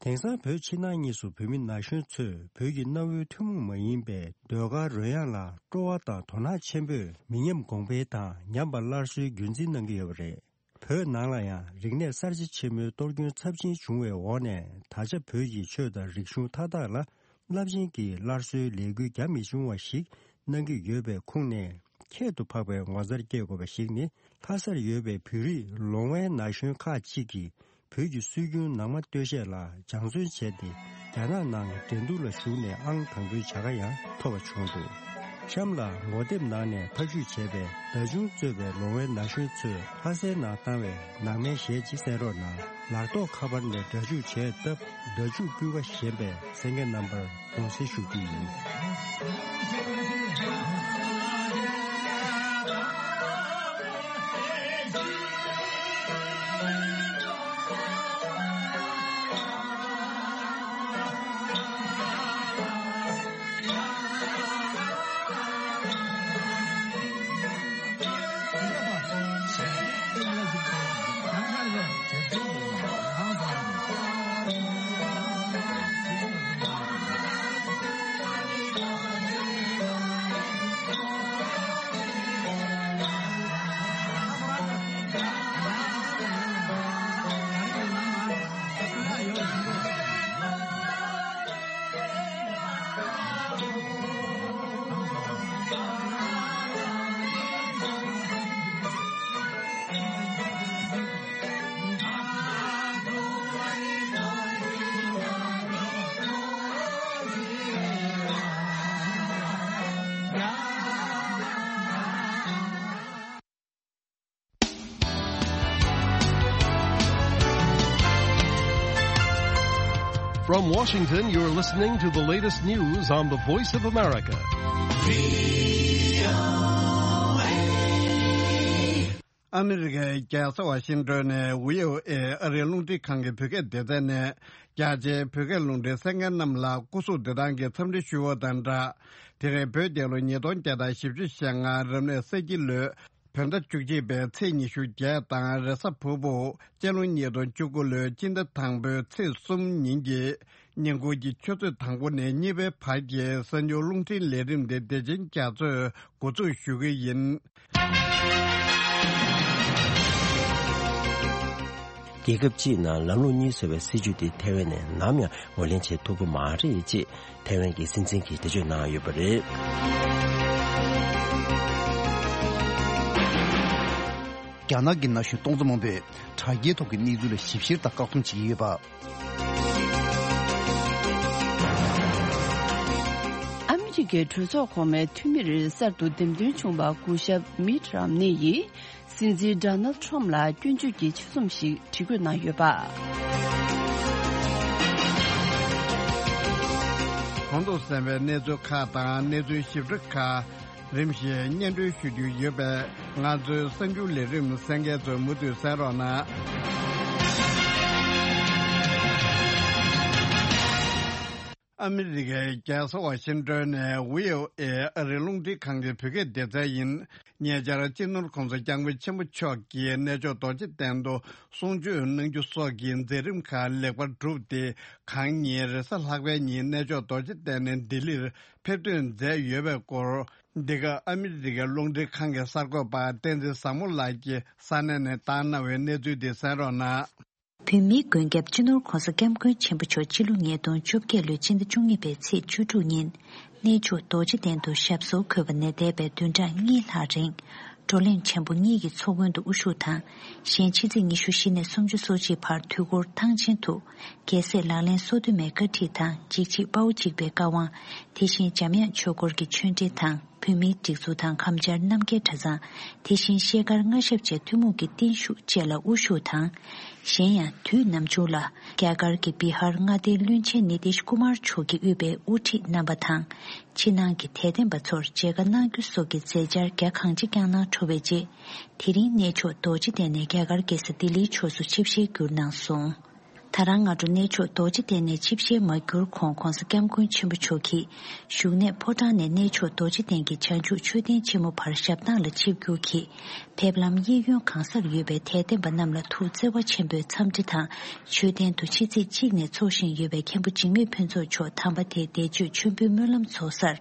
དེང་སང་བོད་ཕྱི་ནང་གཉིས་སུ་བོད་མི་ན་གཞོན་ཚོས་བོད་ཀྱི་གནའ་བོའི་ཐུན་མོང་མ་ཡིན་པའི་ཟློས་གར་རོལ་དབྱངས་ལ་སྤྲོ་བ་དང་དོ་སྣང་ཆེན་པོས་མི་ཉམས་གོང་འཕེལ་དང་ཉམས་པ་སླར་གསོའི་རྒྱུན་འཛིན་གནང་གི་ཡོད་པ་རེད། བོད་ནང་ལ་ཡང་རིག་གནས་གསར་བརྗེ་ཆེན་མོའི་གཏོར་སྐྱོན་ཚབས་ཆེན་བྱུང་བའི་འོག་ནས། ད་ཆ་བོད་ཀྱི་ཆོས་དང་རིག་གཞུང་མཐའ་དག་ལ་རླབས་ཆེན་གྱི་སླར་གསོའི་ལས་འགུལ་རྒྱ་མི་ཆུང་བ་ཞིག་གནང་གི་ཡོད་པའི་ཁུངས་ནས། ཁྱད་དུ་འཕགས་པའི་ངོ་མཚར་སྐྱེ་དགོས་པ་ཞིག་ནི། ལྷ་སར་ཡོད་པའི་བོད་རིགས་ལོང་བའི་ན་གཞོན་ཁག་ཅིག་གིས་བོད་ཀྱི་སྲོལ་རྒྱུན་ནང་མ་སྟོད་གཞས་ལ་སྦྱང་བརྩོན་བྱས་ཏེ། རྒྱ་ནག་ནང་འགྲན་བསྡུར་ལ་ཞུགས་ནས་ཨང་དང་པོའི་བྱ་དགའ་ཡང་ཐོབ་པ་བྱུང་འདུག་གཤམ་ལ་ངོ་དེབ་ནང་ནས་ཕབ་བཤུས་བྱས་པའི་བརྡ་ཆུང་གཙོས་པའི་ལོང་བའི་ན་གཞོན་ཚོས་ལྷ་སའི་ནང་བཏང་བའི་ནང་མའི་གཞས་ཅིག་གསན་རོགས་གནང་། ལག་ཐོགས་ཁ་པར་ནས་སྒྲ་འཇུག་བྱས་སྟབས། སྒྲ་འཇུག་སྤུས་ཀ་ཞན་པས་གསན་མཁན་རྣམ་པར་དགོངས་སེལ་ཞུ་རྒྱུ་ཡིན། From Washington, you're listening to the latest news on the Voice of America. ཨ་མི་རི་ཀའི་རྒྱལ་ས་ཝ་ཤིང་ཏོན་ནས་ཝི་ཨོ་ཨེ་ཨ་རིའི་རླུང་འཕྲིན་ཁང་གི་བོད་སྐད་སྡེ་ཚན་ནས། རྒྱ་ཆེའི་བོད་སྐད་རླུང་འཕྲིན་གསན་མཁན་རྣམས་ལ་སྐུ་གཟུགས་བདེ་ཐང་གི་འཚམས་འདྲི་ཞུ་བ་དང་སྦྲགས། དེ་རིང་བོད་རྒྱལ་ལོ་ཉིས་སྟོང་བརྒྱ་དང་བཞི་བཅུ་ཞེ་ལྔ་རབ་གནས་ས་ཁྱི་ལོའི་བོད་ཟླ་བཅུ་གཅིག་པའི་ཚེས་ཉི་ཤུ་བརྒྱད་དང་། རེས་གཟའ་ཕུར་བུ་སྤྱི་ལོ་ཉིས་སྟོང་བཅུ་དགུ་ལོའི་སྤྱི་ཟླ་དང་པོའི་ཚེས་གསུམ་ཉིན་གྱི་ཉིན་གུང་གི་ཆུ་ཚོད་དང་པོ་ནས་གཉིས་པའི་བར་གྱི་གསར་འགྱུར་རླུང་འཕྲིན་ལས་རིམ་དེ་བདེ་ཆེན་རྒྱ་མཚོས་འགོ་འཛུགས་ཞུ་གི་ཡིན། རྒྱལ་ཁབ་སྤྱིའི་ནང་ལམ་ལུགས་གཉིས་བཟོ་བའི་སྲིད་ཇུས་དེ་ཐའེ་ཝན་ནས་ནམ་ཡང་ངོས་ལེན་བྱེད་ཐུབ་ཀྱི་མ་རེད་ཅེས་ཐའེ་ཝན་གྱི་སྲིད་འཛིན་གྱིས་འགྲེལ་བརྗོད་གནང་ཡོད་པ་རེད། རྒྱ་ནག་གི་ན་གཞོན་སྟོང་ཚོ་མང་པོས་དྲ་རྒྱའི་ཐོག་གི་གནས་ཚུལ་ལ་ཞིབ་བཤེར་དང་བཀག་སྡོམ་བྱེད་ཀྱི་ཡོད་པ། ཨ་མི་རི་ཀའི་གྲོས་ཚོགས་གོང་མའི་འཐུས་མིར་གསར་དུ་འདེམས་ཐོན་བྱུང་བ་སྐུ་ཞབས་མིད་རམ་ནེ་ཡིས་སྲིད་འཛིན་ཌོ་ནལ་ཁྲོམ་ལ་སྐྱོན་བརྗོད་ཀྱི་ཆེད་རྩོམ་ཞིག་བྲིས་བཀོད་གནང་ཡོད་པ། གོང་དུ་གསན་པའི་གནས་ཚུལ་ཁག་དང་གནས་ཚུལ་ཞིབ་ཕྲ་ཁག་རིམ་བཞིན་སྙན་སྒྲོན་ཞུ་རྒྱུ་ཡོད་པས། ང་ཚོའི་གསར་འགྱུར་ལས་རིམ་གསན་མཁན་ཚོས་མུ་མཐུད་གསན་རོགས་གནང་། ཨ་མི་རི་ཀའི་རྒྱལ་ས་ཝ་ཤིང་ཏོན་ནས་ཝི་ཨོ་ཨེ་ཨ་རིའི་རླུང་འཕྲིན་ཁང་གི་བོད་སྐད་སྡེ་ཚན་ཡིན། ཉེ་ཆར་སྤྱི་ནོར་༸གོང་ས་༸སྐྱབས་མགོན་ཆེན་པོ་མཆོག་གིས་གནས་མཆོག་རྡོ་རྗེ་གདན་དུ་གསུང་ཆོས་གནང་རྒྱུ་སོགས་ཀྱི་མཛད་རིམ་ཁག་ལེགས་པར་གྲུབ་སྟེ། གང་ཉིན་རེས་གཟའ་ལྷག་པའི་ཉིན་གནས་མཆོག་རྡོ་རྗེ་གདན་ནས་ལྡི་ལིར་ཕེབས་ཐོན་མཛད་ཡོད་པའི་སྐོར། འདི་ག་ཨ་མི་རི་ཀའི་རླུང་འཕྲིན་ཁང་གི་གསར་འགོད་པ་བསྟན་འཛིན་བཟང་མོ་ལགས་ཀྱིས་ས་གནས་ནས་བཏང་གནང་བའི་གནས་ཚུལ་དེ་གསན་རོགས་གནང་། བོད་མིའི་མགོན་སྐྱབས་སྤྱི་ནོར་༸གོང་ས་༸སྐྱབས་མགོན་ཆེན་པོ་མཆོག་སྤྱི་ལོ་ཉིས་སྟོང་བཅོ་བརྒྱད་ལོའི་སྤྱི་ཟླ་བཅུ་གཉིས་པའི་ཚེས་བཅུ་དྲུག་ཉིན། གནས་མཆོག་རྡོ་རྗེ་གདན་དུ་ཞབས་སོར་འཁོད་པ་ནས་འདས་པའི་བདུན་ཕྲག་གཉིས་ལྷག་རིང་། བགྲོ་གླེང་ཆེན་པོ་གཉིས་ཀྱི་ཚོགས་མགོན་དུ་དབུ་བཞུགས་དང་། གཞན་ཕྱི་ཚེས་ཉི་ཤུ་བཞི་ནས་སུམ་ཅུ་སོ་གཅིག་བར་དུས་འཁོར་ཐང་ཆེན་དུ། རྒྱལ་སྲས་ལག་ལེན་སོ་བདུན་མའི་བཀའ་ཁྲིད་དང་། འཇིགས་བྱེད་དཔའ་བོ་གཅིག་པའི་བཀའ་དབང་། དེ་བཞིན་འཇམ་དབྱངས་ཆོས་འཁོར་གྱི་ཆོས་འབྲེལ་དང་། བོད་མིའི་སྒྲིག་འཛུགས་དང་། གམ་བཅར་རྣམ་རྒྱལ་གྲྭ་ཚང་། དེ་བཞིན་ཤེལ་དཀར་མངའ་ཞབས་བཅས་ཐུན་མོང་གི་བརྟན་བཞུགས་བཅས་ལ་དབུ་བཞུགས་དང་། གཞན་ཡང་དུས་ནམ་བྱུང་ལ་རྒྱ་གར་གྱི་བི་ཧར་མངའ་སྡེའི་བློན་ཆེན་ནི་ཏིཤ་ཀུ་མར་མཆོག་གིས་དབུས་པའི་དབུ་ཁྲིད་རྣམ་པ་དང་། ཕྱི་ནང་གི་དད་ལྡན་པ་ཚོར་མཇལ་ཁ་གནང་རྒྱུ་སོགས་ཀྱི་མཛད་འཆར་རྒྱ་གང་ཆེ་བསྐྱངས་གནང་གྲུབ་པའི་རྗེས། དེ་རིང་གནས་མཆོག་རྡོ་རྗེ་གདན་ནས་རྒྱ་གར་རྒྱལ་ས་ལྡི་ལིའི་ཕྱོགས་སུ་ཆིབས་ཞལ་བསྒྱུར་གནང་སོང་། ད་རང་སྔ་དྲོ་གནས་མཆོག་རྡོ་རྗེ་གདན་ནས་ཆིབས་ཞལ་མ་བསྒྱུར་གོང་༧གོང་ས་༧སྐྱབས་མགོན་ཆེན་པོ་མཆོག་གིས་བཞུགས་གནས་ཕོ་བྲང་ནས་གནས་མཆོག་རྡོ་རྗེ་གདན་གྱི་བྱང་ཆུབ་མཆོད་རྟེན་ཆེན་མོ་བར་ཞབས་ཐང་ལ་ཆིབས་བསྒྱུར་གྱིས། ཕེབས་ལམ་གཡས་གཡོན་གང་སར་ཡོད་པའི་དད་ལྡན་པ་རྣམས་ལ་ཐུགས་བརྩེ་བ་ཆེན་པོས་འཚམས་འདྲི་དང་། མཆོད་རྟེན་དུ་ཕྱི་ཚེས་གཅིག་ནས་འཚོགས་བཞིན་ཡོད་པའི་མཁན་པོ་འཇིགས་མེད་ཕུན་ཚོགས་མཆོག་དམ་པ་དེའི་འདས་མཆོད་མཆོད་འབུལ་སྨོན་ལམ་ཚོགས་སར་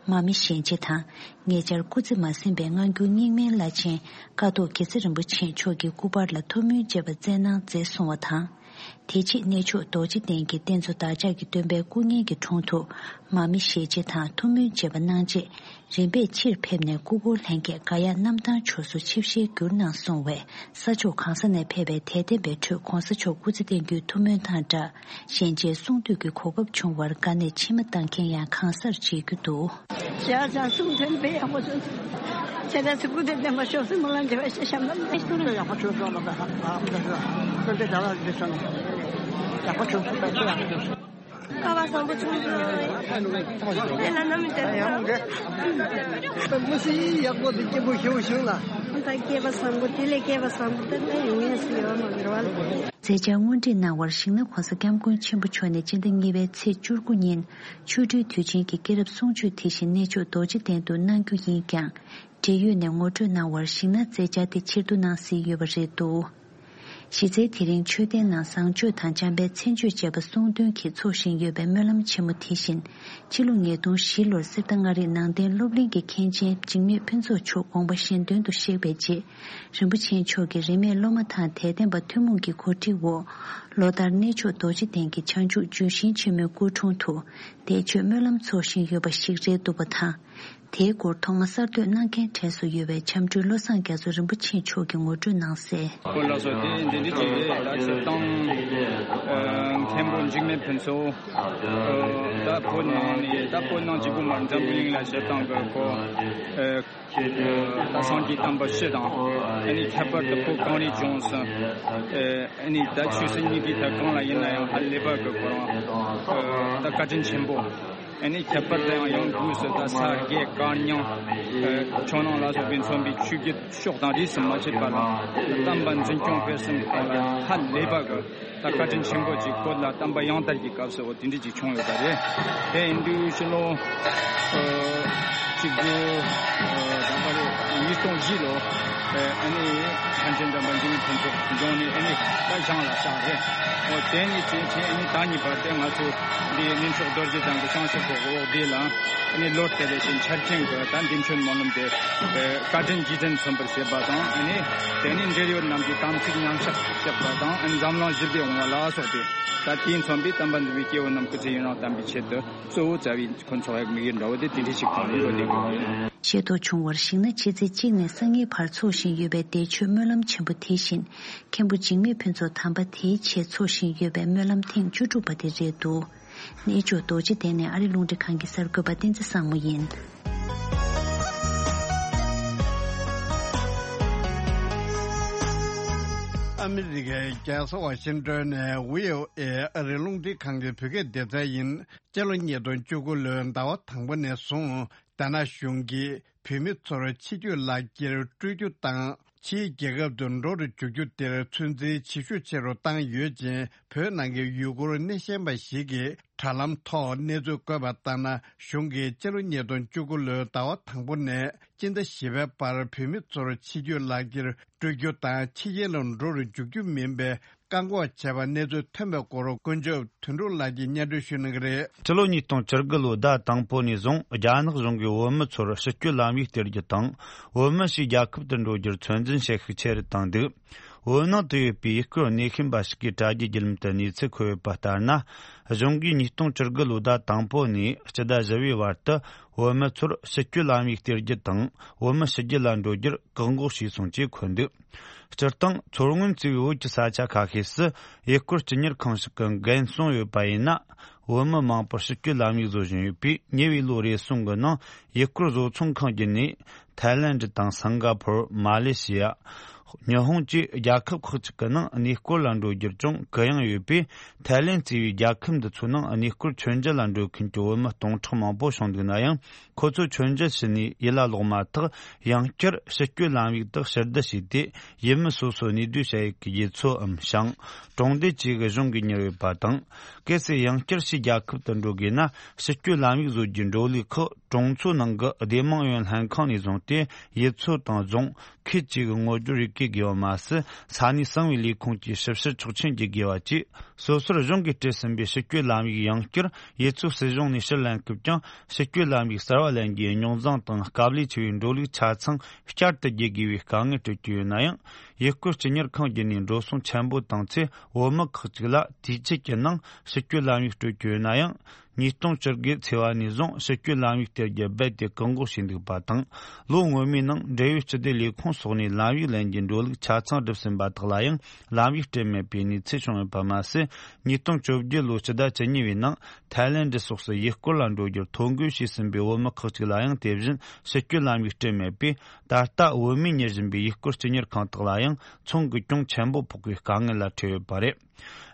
མ་མི་ཞལ་མཇལ་དང་། ཉེ་ཆར་སྐུ་ཚེ་མ་ཟིན་པའི་སྔ་འགྱུར་རྙིང་མའི་བླ་ཆེན་ཀཿཐོག་དགེ་རྩེ་རིན་པོ་ཆེ་མཆོག་གི་སྐུ་པར་ལ་ཐུགས་སྨོན་བཅས་པ་སྩལ་གནང་མཛད་གསུང་བ་དང་། དེ་རྗེས་གནས་མཆོག་རྡོ་རྗེ་གདན་གྱི་རྟེན་གཙོ་བདག་ཅག་གི་སྟོན་པའི་སྐུ་བརྙན་གྱི་དྲུང་དུ་མ་མི་ཞལ་མཇལ་དང་ཐུགས་སྨོན་བཅས་པ་གནང་རྗེས། རིམ་པས་ཕྱིར་ཕེབས་ནས་སྐུ་འཁོར་ལྷན་རྒྱས་ག་ཡ་གནམ་ཐང་ཕྱོགས་སུ་ཆིབས་ཞལ་བསྒྱུར་གནང་སོང་བས། ས་ཕྱོགས་གང་ས་ནས་ཕེབས་པའི་དད་ལྡན་པའི་ཁྲོད་༧གོང་ས་མཆོག་སྐུ་ཚེ་བརྟན་རྒྱུའི་ཐུགས་སྨོན་དང་སྦྲགས། ཞལ་མཇལ་གསུང་བསྟོད་ཀྱི་གོ་སྐབས་བྱུང་བར་དགའ་ནས་མཆི་མ་བཏང་མཁན་ཡང་གང་སར་མཇལ་རྒྱུ་འདུག། ཞལ་ཅང་གསུང་དོན་དཔེ་ཡག་པོ་བྱུང་སོང་། ཁྱེད་རང་ཚོ་སྐུ་ཚེ་བརྟན་པ་ཤོག་སེམས་མ་ལ་འདྲེ་བ་ཤེས་བྱ་མ་མེད། ཡག་པོ་བྱུང་སོང་ལ་བ་ཧ་ཧ་ཧ་ཀུན་ཏེ་དགའ་བ་འདི་སོང་ཡག་པོ་བྱུང་སོང་ད་ཅི་ཡག་པོ་བྱུང་སོང་། སྐལ་བ་བཟང་པོ་བྱུང་སོང་། དེ་ལ་ནམ་ཡང་དེ་ཡང་གི་མི་སི་ཡག་པོ་འདི་སྐྱིད་པོ་ཞིག་བྱུང་ལ། ད་སྐལ་བ་བཟང་པོ་དེ་ལས་སྐལ་བ་བཟང་པོ་དེ་ལས་ཡོང་ངེས་སུ་ཡོད་མ་རེད་བ། མཛད་འཆར་དངོས་འབྲེལ་གནང་བར་ཞིང་ནག་གོང་ས་སྐྱབས་མགོན་ཆེན་པོ་མཆོག་ནས་སྤྱི་ཟླ་གཉིས་པའི་ཚེས་བཅུ་དགུ་ཉིན་ཆོ་འཕྲུལ་དུས་ཆེན་གྱི་སྐྱེས་རབས་གསུང་ཆོས་དེ་བཞིན་གནས་མཆོག་རྡོ་རྗེ་གདན་དུ་གནང་རྒྱུ་ཡིན་ཀྱང་། འབྲེལ་ཡོད་ནས་ངོ་སྤྲོད་གནང་བར་ཞིང་ནག་མཛད་འཆར་དེ་ཕྱིར་བསྡུ་གནང་སྲིད་ཡོད་པ་རེད་འདུག། གཞི་རྩའི་དེ་རིང་མཆོད་རྟེན་ནང་བཟང་སྤྱོད་དང་འཇམ་དཔལ་མཚན་བརྗོད་བཅས་པ་གསུང་འདོན་གྱིས་འཚོགས་བཞིན་ཡོད་པའི་སྨོན་ལམ་ཆེན་མོ་དེ་བཞིན། ཕྱི་ལོ་ཉིས་སྟོང་བཞི་ལོར་གསེར་རྟ་མངའ་རིས་ནང་བསྟན་སློབ་གླིང་གི་མཁན་ཆེན་འཇིགས་མེད་ཕུན་ཚོགས་མཆོག་དགོངས་པ་གཞན་དོན་དུ་གཤེགས་པའི་རྗེས། རིན་པོ་ཆེ་མཆོག་གིས་རིས་མེད་སློབ་མ་དང་དད་ལྡན་པ་ཐུན་མོང་གི་གོ་སྒྲིག་འོག་ལོ་ལྟར་གནས་མཆོག་རྡོ་རྗེ་གདན་གྱི་བྱང་ཆུབ་ལྗོན་ཤིང་ཆེན་མོའི་སྐུ་དྲུང་དུ་འདས་མཆོད་སྨོན་ལམ་འཚོགས་བཞིན་ཡོད་པ་ཞིག་རེད་འདུག་པ་དང་། དེའི་སྐོར་ཐོག་མ་གསར་གཏོད་གནང་མཁན་གྲས་སུ་ཡོད་པའི་བྱམས་སྤྲུལ་བློ་བཟང་རྒྱ་མཚོ་རིན་པོ་ཆེ་མཆོག་གིས་ངོ་སྤྲོད་གནང་གསལ། ཁོ་ལ་སོགས་དེ་འདི་འདྲ་ཅིག་རེད། ད་ཆོས་དང་། མཁན་པོ་འཇིགས་མེད་ཕུན་ཚོགས། ད་བོད་ནང་ནས་ད་བོད་ནང་གཅིག་པུ་མ་འཛམ་བུ་གླིང་ལ་ཞབས་བཏང་གི་ཁོ། ད་སངས་རྒྱས་བསྟན་པ་སྤྱི་དང་། ཨ་ནི་ཁྱད་པར་དུ་བོད་གངས་རིའི་ལྗོངས་སུ། ཨ་ནི་ད་ཆོས་སྲིད་གཉིས་ཀའི་ཐད་གང་ལ་ཡིན་ན་ཡང་ཧ་ལས་པ་གི་ཁོ་རང་། ད་བཀའ་དྲིན་ཆེན་པོ། ཨ་ནི་ཁྱད་པར་དུ་ཡང་ཡང་སྒོས་སུ་ད་ས་དགེ་བཀའ་རྙིང་། ཆོས་ནང་ལ་སོགས་པའི་མཚོན་པའི་ཆོས་བརྒྱུད་ཕྱོགས་དང་རིས་སུ་མ་ཆད་པ་ལ་བསྟན་པ་འཛིན་སྐྱོང་སྤེལ་གསུམ་གི་ཐོག་ལ་ཧ་ལས་པ་གི་ད་བཀའ་དྲིན་ཆེན་པོ་ཅིག་བོད་ལ་བསྟན་པ་ཡང་དར་གྱི་སྐབས་སུ་འོ་དེ་འདྲ་ཅིག་བྱུང་ཡོད་པ་རེད། དེ་ཡིན་དུས་ཕྱི་ལོ་གཅིག་དགུ་ད་ལྟ་རེད། ཉིས་སྟོང་བཞི་ལོ། ཨ་ནི་མཁན་ཆེན་དམ་པ་འཇིགས་མེད་ཕུན་ཚོགས་འབྱུང་གནས་ཨ་ནི་ད་བཞེངས་ལ་བཞག་རེད། འོ་དེ་ནི་ཅིག་ཅིག་ཨ་ནི་ད་གཉིས་པ་དེ་ང་ཚོ་འདི་གནས་མཆོག་རྡོ་རྗེ་གདན་གྱི་བྱང་ཕྱོགས་ཀྱི་འོག་དེ་ལ་ཨ་ནི་ལོ་དེ་རེ་བཞིན་འཆར་ཅན་གྱི་ད་འདི་མཆོད་སྨོན་ལམ་དེ་བཀའ་དྲིན་རྗེས་དྲན་མཚོན་པར་བྱེད་པ་དང་། ཨ་ནི་དེ་ནི་འབྲེལ་ཡོད་རྣམས་ཀྱི་དམ་ཚིག་ཉམས་ཆག་བཅག་པ་དང་། ཨ་ནི་འཛམ་གླིང་ཞི་བདེ་འོང་བ་ལ་སོགས་ཏེ། ད་དེས་མཚོན་པའི་དམ་པ་འདུས་པའི་སྐྱེ་བོ་རྣམས་སྐུ་ཚེ་ཡུན་རིང་བརྟན་པའི་ཆེད་དུ་གཙོ་བོ་རྩ་བའི་ཁོ་ཚོ་ཡག་དམིགས་ཡུལ་འདྲ་བོ་དེ་དེ་འདྲ་ཞིག་གང་ཡིན་རོ་དེ་གང་ཡིན། ཤེས་རྟོགས་བྱུང་བར་གཞིགས་ན་ཕྱི་ཚེས་གཅིག་ནས་སང་ཉིན་བར་འཚོགས་བཞིན་ཡོད་པའི་འདས་མཆོད་སྨོན་ལམ་ཆེན་པོ་དེ་བཞིན་མཁན་པོ་འཇིགས་མེད་ཕུན་ཚོགས་དམ་པ་དེའི་ཆེད་འཚོགས་བཞིན་ཡོད་པའི་སྨོན་ལམ་ཐེངས་བཅུ་དྲུག་པ་དེ་རེད་འདུག། གནས་མཆོག་རྡོ་རྗེ་གདན་ནས་ཨ་རི་རླུང་འཕྲིན་ཁང་གི་གསར་འགོད་པ་བསྟན་འཛིན་བཟང་མོ་ཡིན། ཨ་མི་རི་ཀའི་རྒྱལ་ས་ཝ་ཤིང་ཏོན་ནས་བྷི་ཨོ་ཨེ་ཨ་རི་རླུང་འཕྲིན་ཁང་གི་བོད་སྐད་སྡེ་ཚན་ཡིན། སྤྱི་ལོ་ཉིས་སྟོང་བཅུ་དགུ་ལོའི་ཟླ་བ་དང་པོ་ནས་བཟུང་། རྒྱ་ནག་གཞུང་གིས་བོད་མི་ཚོར་ཕྱི་སྐྱོད་ལག་འཁྱེར་སྤྲོད་རྒྱུ་དང་། ཕྱིའི་རྒྱལ་ཁབ་ཏུ་འགྲོ་རུ་འཇུག་རྒྱུ་དེར་ཚོད་འཛིན་ཇེ་ཤུགས་ཆེ་རུ་བཏང་ཡོད་ཅིང་། བོད་ནང་གི་ཡུ་གུར་སྣེ་ཤན་པ་ཞིག་གིས་དྲ་ལམ་ཐོག་གནས་ཚུལ་བཀོད་པ་ལྟར་ན། གཞུང་གིས་སྤྱི་ལོ་ཉིས་སྟོང་བཅུ་དགུ་ལོའི་ཟླ་བ་དང་པོ་ནས་སྤྱི་ཟླ་བཞི་པའི་བར་བོད་མི་ཚོར་ཕྱི་སྐྱོད་ལག་འཁྱེར་སྤྲོད་རྒྱུ་དང་། ཕྱི་རྒྱལ་ལ་འགྲོ་རུ་འཇུག་རྒྱུ་མིན་པའི་བཀག་འགོག་བྱས་པ་གནས་ཚུལ་ཐོན་པའི་སྐོར་དཀོན་མཆོག་དོན་གྲུབ་ལགས་ཀྱིས་སྙན་སྒྲོན་ཞུ་གནང་གི་རེད། སྤྱི་ལོ་ཉིས་སྟོང་བཅུ་དགུ་ལོའི་ཟླ་དང་པོ་ནས་བཟུང་རྒྱ་ནག་གཞུང་གིས་བོད་མི་ཚོར་ཕྱི་སྐྱོད་ལམ་ཡིག་སྟེར་རྒྱུ་དང་། བོད་མི་ཞིག་རྒྱལ་ཁབ་ཏུ་འགྲོ་རྒྱུར་ཚོད་འཛིན་བྱེད་ཤུགས་ཆེ་རུ་བཏང་འདུག། བོད་ནང་དུ་ཡོད་པའི་ཡུལ་སྐོར་སྣེ་ཤན་པ་ཞིག་གིས་དྲ་རྒྱའི་བརྒྱུད་ལམ་དུ་གནས་ཚུལ་འཁོད་ཡོད་པ་ལྟར་ན། གཞུང་གིས་ཉིས་སྟོང་བཅུ་དགུ་ལོའི་ཟླ་དང་པོ་ནས་སྤྱི་ཟླ་བཞི་པའི་བར་དུ་བོད་མི་ཚོར་ཕྱི་སྐྱོད་ལམ་ཡིག་སྟེར་རྒྱུ་དང་། བོད་མི་ཕྱི་རྒྱལ་ལ་འགྲོ་རྒྱུར་བཀག་འགོག་བྱས་སོང་ཅེས་འཁོད་འདུག། སྤྱིར་བཏང་མཚོ་སྔོན་གཙོས་པའི་བོད་ཀྱི་ས་ཆ་ཁ་ཤས་སུ་ཡུལ་སྐོར་སྐྱིད་གཉེར་ཁང་ཞིག་གིས་འགན་སྲུང་ཡོད་པ་ཡིན་ན། བོད་མི་མང་པོར་ཕྱི་སྐྱོད་ལམ་ཡིག་བཟོ་བཞིན་ཡོད་པས། ཉེ་བའི་ལོ་རེ་ཟུང་གི་ནང་ཡུལ་སྐོར་བཟོ་ཚོང་ཁང་བརྒྱུད་ནས་ཐའི་ལེནྡ་དང་སིང་ག་ཕོར། མ་ལེ་ཤི་ཡ། ཉི་ཧོང་བཅས་རྒྱལ་ཁབ་ཁག་ཅིག་གི་ནང་གནས་སྐོར་ལ་འགྲོ་རྒྱུར་ཀྱང་གུ་ཡངས་ཡོད་པས། ཐའི་ལེན་གཙོས་པའི་རྒྱལ་ཁབ་འདི་ཚོའི་ནང་གནས་སྐོར་མཆོད་མཇལ་ལ་འགྲོ་མཁན་གྱི་བོད་མི་སྟོང་ཕྲག་མང་པོ་བྱུང་འདུག་ན་ཡང་། ཁོ་ཚོ་མཆོད་མཇལ་ཕྱིན་ནས་ཡུལ་ལ་ལོག་མ་ཐག་ཡང་བསྐྱར་ཕྱི་སྐྱོད་ལམ་ཡིག་དག་ཕྱིར་བསྡུ་བྱས་ཏེ། ཡུལ་མི་སོ་སོའི་གནས་སྡོད་བྱ་ཡུལ་གྱི་རྒྱུ་ཚོའམ་ཞིང་། གྲོང་སྡེ་བཅས་ཀྱི་གཞུང་གིས་གཉེར་ཡོད་པ་དང་། གལ་སྲིད་ཡང་བསྐྱར་ཕྱིའི་རྒྱལ་ཁབ་ཏུ་འགྲོ་དགོས་ན། ཕྱི་སྐྱོད་ལམ་ཡིག་བཟོ་རྒྱུའི་འགྲོ་ལུགས་ཁག་གྲོང་ཚོའི་ནང་གི་སྡེ་དམངས་ཡོངས་ལྷན་ཁང་ནས་བཟུང་སྟེ། ཡུལ་ཚོ་དང་རྫོང་ཁུལ་བཅས་ཀྱི་ངོ་སྦྱོར་རེ་སྐྱེལ་དགོས་པ་མ་ཟད། ས་གནས་གསང་བའི་ལས་ཁུངས་ཀྱིས་ཞིབ་བཤེར་ཆོག་མཆན་བརྒྱུད་དགོས་པ་བཅས། སོ་སོར་གཞུང་གིས་སྤྲད་ཟིན་པའི་ཕྱི་སྐྱོད་ལམ་ཡིག་ཡང་བསྐྱར་ཡུལ་ཚོའི་སྲིད་གཞུང་ནས་ཕྱིར་ལེན་སྐབས་ཀྱང་། ཕྱི་སྐྱོད་ལམ་ཡིག་གསར་བ་ལེན་རྒྱུའི་རྙོག་འཛིང་དང་། དཀའ་ལས་ཆེ་བའི་འགྲོ་ལུགས་ཆ་ཚང་བསྐྱར་དུ་བརྒྱུད་དགོས་པའི་དཀའ་ངལ་སྤྲོད་ཀྱི་ཡོད་ན་ཡང་། ཡུལ་སྐོར་སྤྱི་གཉེར་ཁང་བརྒྱུད་ནས་འགྲོ་སོང་ཆེན་པོ་བཏང་ཚེ། བོད་མི་ཁག་ཅིག་ལ་དུས་ཚོད་ཀྱི་ནང་ཕྱི་སྐྱོད་ལམ་ཡིག་སྤྲོད་ཀྱི་ཡོད་ན་ཡང་། ཉིས་སྟོང་བཅུ་དགུ་ཚེས་པ་ནས་བཟུང་ཕྱི་སྐྱོད་ལམ་ཡིག་སྟེར་རྒྱུ་རྦད་དེ་བཀག་འགོག་བྱས་འདུག་པ་དང་། ལོ་སྔོན་མའི་ནང་འབྲེལ་ཡོད་སྤྱི་བདེ་ལས་ཁུངས་སོགས་ནས་ལམ་ཡིག་ལེན་རྒྱུའི་འགྲོ་ལུགས་ཆ་ཚང་བསྒྲུབས་ཟིན་པ་དག་ལ་ཡང་ལམ་ཡིག་སྤྲད་མེད་པའི་གནས་ཚུལ་བྱུང་ཡོད་པ་མ་ཟད། ཉིས་སྟོང་བཅོ་བརྒྱད་ལོའི་སྤྱི་ཟླ་བཅུ་གཉིས་པའི་ནང་། ཐའི་ལེན་ཌི་སོགས་སུ་ཡུལ་སྐོར་ལ་འགྲོ་རྒྱུར་ཐོ་འགོད་བྱས་ཟིན་པའི་བོད་མི་ཁག་ཅིག་ལ་ཡང་དེ་བཞིན་ཕྱི་སྐྱོད་ལམ་ཡིག་སྤྲད་མེད་པས། ད་ལྟ་བོད་མིས་གཉེར་བཞིན་པའི་ཡུལ་སྐོར་སྤྱི་གཉེར་ཁང་དག་ལ་ཡང་ཚོང་གི་གྱོང་ཆེན་པོ་ཕོག་པའི་དཀའ་ངལ་ལ་འཕྲད་ཡོད་པ་རེད།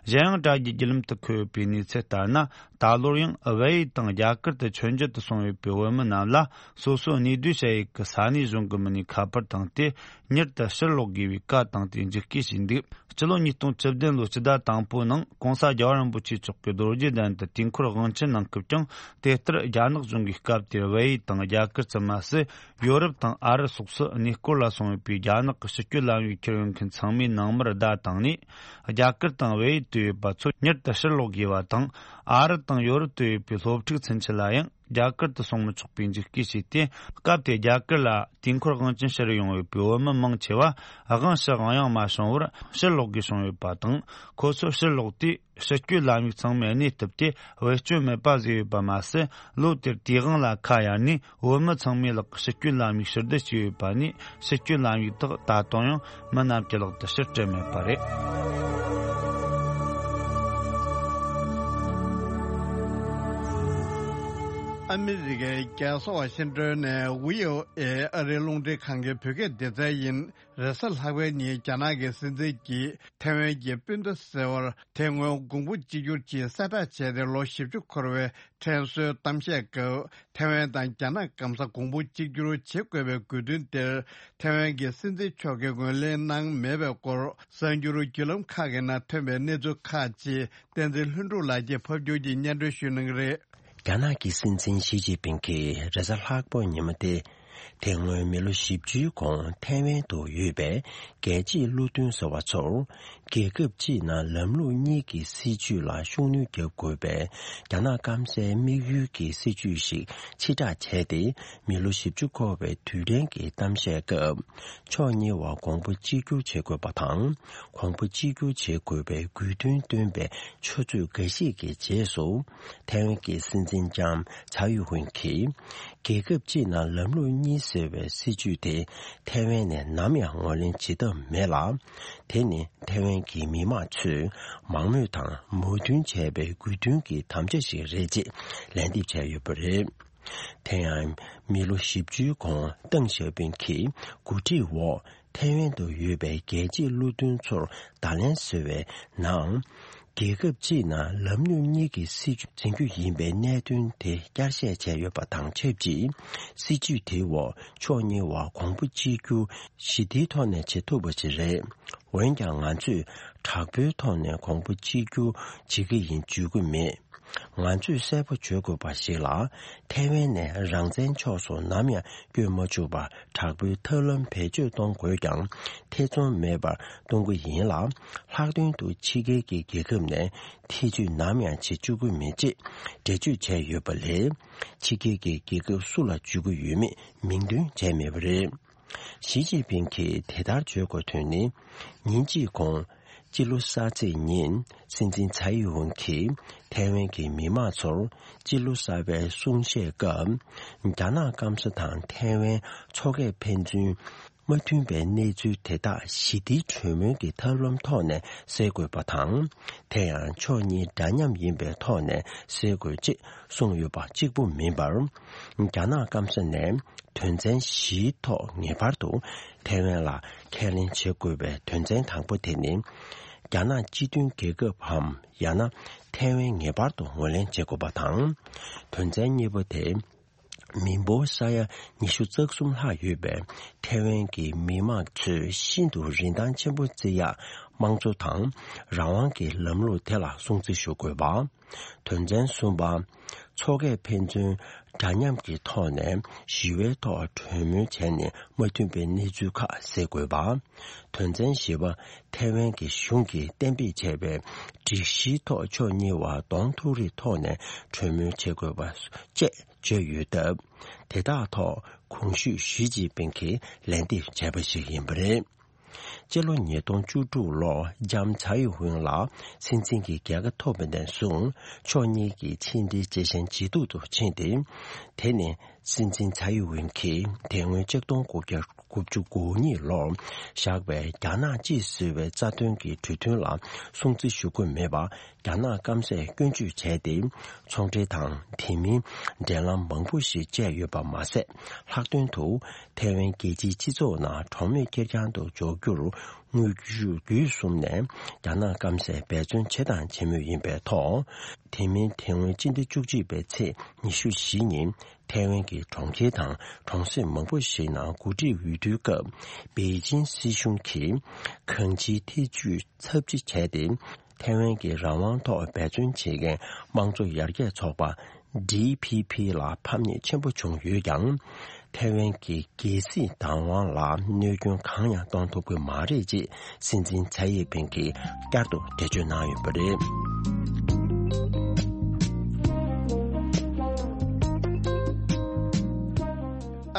གཞན་ཡང་། དྲ་རྒྱའི་བརྒྱུད་ལམ་དུ་འཁོད་ཡོད་པའི་གནས་ཚུལ་ལྟར་ན། ད་ལོར་ཡང་བལ་ཡུལ་དང་རྒྱ་གར་དུ་མཆོད་མཇལ་དུ་སོང་ཡོད་པའི་བོད་མི་རྣམས་ལ། སོ་སོའི་གནས་སྡོད་བྱ་ཡུལ་གྱི་ས་གནས་གཞུང་གི་མི་སྣས་ཁ་པར་བཏང་སྟེ། མྱུར་དུ་ཕྱིར་ལོག་དགོས་པའི་བཀའ་བཏང་སྟེ་འཇིགས་སྐུལ་བྱས་འདུག་སྤྱི་ལོ་ཉིས་སྟོང་བཅུ་བདུན་ལོའི་སྤྱི་ཟླ་དང་པོའི་ནང་། ྋགོང་ས་རྒྱལ་བ་རིན་པོ་ཆེ་མཆོག་གི་རྡོ་རྗེ་གདན་དུ་དུས་འཁོར་དབང་ཆེན་གནང་སྐབས་ཀྱང་། དེ་ལྟར་རྒྱ་ནག་གཞུང་གིས་སྐབས་དེར་བལ་ཡུལ་དང་རྒྱ་གར་ཙམ་མ་ཟད། ཡོ་རོབ་དང་ཨ་རི་སོགས་སུ་གནས་སྐོར་ལ་སོང་ཡོད་པའི་རྒྱ་ནག་གི་ཕྱི་སྐྱོད་ལམ་ཡིག་འཁྱེར་ཡོད་མཁན་ཚང་མའི་ནང་མར་བརྡ་བཏང་ནས། རྒྱ་གར་དང་བལ་ཡུལ་དུ་ཡོད་པ་ཚོ་མྱུར་དུ་ཕྱིར་ལོག་དགོས་པ་དང་། ཨ་རི་དང་ཡོ་རོབ་ཏུ་ཡོད་པའི་སློབ་ཕྲུག་ཚུན་ཆད་ལ་ཡང་རྒྱ་གར་དུ་སོང་མི་ཆོག་པའི་འཇིགས་སྐུལ་བྱས་ཏེ། སྐབས་དེར་རྒྱ་གར་ལ་དུས་འཁོར་དབང་ཆེན་ཕྱིར་ཡོང་ཡོད་པའི་བོད་མི་མང་ཆེ་བ་དབང་ཕྱི་དབང་ཡང་མ་བྱུང་བར་ཕྱིར་ལོག་དགོས་བྱུང་ཡོད་པ་དང་། ཁོ་ཚོ་ཕྱིར་ལོག་དུས། ཕྱི་སྐྱོད་ལམ་ཡིག་ཚང་མས་གནས་ཐུབ་སྟེ་བེད་སྤྱོད་མེད་པ་བཟོས་ཡོད་པ་མ་ཟད། ལོ་དེར་དུས་དབང་ལ་ཁ་གཡར་ནས། བོད་མི་ཚང་མའི་ལག་གི་ཕྱི་སྐྱོད་ལམ་ཡིག་ཕྱིར་བསྡུ་བྱས་ཡོད་པ་ནས། ཕྱི་སྐྱོད་ལམ་ཡིག་དག་ད་དུང་ཡང་མི་རྣམས་ཀྱི་ལག་ཏུ་ཕྱིར་སྤྲད་མེད་པ་རེད། ཨ་མི་རི་ཀའི་རྒྱལ་ས་ཝ་ཤིང་ཏོན་ནས་བྷི་ཨོ་ཨེ་ཨ་རིའི་རླུང་འཕྲིན་ཁང་གི་བོད་སྐད་སྡེ་ཚན་ཡིན། རེས་གཟའ་ལྷག་པའི་ཉིན་རྒྱ་ནག་གི་སྲིད་འཛིན་གྱིས་ཐེ་ཝན་གྱི་སྤུན་ཟླ་ཟེར་བར་དེ་སྔོན་གོང་བུ་གཅིག་གྱུར་གྱི་གསལ་བསྒྲགས་བྱས་ཏེ་ལོ་བཞི་བཅུ་འཁོར་བའི་དྲན་གསོའི་གཏམ་བཤད་སྐབས། ཐེ་ཝན་དང་རྒྱ་ནག་སྐམ་ས་གོང་བུ་གཅིག་གྱུར་བྱེད་དགོས་པའི་དགོས་འདུན་དེར་ཐེ་ཝན་གྱི་སྲིད་འཛིན་མཆོག་གིས་ངོས་ལེན་གནང་མེད་པའི་སྐོར། གསར་འགྱུར་བརྒྱུད་ལམ་ཁག་གི་ནང་ཐོན་པའི་གནས་ཚུལ་ཁག་ཅིག་བསྟན་འཛིན་ལྷུན་གྲུབ་ལགས་ཀྱིས་ཕབ་སྒྱུར་གྱིས་སྙན་སྒྲོན་ཞུ་གནང་གི་རེད། རྒྱ་ནག་གི་སྲིད་འཛིན་ཞི་ཅིན་ཕིང་གིས་རེས་གཟའ་ལྷག་པའི་ཉིན་མོ་སྟེ། དེ་སྔོན་མི་ལོ་བཞི་བཅུའི་གོང་ཐའེ་ཝན་དུ་ཡོད་པའི་རྒྱལ་གཅེས་བློ་མཐུན་ཟེར་བ་ཚོར། རྒྱལ་ཁབ་གཅིག་ནང་ལམ་ལུགས་གཉིས་ཀྱི་སྲིད་བྱུས་ལ་ཤུགས་སྣོན་རྒྱག་དགོས་པའི་རྒྱ་ནག་སྐམ་སའི་དམིགས་ཡུལ་གྱི་སྲིད་བྱུས་ཤིག་ཕྱིར་བསྒྲགས་བྱས་ཏེ། མི་ལོ་བཞི་བཅུ་འཁོར་བའི་དུས་དྲན་གྱི་གཏམ་བཤད་སྐབས། ཕྱོགས་གཉིས་བར་གོང་བུ་གཅིག་གྱུར་བྱེད་དགོས་པ་དང་། གོང་བུ་གཅིག་གྱུར་བྱེད་དགོས་པའི་དགོས་འདུན་བཏོན་པའི་ཆུ་ཚོད་འགའ་ཞིག་གི་རྗེས་སུ། ཐའེ་ཝན་གྱི་སྲིད་འཛིན་ལྕམ་ཚའེ་ཡུན་ཧུན་གྱིས། རྒྱལ་ཁབ་གཅིག་ནང་ལམ་ལུགས་གཉིས་ཟེར་བའི་སྲིད་བྱུས་དེ་ཐའེ་ཝན་ནས་ནམ་ཡང་ངོས་ལེན་བྱེད་ཐབས་མེད་ལ། དེ་ནི་ཐའེ་ཝན་གྱི་མི་དམངས་ཚོས་མང་མོས་དང་མོས་མཐུན་བྱས་པའི་དགོས་འདུན་གྱི་དམ་བཅའ་ཞིག་རེད་ཅེས་ལན་འདེབས་བྱས་ཡོད་པ་རེད། དེ་ཡང་མི་ལོ་བཞི་བཅུའི་གོང་ཏེང་ཞའོ་ཕིང་གི་འགོ་ཁྲིད་འོག་ཐའེ་ཝན་དུ་ཡོད་པའི་རྒྱལ་གཅེས་བློ་མཐུན་ཚོར་བརྡ་ལན་བཟོས་པའི་ནང་། རྒྱལ་ཁབ་གཅིག་ནང་ལམ་ལུགས་གཉིས་ཀྱི་སྲིད་བྱུས་འཛིན་རྒྱུ་ཡིན་པའི་གནད་དོན་དེ་བསྐྱར་བཤད་བྱས་ཡོད་པ་དང་ཆབས་ཅིག་སྲིད་བྱུས་དེའི་འོག་ཕྱོགས་གཉིས་བར་གོང་བུ་གཅིག་གྱུར་ཞི་བདེའི་ཐོག་ནས་བྱེད་ཐུབ་པ་ཞིག་རེད། འོན་ཀྱང་ང་ཚོས་དྲག་པོའི་ཐོག་ནས་གོང་བུ་གཅིག་གྱུར་བྱེད་ཀྱི་ཡིན་བརྗོད་ཀྱི་མེད། ང་ཚོས་གསལ་པོ་བརྗོད་དགོས་པ་ཞིག་ལ། ཐའེ་ཝན་ནས་རང་བཙན་ཕྱོགས་སུ་ནམ་ཡང་བསྐྱོད་མ་བཅུག་པར་དྲག་པོའི་ཐབས་ལམ་བེད་སྤྱོད་གཏོང་དགོས་ཀྱང་ཐེ་ཚོམ་མེད་པར་གཏོང་གི་ཡིན་ལ། ལྷག་དོན་དུ་ཕྱི་རྒྱལ་གྱི་རྒྱལ་ཁབ་ནས་ཐེ་བྱུས་ནམ་ཡང་བྱེད་བཅུག་གི་མེད་ཅེས་འགྲེལ་བརྗོད་བྱས་ཡོད་པ་ལས། ཕྱི་རྒྱལ་གྱི་རྒྱལ་ཁབ་སུ་ལ་བརྗོད་ཀྱི་ཡོད་མེད་མིང་འདོན་བྱས་མེད་པ་རེད། ཞི་ཅིན་ཕིང་གིས་དེ་ལྟར་བརྗོད་དགོས་དོན་ནི། ཉིན་གཅིག་གོང་། སྤྱི་ལོ་གསར་ཚེས་ཉིན། སྲིད་འཛིན་ཚའེ་ཡུན་ཧུན་གྱིས་ཐའེ་ཝན་གྱི་མི་དམངས་ཚོར་སྤྱི་ལོ་གསར་པའི་གསུང་བཤད་སྐབས། རྒྱ་ནག་སྐམ་ས་དང་ཐའེ་ཝན་མཚོ་ཁའི་ཕན་ཚུན་ མ་མཐུན་པའི་གནས་ཚུལ་དེ་དག་ཞི་བདེའི་གྲོས་མོལ་གྱི་ཐབས་ལམ་ཐོག་ནས་སེལ་དགོས་པ་དང་། དེ་ཡང་ཕྱོགས་གཉིས་འདྲ་མཉམ་ཡིན་པའི་ཐོག་ནས་སེལ་དགོས་ཅེས་གསུངས་ཡོད་པ་གཅིག་པུ་མིན་པར། རྒྱ་ནག་སྐམ་ས་ནས་དོན་ཚན་བཞིའི་ཐོག་ངེས་པར་དུ་ཐའེ་ཝན་ལ་ཁས་ལེན་བྱེད་དགོས་པའི་དོན་ཚན་དང་པོ་དེ་ནི། རྒྱ་ནག་སྤྱི་མཐུན་རྒྱལ་ཁབ་བམ་ཡང་ན་ཐའེ་ཝན་ངེས་པར་དུ་ངོས་ལེན་བྱེད་དགོས་པ་དང་། དོན་ཚན་གཉིས་པ་དེ། མི་འབོར་ས་ཡ་ཉི་ཤུ་རྩ་གསུམ་ལྷག་ཡོད་པའི་ཐའེ་ཝན་གྱི་མི་དམངས་ཚོས་ཤིན་ཏུ་རིན་ཐང་ཆེན་པོ་བརྩི་ཡག་དམངས་གཙོ་དང་རང་དབང་གི་ལམ་ལུགས་དེ་ལ་སྲུང་བརྩི་ཞུ་དགོས་པ། དོན་ཚན་གསུམ་པ། མཚོ་སྐྱེས་ཕན་ཚུན་འདྲ་མཉམ་གྱི་ཐོག་ནས་ཞི་བའི་ཐོག་གྲོས་མོལ་བྱས་ནས་མ་མཐུན་པའི་གནས་ཚུལ་ཁག་སེལ་དགོས་པ། དོན་ཚན་བཞི་པ། ཐའེ་ཝན་གྱི་གཞུང་གིས་གཏན་འབེབས་བྱས་པའི་སྒྲིག་གཞིའི་ཐོག་ཕྱོགས་གཉིས་བར་གདོང་ཐུག་རེའི་ཐོག་ནས་གྲོས་མོལ་བྱེད་དགོས་པ་བཅས་བརྗོད་ཡོད་སྟབས། དེ་དག་ཐོག་གོང་ཞུས་ཞི་ཅིན་ཕིང་གིས་ལན་འདེབས་བྱས་པ་ཞིག་ཡིན་པ་རེད། སྤྱི་ལོ་ཉིས་སྟོང་བཅུ་དྲུག་ལོར་ལྕམ་ཚའེ་ཝེན་ལགས་སྲིད་འཛིན་གྱི་རྒྱལ་ཁ་ཐོབ་པ་ནས་བཟུང་ཕྱོགས་གཉིས་ཀྱི་ཕྱི་འབྲེལ་ཇེ་ཞན་ཇེ་སྡུག་ཏུ་ཕྱིན་ཏེ། དེ་ནི་སྲིད་འཛིན་ཚའེ་ཝེན་གྱིས་དེ་སྔོན་ཆིག་སྟོང་དགུ་བརྒྱ་དགུ་བཅུ་གོ་གཉིས་ལོར་བཞག་པའི་རྒྱ་ནག་གཅིག་བཟོ་བའི་རྩ་དོན་གྱི་གྲོས་མཐུན་ལ་སྲུང་བརྩི་ཞུ་དགོས་མེད་པ། རྒྱ་ནག་སྐམ་སས་སྐྱོན་བརྗོད་བྱས་ཏེ། ཚོང་འབྲེལ་དང་དེ་མིན་འབྲེལ་ལམ་མང་པོ་ཞིག་བཅད་ཡོད་པ་མ་ཟད། ལྷག་དོན་དུ་ཐའེ་ཝན་རྒྱལ་སྤྱིའི་སྤྱི་ཚོགས་ནང་གྲངས་མེད་ཁེར་རྐྱང་དུ་འཇོག་རྒྱུར་དངོས་བརྒྱུད་བརྒྱུད་གསུམ་ནས་རྒྱ་ནག་སྐམ་སས་འབད་བརྩོན་བྱས་དང་བྱེད་མུས་ཡིན་པའི་ཐོག་དེ་མིན་དེ་སྔོན་སྤྱི་ཟླ་བཅུ་གཅིག་པའི་ཚེས་ཉི་ཤུ་བཞི་ཉིན་ཐའེ་ཝན་གྱི་གྲོང་ཁྱེར་དང་གྲོང་གསེབ་མང་པོ་ཞིག་ནང་འགོ་ཁྲིད་འོས་བསྡུའི་སྐབས་པེ་ཅིན་སྲིད་གཞུང་གིས་གང་ཅིའི་ཐེ་ཇུས་ཚབས་ཆེ་བྱས་ཏེ། ཐའེ་ཝན་གྱི་རང་དབང་ཐོག་འབད་བརྩོན་བྱེད་མཁན་དམངས་གཙོ་ཡར་རྒྱས་ཚོགས་པ་ཌི་ཕི་ཕི་ལ་ཕམ་ཉེས་ཆེན་པོ་བྱུང་ཡོད་ཀྱང་། ཐའེ་ཝན་གྱི་རྒྱལ་སྲིད་བདག་དབང་ལ་གནོད་སྐྱོན་གང་ཡང་གཏོང་ཐུབ་ཀྱི་མ་རེད་ཅེས་སྲིད་འཛིན་ཚའེ་ཡེ་ཕིང་གིས་བསྐྱར་དུ་འགྲེལ་བརྗོད་གནང་ཡོད་པ་རེད།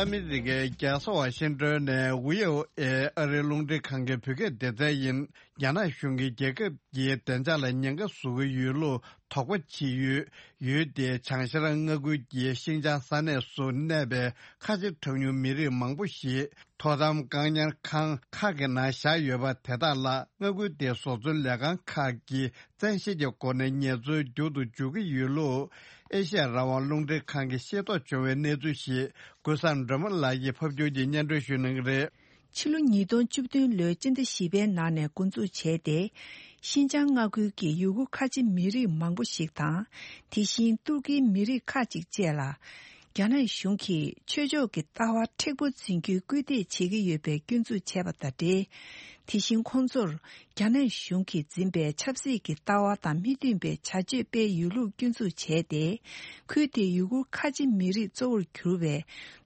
ཨ་མི་རི་ཀའི་རྒྱལ་ས་ཝ་ཤིང་ཏོན་ནས་ཝི་ཨོ་ཨེ་ཨ་རིའི་རླུང་འཕྲིན་ཁང་གི་བོད་སྐད་སྡེ་ཚན་ཡིན། རྒྱ་ནག་གཞུང་གིས་རྒྱལ་ཁབ་ཀྱི་བདེ་འཇགས་ལ་ཉེན་ཁ་བཟོ་གི་ཡོད་ལུགས་དོགས་པ་བྱེད་ཡུལ་ཡུལ་དེའི་བྱང་ཤར་མངའ་ཁུལ་གྱི་ཤིན་ཅང་ས་གནས་སུ་གནས་པའི་ཁ་ཆེ་གྲངས་ཉུང་མི་རིགས་མང་པོ་ཞིག་དོ་དམ་བཀག་ཉར་ཁང་ཁག་གི་ནང་བཞག་ཡོད་པ་དེ་དག་ལ་མངའ་ཁུལ་དེའི་བཟོ་ཚོང་ལས་ཁང་ཁག་གིས་བཙན་ཤེད་ཀྱི་སྒོ་ནས་ངལ་རྩོལ་རྒྱུག་ཏུ་འཇུག་གི་ཡོད་ལུགས་ཨེ་ཤ་ཡ་རང་དབང་རླུང་འཕྲིན་ཁང་གིས་ཤེས་རྟོགས་བྱུང་བའི་གནས་ཚུལ་ཞིག་ཀུན་བཟང་སྒྲོལ་མ་ལགས་ཀྱིས་ཕབ་སྒྱུར་གྱིས་སྙན་སྒྲོན་ཞུ་གནང་གི་རེད། ཕྱི་ལོ་ཉིས་སྟོང་བཅུ་བདུན་ལོའི་སྤྱི་ཟླ་བཞི་པའི་ནང་ནས་འགོ་འཛུགས་བྱས་ཏེ། ཤིན་ཅང་མངའ་ཁུལ་གྱི་ཡུ་གུར་ཁ་ཆེ་མི་རིགས་མང་པོ་ཞིག་དང་། དེ་བཞིན་ཏུར་ཀིའི་མི་རིགས་ཁག་ཅིག་བཅས་ལ། རྒྱ་ནག་གཞུང་གིས་ཆོས་ཕྱོགས་ཀྱི་ལྟ་བ་མཁྲེགས་པོ་འཛིན་རྒྱུའི་སྐུལ་འདེད་བྱེད་ཀྱི་ཡོད་པའི་སྐྱོན་འཛུགས་བྱས་པ་དང་འབྲེལ། དེ་བཞིན་ཁོང་ཚོར་རྒྱ་ནག་གཞུང་གིས་འཛིན་པའི་ཆབ་སྲིད་ཀྱི་ལྟ་བ་དང་མི་མཐུན་པའི་བྱ་སྤྱོད་སྤེལ་ཡོད་ལུགས་སྐྱོན་འཛུགས་བྱས་ཏེ། ཁུལ་དེའི་ཡུ་གུར་ཁ་ཆེ་མི་རིགས་གཙོ་བོར་གྱུར་བའི་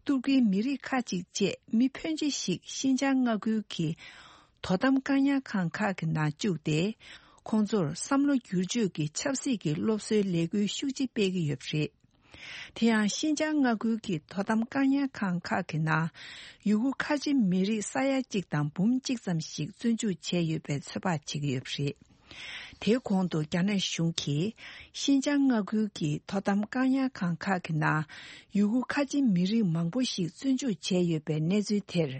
ཏུར་ཀིའི་མི་རིགས་ཁག་ཅིག་བཅས་མི་ཕོན་ཆེ་ཞིག་ཤིན་ཅང་མངའ་ཁུལ་གྱི་དོ་དམ་བཀག་ཉར་ཁང་ཁག་གི་ནང་བཅུག་སྟེ། ཁོང་ཚོར་བསམ་བློ་བསྒྱུར་བཅོས་ཀྱི་ཆབ་སྲིད་ཀྱི་སློབ་གསོའི་ལས་འགུལ་ཤུགས་ཆེ་སྤེལ་གྱི་ཡོད་པ་རེད། དེ་ཡང་ཤིན་ཅང་མངའ་ཁུལ་གྱི་དོ་དམ་བཀག་ཉར་ཁང་ཁག་གི་ནང་ཡུ་གུར་ཁ་ཆེ་མི་རིགས་ས་ཡ་གཅིག་དང་འབུམ་གཅིག་ཙམ་ཞིག་བཙོན་འཇུག་བྱས་ཡོད་པའི་ཚོད་དཔག་བྱེད་ཀྱི་ཡོད་པ་རེད། དེའི་གོང་དུ་རྒྱ་ནག་གཞུང་གིས་ཤིན་ཅང་མངའ་ཁུལ་གྱི་དོ་དམ་བཀག་ཉར་ཁང་ཁག་གི་ནང་ཡུ་གུར་ཁ་ཆེ་མི་རིགས་མང་པོ་ཞིག་བཙོན་འཇུག་བྱས་ཡོད་པའི་གནས་ཚུལ་དེར་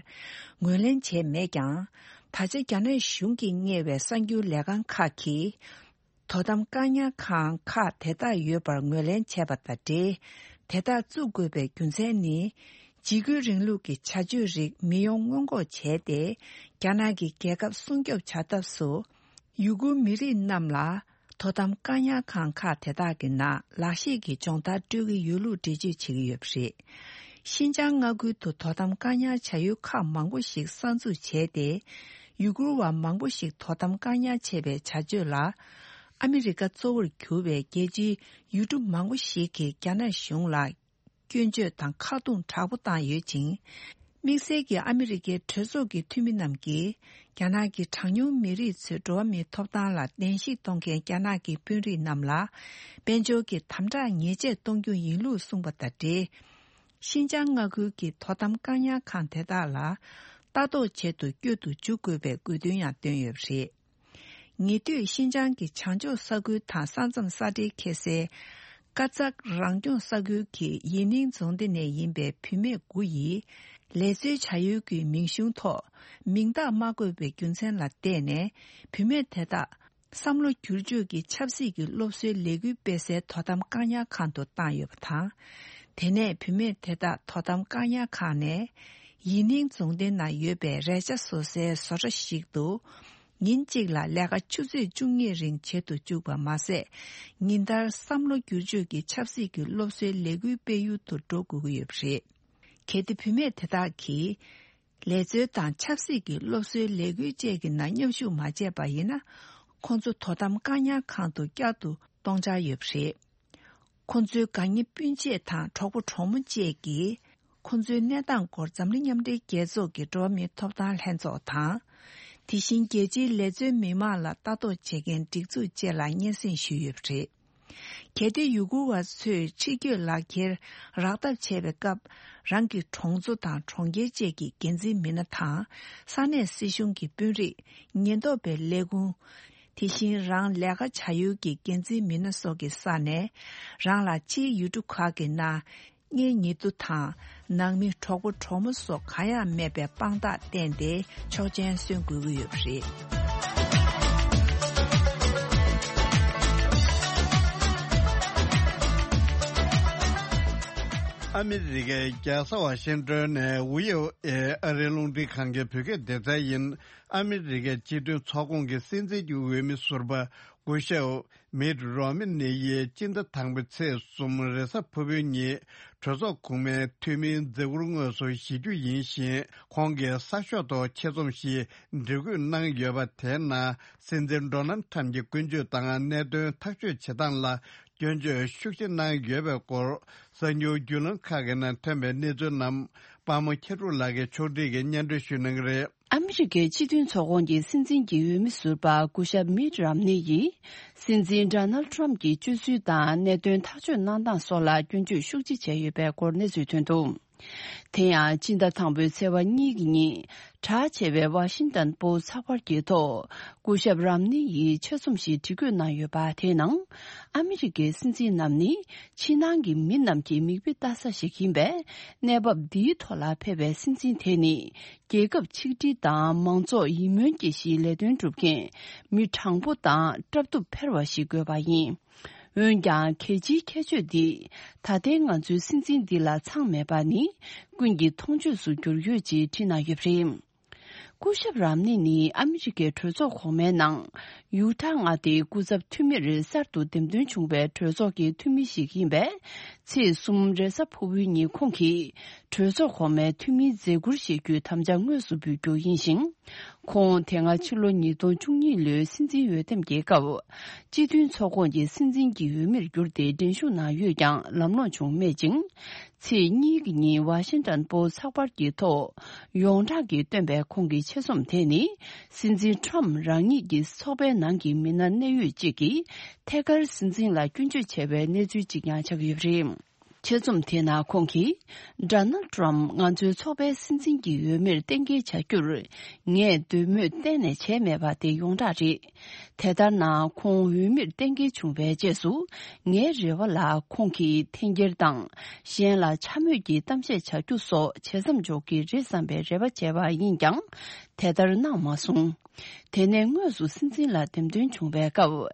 ངོས་ལེན་བྱས་མེད་ཀྱང་། ད་ཆ་རྒྱ་ནག་གཞུང་གིས་གཉེར་བའི་གསར་འགྱུར་ལས་ཁང་ཁག་གིས། དོ་དམ་བཀག་ཉར་ཁང་ཁག་དེ་དག་ཡོད་པར་ངོས་ལེན་བྱས་པ་དང་འབྲེལ། དེ་དག་བཙུགས་དགོས་པའི་རྒྱུ་མཚན་ནི། འཇིགས་སྐུལ་རིང་ལུགས་ཀྱི་བྱ་སྤྱོད་རིགས་མི་ཡོང་སྔོན་འགོག་བྱས་ཏེ། རྒྱ་ནག་གི་རྒྱལ་ཁབ་སྲུང་སྐྱོབ་བྱ་ཐབས་སུ། ཡུ་གུར་མི་རིགས་རྣམས་ལ་དོ་དམ་བཀག་ཉར་ཁང་ཁག་དེ་དག་གི་ནང་ལག་ཤེས་ཀྱི་སྦྱོང་བརྡར་སྤྲོད་ཀྱི་ཡོད་ལུགས་འགྲེལ་བརྗོད་བྱེད་ཀྱི་ཡོད་པ་རེད། ཤིན་ཅང་མངའ་ཁུལ་དུ་དོ་དམ་བཀག་ཉར་བྱ་ཡུལ་ཁག་མང་པོ་ཞིག་གསར་འཛུགས་བྱས་ཏེ། ཡུ་གུར་བ་མང་པོ་ཞིག་དོ་དམ་བཀག་ཉར་བྱས་པའི་བྱ་སྤྱོད་ལ། ཨ་མི་རི་ཀ་གཙོ་བོར་གྱུར་པའི་རྒྱལ་སྤྱིའི་ཡུལ་གྲུ་མང་པོ་ཞིག་གིས་རྒྱ་ནག་གཞུང་ལ་སྐྱོན་བརྗོད་དང་ཁ་རྡུང་དྲག་པོ་བཏང་ཡོད་ཅིང་། དམིགས་བསལ་གྱིས་ཨ་མི་རི་ཀའི་གྲོས་ཚོགས་ཀྱི་འཐུས་མི་རྣམས་ཀྱིས། རྒྱ་ནག་གི་གྲངས་ཉུང་མི་རིགས་ཚོའི་འགྲོ་བ་མིའི་ཐོབ་ཐང་ལ་གདན་ཞིག་གཏོང་མཁན་རྒྱ་ནག་གི་དཔོན་རིགས་རྣམས་ལ། དཔལ་འབྱོར་གྱི་དམ་དྲག་ཉེས་ཆད་གཏོང་རྒྱུ་ཡིན་ལུགས་གསུངས་པ་དང་འབྲེལ། ཤིན་ཅང་མངའ་ཁུལ་གྱི་དོ་དམ་བཀག་ཉར་ཁང་དེ་དག་ལ་ལྟ་རྟོག་བྱེད་དུ་བསྐྱོད་དུ་འཇུག་དགོས་པའི་དགོས་འདུན་ཡང་བཏོན་ཡོད་པ་རེད། ཉེ་དུས་ཤིན་ཅང་གི་བྱང་ཕྱོགས་ས་ཁུལ་དང་ས་མཚམས་ས་འབྲེལ་ཁེལ་སའི་ཀ་ཙག་རང་སྐྱོང་ས་ཁུལ་གྱི་ཡི་ནིང་རྫོང་སྡེ་ནས་ཡིན་པའི་བུད་མེད་དགུ་ཡིས་ ལས་རྩོལ་བྱ་ཡུལ་གྱི་མིང་གཞུང་ཐོག་མིང་རྟགས་མ་བཀོད་པའི་རྒྱུ་མཚན་ལ་བརྟེན་ནས། བུད་མེད་དེ་དག་བསམ་བློ་བསྒྱུར་བཅོས་ཀྱི་ཆབ་སྲིད་ཀྱི་སློབ་གསོའི་ལས་འགུལ་སྤེལ་སའི་དོ་དམ་བཀག་ཉར་ཁང་དུ་བཏང་ཡོད་པ་དང་། དེ་ནས་བུད་མེད་དེ་དག་དོ་དམ་བཀག་ཉར་ཁང་ནས་ཡི་ནིང་རྫོང་སྡེ་ན་ཡོད་པའི་རས་ཆ་བཟོ་སའི་བཟོ་གྲྭ་ཞིག་ཏུ། ཉིན་གཅིག་ལ་ལས་ཀ་ཆུ་ཚོད་བཅུ་གཉིས་རིང་བྱེད་དུ་བཅུག་པ་མ་ཟད། ཉིན་ལྟར་བསམ་བློ་བསྒྱུར་བཅོས་ཀྱི་ཆབ་སྲིད་ཀྱི་སློབ་གསོའི་ལས་འགུལ་སྤེལ་ཡུལ་དུ་འགྲོ་དགོས་ཀྱི་ཡོད་པ་རེད། གལ་ཏེ་བུད་མེད་དེ་དག་གིས་ལས་རྩོལ་དང་ཆབ་སྲིད་ཀྱི་སློབ་གསོའི་ལས་འགུལ་བཅས་ཀྱི་ནང་མཉམ་ཞུགས་མ་བྱས་པ་ཡིན་ན། ཁོང་ཚོ་དོ་དམ་བཀག་ཉར་ཁང་དུ་བསྐྱར་དུ་གཏོང་འཆར་ཡོད་པ་རེད། ཁོང་ཚོའི་དགའ་ཉེ་སྤུན་མཆེད་དང་གྲོགས་པོ་གྲོགས་མོ་བཅས་ཀྱིས། ཁོང་ཚོའི་གནས་སྟངས་སྐོར་འཛམ་གླིང་མཉམ་འབྲེལ་རྒྱལ་ཚོགས་ཀྱི་འགྲོ་བ་མིའི་ཐོབ་ཐང་ལྷན་ཚོགས་དང་། དེ་བཞིན་རྒྱལ་སྤྱིའི་ལས་རྩོལ་མི་མང་ལ་ལྟ་རྟོག་བྱེད་མཁན་སྒྲིག་འཛུགས་བཅས་ལ་སྙན་སེང་ཞུས་ཡོད་པ་རེད། གལ་ཏེ་ཡུ་གུར་བ་ཚོས་ཕྱི་སྐྱོད་ལག་འཁྱེར་རག་ཐབས་བྱས་པའི་སྐབས། རང་གི་གྲོང་ཚོ་དང་གྲོང་ཁྱེར་བཅས་ཀྱི་འགན་འཛིན་མི་སྣ་དང་། ས་གནས་སྲིད་གཞུང་གི་དཔོན་རིགས། ཉེན་རྟོག་པའི་ལས་ཁུངས། དེ་བཞིན་རང་ལས་ཀ་བྱ་ཡུལ་གྱི་འགན་འཛིན་མི་སྣ་སོགས་ཀྱི་ས་ནས། རང་ལ་ཕྱིའི་ཡུལ་གྲུ་ཁག་གི་ནང་། གཉེན་ཉེ་དུ་དང་། ནང་མི་གྲོགས་པོ་གྲོགས་མོ་སོགས་གང་ཡང་མེད་པའི་དཔང་རྟགས་བསྟན་ཏེ། ཆོག་མཆན་སོན་དགོས་ཀྱི་ཡོད་པ་རེད། ཨ་མི་རི་ཀའི་རྒྱལ་ས་ཝ་ཤིང་ཏོན་ནས་ཝི་ཨོ་ཨེ་ཨ་རིའི་རླུང་འཕྲིན་ཁང་གི་བོད་སྐད་སྡེ་ཚན་ཡིན། ཨ་མི་རི་ཀའི་སྤྱི་མཐུན་ཚོགས་ཁོངས་ཀྱི་སྲིད་འཛིན་གྱི་འོས་མི་ཟུར་པ་སྐུ་ཞབས་མིད་རོ་མི་ནི་ཡིས་སྤྱི་ཟླ་དང་པོའི་ཚེས་གསུམ་རེས་གཟའ་ཕུར་བུའི་ཉིན་གྲོས་ཚོགས་གོང་མའི་འཐུས་མིའི་མཛད་ཁུར་དངོས་སུ་བཞེས་རྒྱུ་ཡིན་ཞིང་། ཁོང་གིས་གསར་ཤོག་ཐོག་ཆེད་རྩོམ་ཞིག་འབྲི་འགོད་གནང་ཡོད་པ། དེའི་ནང་སྲིད་འཛིན་ཌོ་ནལ་ཊམ་གྱི་ཀུན་སྤྱོད་དང་གནད་དོན་ཐག་གཅོད་བྱེད་སྟངས་ལ་སྐྱོན་བརྗོད་ཤུགས་ཆེ་གནང་ཡོད་པའི་སྐོར། གསར་འགྱུར་བརྒྱུད་ལམ་ཁག་གི་ནང་ཐོན་པའི་གནས་ཚུལ་རྣམས་པར་མོ་མཁས་གྲུབ་ལགས་ཀྱིས་ཕྱོགས་སྒྲིག་གིས་སྙན་སྒྲོན་ཞུ་གནང་གི་རེད། ཨ་མི་རི་ཀའི་སྤྱི་མཐུན་ཚོགས་ཁོངས་ཀྱི་སྲིད་འཛིན་གྱི་འོས་མི་ཟུར་པ་སྐུ་ཞབས་མིད་རམ་ནི་ཡིས། སྲིད་འཛིན་ཌོ་ནལ་ཊམ་གྱི་སྤྱོད་ཚུལ་དང་གནད་དོན་ཐག་གཅོད་གནང་སྟངས་སོགས་ལ་སྐྱོན་བརྗོད་ཤུགས་ཆེ་བྱས་ཡོད་པའི་སྐོར་གནས་ཚུལ་ཐོན་འདུག་དེ་ཡང་སྤྱི་ཟླ་དང་པོའི་ཚེས་པ་གཉིས་ཀྱི་ཉིན་གྲགས་ཆེ་བའི་ཝ་ཤིང་ཏན་པོ་སི་ཚགས་པར་གྱི་ཐོག་སྐུ་ཞབས་རམ་ནི་ཡིས་ཆེད་རྩོམ་ཞིག་འབྲི་འགོད་གནང་ཡོད་པ། དེའི་ནང་ཨ་མི་རི་ཀའི་སྲིད་འཛིན་རྣམས་ནི་ཕྱི་ནང་གི་མི་རྣམས་ཀྱི་མིག་དཔེ་ལྟ་ས་ཞིག་ཡིན་པས། གནས་བབ་འདིའི་ཐོག་ལ་ཕེབས་པའི་སྲིད་འཛིན་དེ་ནི། རྒྱལ་ཁབ་ཆིག་སྒྲིལ་དང་མང་ཚོགས་ཡིད་སྨོན་སྐྱེ་གཞིའི་ལས་དོན་སྒྲུབ་མཁན་མི་དྲང་པོ་དང་སྲ་བརྟན་ཕལ་བ་ཞིག་དགོས་པ་ཡིན། འོན་ཀྱང་། གལ་ཆེའི་ཁྱད་ཆོས་འདི་ད་ལྟའི་ང་ཚོའི་སྲིད་འཛིན་འདི་ལ་ཚང་མེད་པ་ནི་ཀུན་གྱིས་མཐོང་ཆོས་སུ་གྱུར་ཡོད་ཅེས་བྲིས་གནང་ཡོད་པ་རེད། སྐུ་ཞབས་རམ་ནི་ནི་ཨ་མི་རི་ཀའི་གྲོས་ཚོགས་གོང་མའི་ནང་ཡུ་ཊ་མངའ་སྡེའི་སྐུ་ཚབ་འཐུས་མིར་གསར་དུ་འདེམས་ཐོན་བྱུང་བའི་གྲོས་ཚོགས་ཀྱི་འཐུས་མི་ཞིག་ཡིན་པས། ཚེས་གསུམ་རེས་གཟའ་ཕུར་བུའི་ཉིན་ཁོང་གིས་གྲོས་ཚོགས་གོང་མའི་འཐུས་མིའི་མཛད་ཁུར་བཞེས་རྒྱུའི་དམ་བཅའ་དངོས་སུ་འབུལ་རྒྱུ་ཡིན་ཞིང་། ཁོང་དེ་སྔ་ཕྱི་ལོ་ཉིས་སྟོང་བཅུ་གཉིས་ལོའི་སྲིད་འཛིན་འོས་འདེམས་ཀྱི་སྐབས། སྤྱི་མཐུན་ཚོགས་ཁོངས་ཀྱི་སྲིད་འཛིན་གྱི་འོས་མིར་གྱུར་ཏེ་འགྲན་ཞུགས་གནང་ཡོད་ཀྱང་ལམ་ལྷོང་བྱུང་མེད་ཅིང་། ཚེས་གཉིས་ཀྱི་ཉིན་ཝ་ཤིང་ཏན་པོ་སི་ཚགས་པར་གྱི་ཐོག་ཡོངས་གྲགས་ཀྱིས་བཏོན་པའི་ཁོང་གི་ཆེད་རྩོམ་དེ་ནི། སྲིད་འཛིན་ཊམ་རང་ཉིད་ཀྱི་ཚོགས་པའི་ནང་གི་མི་སྣ་གནད་ཡོད་ཅིག་གིས་ཐད་ཀར་སྲིད་འཛིན་ལ་སྐྱོན་བརྗོད་བྱས་པའི་གནས་ཚུལ་ཅིག་ཀྱང་ཆགས་ཡོད་པ་རེད། ཆེད་རྩོམ་དེའི་ནང་ཁོང་གིས། ཌོ་ནལ་ཊམ་ང་ཚོའི་ཚོགས་པའི་སྲིད་འཛིན་གྱི་འོས་མིར་གཏན་འཁེལ་བྱ་རྒྱུར། ངས་འདོད་མོས་གཏན་ནས་བྱས་མེད་པ་དེ་ཡོངས་གྲགས་རེད། དེ་ལྟར་ན་ཁོང་འོས་མིར་གཏན་འཁེལ་བྱུང་བའི་རྗེས་སུ། ངའི་རེ་བ་ལ་ཁོང་གིས་འཐེན་འཁྱེར་དང་། གཞན་ལ་འཕྱ་སྨོད་ཀྱི་གཏམ་བཤད་བྱ་རྒྱུ་སོགས་བྱེད་མཚམས་འཇོག་གི་རེད་བསམ་པའི་རེ་བ་བྱས་པ་ཡིན་ཀྱང་། དེ་ལྟར་གནང་མ་སོང་། དེ་ནས་དངོས་སུ་སྲིད་འཛིན་ལ་འདེམས་ཐོན་བྱུང་བའི་སྐབས།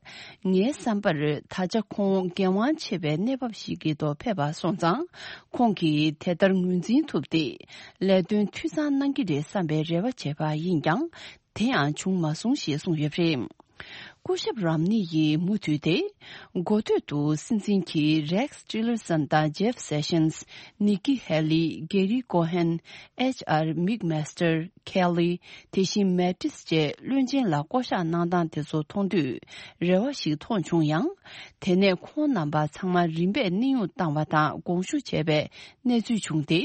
ངའི་བསམ་པར་ད་ཆ་ཁོང་འགན་དབང་ཆེ་བའི་གནས་བབ་ཞིག་གི་ཐོག་ཕེབས་པ་སོང་ཙང་། ཁོང་གིས་དེ་ལྟར་ངོས་འཛིན་ཐུབ་སྟེ། ལས་དོན་འཐུས་ཚང་གནང་གི་རེད་བསམ་པའི་རེ་བ་བྱས་པ་ཡིན་ཀྱང་། དེ་ཡང་བྱུང་མ་སོང་ཞེས་གསུངས་ཡོད་པ་རེད། སྐུ་ཞབས་རམ་ནི་ཡིས་མུ་མཐུད་དེ། འགོ་སྟོད་དུ་སྲིད་འཛིན་གྱིས་རེགས་ཊི་ལར་སན་དང་ཇེབ་སེ་ཤན། ནིག་ཀི་ཧེ་ལི། གེ་རི་ཀོ་ཧན། ཨེཆ་ཨར་མིག་མེ་སི་ཊར། ཁེ་ལི། དེ་བཞིན་མེ་ཊིས་བཅས་བློན་ཆེན་ལ་བསྐོ་གཞག་གནང་སྟངས་དེ་ཚོ་མཐོང་དུས་རེ་བ་ཞིག་མཐོང་བྱུང་ཡང་། དེ་ནས་ཁོང་རྣམ་པ་ཚང་མ་རིམ་པས་གནས་དབྱུང་བཏང་བ་དང་དགོངས་ཞུ་བྱས་པའི་གནས་ཚུལ་བྱུང་སྟེ།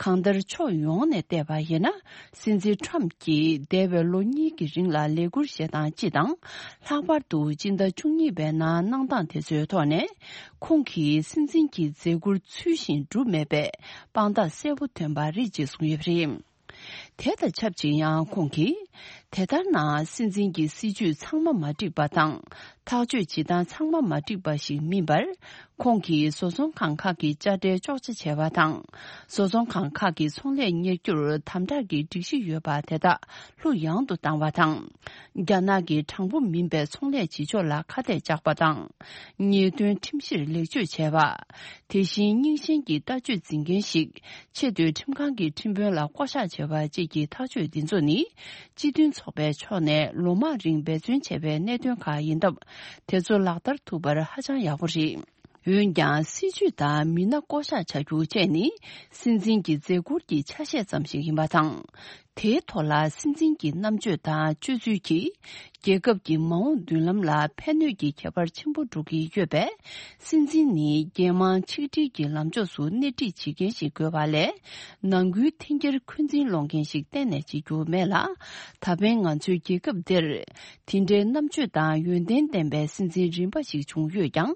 གང་ལྟར་ཕྱོགས་ཡོངས་ནས་བལྟས་པ་ཡིན་ན། སྲིད་འཛིན་ཊམ་གྱིས་འདས་པའི་ལོ་གཉིས་ཀྱི་རིང་ལ་ལས་འཁུར་བཞེས་སྟངས་སྤྱི་དང་། ལྷག་པར་དུ་སྤྱི་ཟླ་བཅུ་གཉིས་པའི་ནང་གནང་སྟངས་དེ་ཚོའི་ཐོག་ནས། ཁོང་གིས་སྲིད་འཛིན་གྱི་མཛད་ཁུར་ཚུལ་བཞིན་བསྒྲུབས་མེད་པའི་དཔང་རྟགས་གསལ་པོ་ཐོན་པ་རེད་ཅེས་གསུངས་ཡོད་པ་རེད། དེ་དང་ཆབས་ཅིག་ཡང་ཁོང་གིས། དེ་ལྟར་ན་སྲིད་འཛིན་གྱི་སྲིད་ཇུས་ཚང་མ་མ་འགྲིག་པ་དང་། ཐག་གཅོད་བྱེད་སྟངས་ཚང་མ་མ་འགྲིག་པ་ཞིག་མིན་པར། ཁོང་གིས་བཟོ་ཚོང་ཁང་ཁག་གི་དཔྱ་ཁྲལ་གཅོག་ཆ་བྱས་པ་དང་། བཟོ་ཚོང་ཁང་ཁག་གི་ཚོང་ལས་གཉེར་རྒྱུར་དམ་དྲག་གི་སྒྲིག་གཞི་ཡོད་པ་དེ་དག་ལྷུག་ཡངས་དུ་བཏང་བ་དང་། རྒྱ་ནག་གི་དྲང་པོ་མིན་པའི་ཚོང་ལས་བྱེད་ཕྱོགས་ལ་ཁ་གཏད་བཅག་པ་དང་། ཉེས་དོན་ཁྲིམས་གཞིར་ལེགས་བཅོས་བྱས་པ། དེ་བཞིན་རྙིང་ཞེན་གྱི་ལྟ་སྤྱོད་འཛིན་མཁན་ཞིག་ཆེས་མཐོའི་ཁྲིམས་ཁང་གི་ཁྲིམས་དཔོན་ལ་བསྐོ་གཞག་བྱས་པ་བཅས་ཀྱི་ཐག་གཅོད་འདི་ཚོ་ནི། སྤྱི་མཐུན་ཚོགས་པའི་ཕྱོགས་ནས་ལོ་མང་རིང་འབད་བརྩོན་བྱས་པའི་གནད་དོན་ཁག་ཡིན་སྟབས། དེ་ཚོ་ལག་བསྟར་ཐུབ་པར་ཧ་ཅང་ཡག་པོ་རེད། འོན་ཀྱང་། སྲིད་ཇུས་དང་མི་སྣ་བསྐོ་གཞག་བྱ་རྒྱུ་བཅས་ནི། སྲིད་འཛིན་གྱི་མཛད་ཁུར་གྱི་ཆ་ཤས་ཙམ་ཞིག་ཡིན་པ་དང་། དེའི་ཐོག་ལ་སྲིད་འཛིན་གྱི་རྣམ་དཔྱོད་དང་སྤྱོད་ཚུལ་གྱིས། རྒྱལ་ཁབ་ཀྱི་མ་འོངས་མདུན་ལམ་ལ་ཕན་གནོད་ཀྱི་ཁྱད་པར་ཆེན་པོ་འགྲོ་གི་ཡོད་པས། སྲིད་འཛིན་ནི་རྒྱལ་དམངས་ཆིག་སྒྲིལ་གྱི་ལམ་ཕྱོགས་སུ་སྣེ་ཁྲིད་བྱེད་མཁན་ཞིག་དགོས་པ་ལས། ནང་ཁུལ་འཐེན་འཁྱེར་འཁོན་འཛིན་སློང་མཁན་ཞིག་གཏན་ནས་བྱེད་རྒྱུ་མེད་ལ། ད་ཕན་ང་ཚོའི་རྒྱལ་ཁབ་འདིར། དེ་འདྲའི་རྣམ་དཔྱོད་དང་ཡོན་ཏན་ལྡན་པའི་སྲིད་འཛིན་རིམ་པ་ཞིག་བྱུང་ཡོད་ཀྱང་།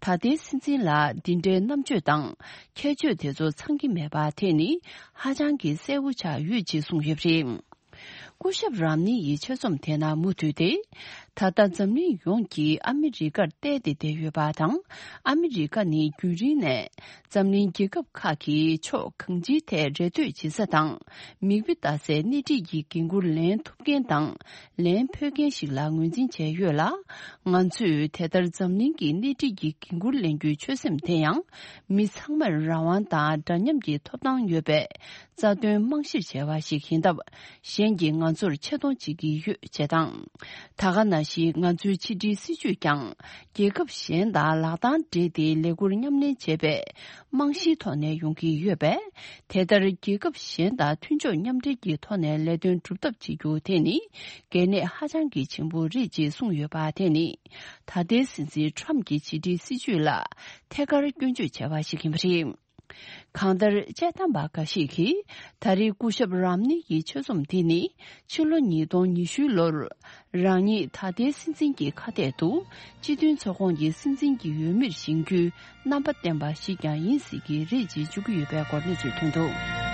ད་ལྟའི་སྲིད་འཛིན་ལ་འདི་འདྲའི་རྣམ་དཔྱོད་དང་། ཁྱད་ཆོས་དེ་ཚོ་ཚང་གི་མེད་པ་དེ་ནི་ཧ་ཅང་གི་གསལ་པོ་ཆགས་ཡོད་ཅེས་གསུངས་ཡོད་པ་རེད། སྐུ་ཞབས་རམ་ནི་ཡི་ཆེད་རྩོམ་དེ་ནང་མུ་མཐུད་དེ། ད་ལྟ་འཛམ་གླིང་ཡོངས་ཀྱིས་ཨ་མི་རི་ཀར་བལྟས་ཏེ་བསྡད་ཡོད་པ་དང་། ཨ་མི་རི་ཀ་ནི་རྒྱུན་རིང་ནས་འཛམ་གླིང་རྒྱལ་ཁབ་ཁག་གིས་ཕྱོགས་གང་ཅིའི་ཐད་རེ་ལྟོས་བྱེད་ས་དང་། མིག་དཔེ་ལྟ་སའི་སྣེ་ཁྲིད་ཀྱི་འགན་འཁུར་ལེན་ཐུབ་མཁན་དང་། ལེན་ཕོད་མཁན་ཞིག་ལ་ངོས་འཛིན་བྱས་ཡོད་ལ། ང་ཚོས་དེ་ལྟར་འཛམ་གླིང་གི་སྣེ་ཁྲིད་ཀྱི་འགན་འཁུར་ལེན་རྒྱུའི་ཆོད་སེམས་དེ་ཡང་། མི་ཚང་མར་རང་དབང་དང་འདྲ་མཉམ་གྱི་ཐོབ་ཐང་ཡོད་པའི་རྩ་དོན་རྨང་གཞིར་བྱས་པ་ཞིག་ཡིན་སྟབས། གཞན་གྱིས་ང་ཚོར་ཆེ་མཐོང་བྱེད་ཀྱི་ཡོད་ཅེས་དང་། ད་ག་ནང་བཞིན་ང་ཚོའི་ཕྱི་འབྲེལ་སྲིད་ཇུས་ཀྱང་རྒྱལ་ཁབ་གཞན་དང་ལག་གདང་སྦྲེལ་ཏེ་ལས་ཁུར་མཉམ་ལེན་བྱེད་པའི་རྨང་གཞིའི་ཐོག་ནས་ཡོང་གི་ཡོད་པས། དེ་ལྟར་རྒྱལ་ཁབ་གཞན་དང་མཐུན་ཕྱོགས་མཉམ་འབྲེལ་གྱི་ཐོག་ནས་ལས་དོན་སྒྲུབ་ཐབས་བྱེད་རྒྱུ་དེ་ནི་གལ་གནད་ཧ་ཅང་གི་ཆེན་པོ་རེད་ཅེས་གསུངས་ཡོད་པ་དེ་ནི། ད་ལྟའི་སྲིད་འཛིན་ཁྲམ་གྱི་ཕྱི་འབྲེལ་སྲིད་ཇུས་ལ་ཐད་ཀར་སྐྱོན་བརྗོད་བྱས་པ་ཞིག་ཡིན་པ་རེད། གང་ལྟར། དཔྱད་གཏམ་པ་འགའ་ཞིག་གིས། ད་རེས་སྐུ་ཞབས་རམ་ནི་ཡི་ཆོད་རྩོམ་འདི་ནི། ཕྱི་ལོ་ཉིས་སྟོང་ཉི་ཤུའི་ལོར། རང་ཉིད་ད་ལྟའི་སྲིད་འཛིན་གྱི་ཁ་གཏད་དུ། སྤྱི་མཐུན་ཚོགས་ཁོངས་ཀྱི་སྲིད་འཛིན་གྱི་འོས་མིར་བཞེངས་རྒྱུའི་རྣམ་པ་བསྟན་པ་ཞིག་ཀྱང་ཡིན་སྲིད་ཀྱི་རེད་ཅེས་བརྗོད་ཀྱི་ཡོད་པའི་སྐོར་གནས་ཚུལ་ཐོན་འདུག།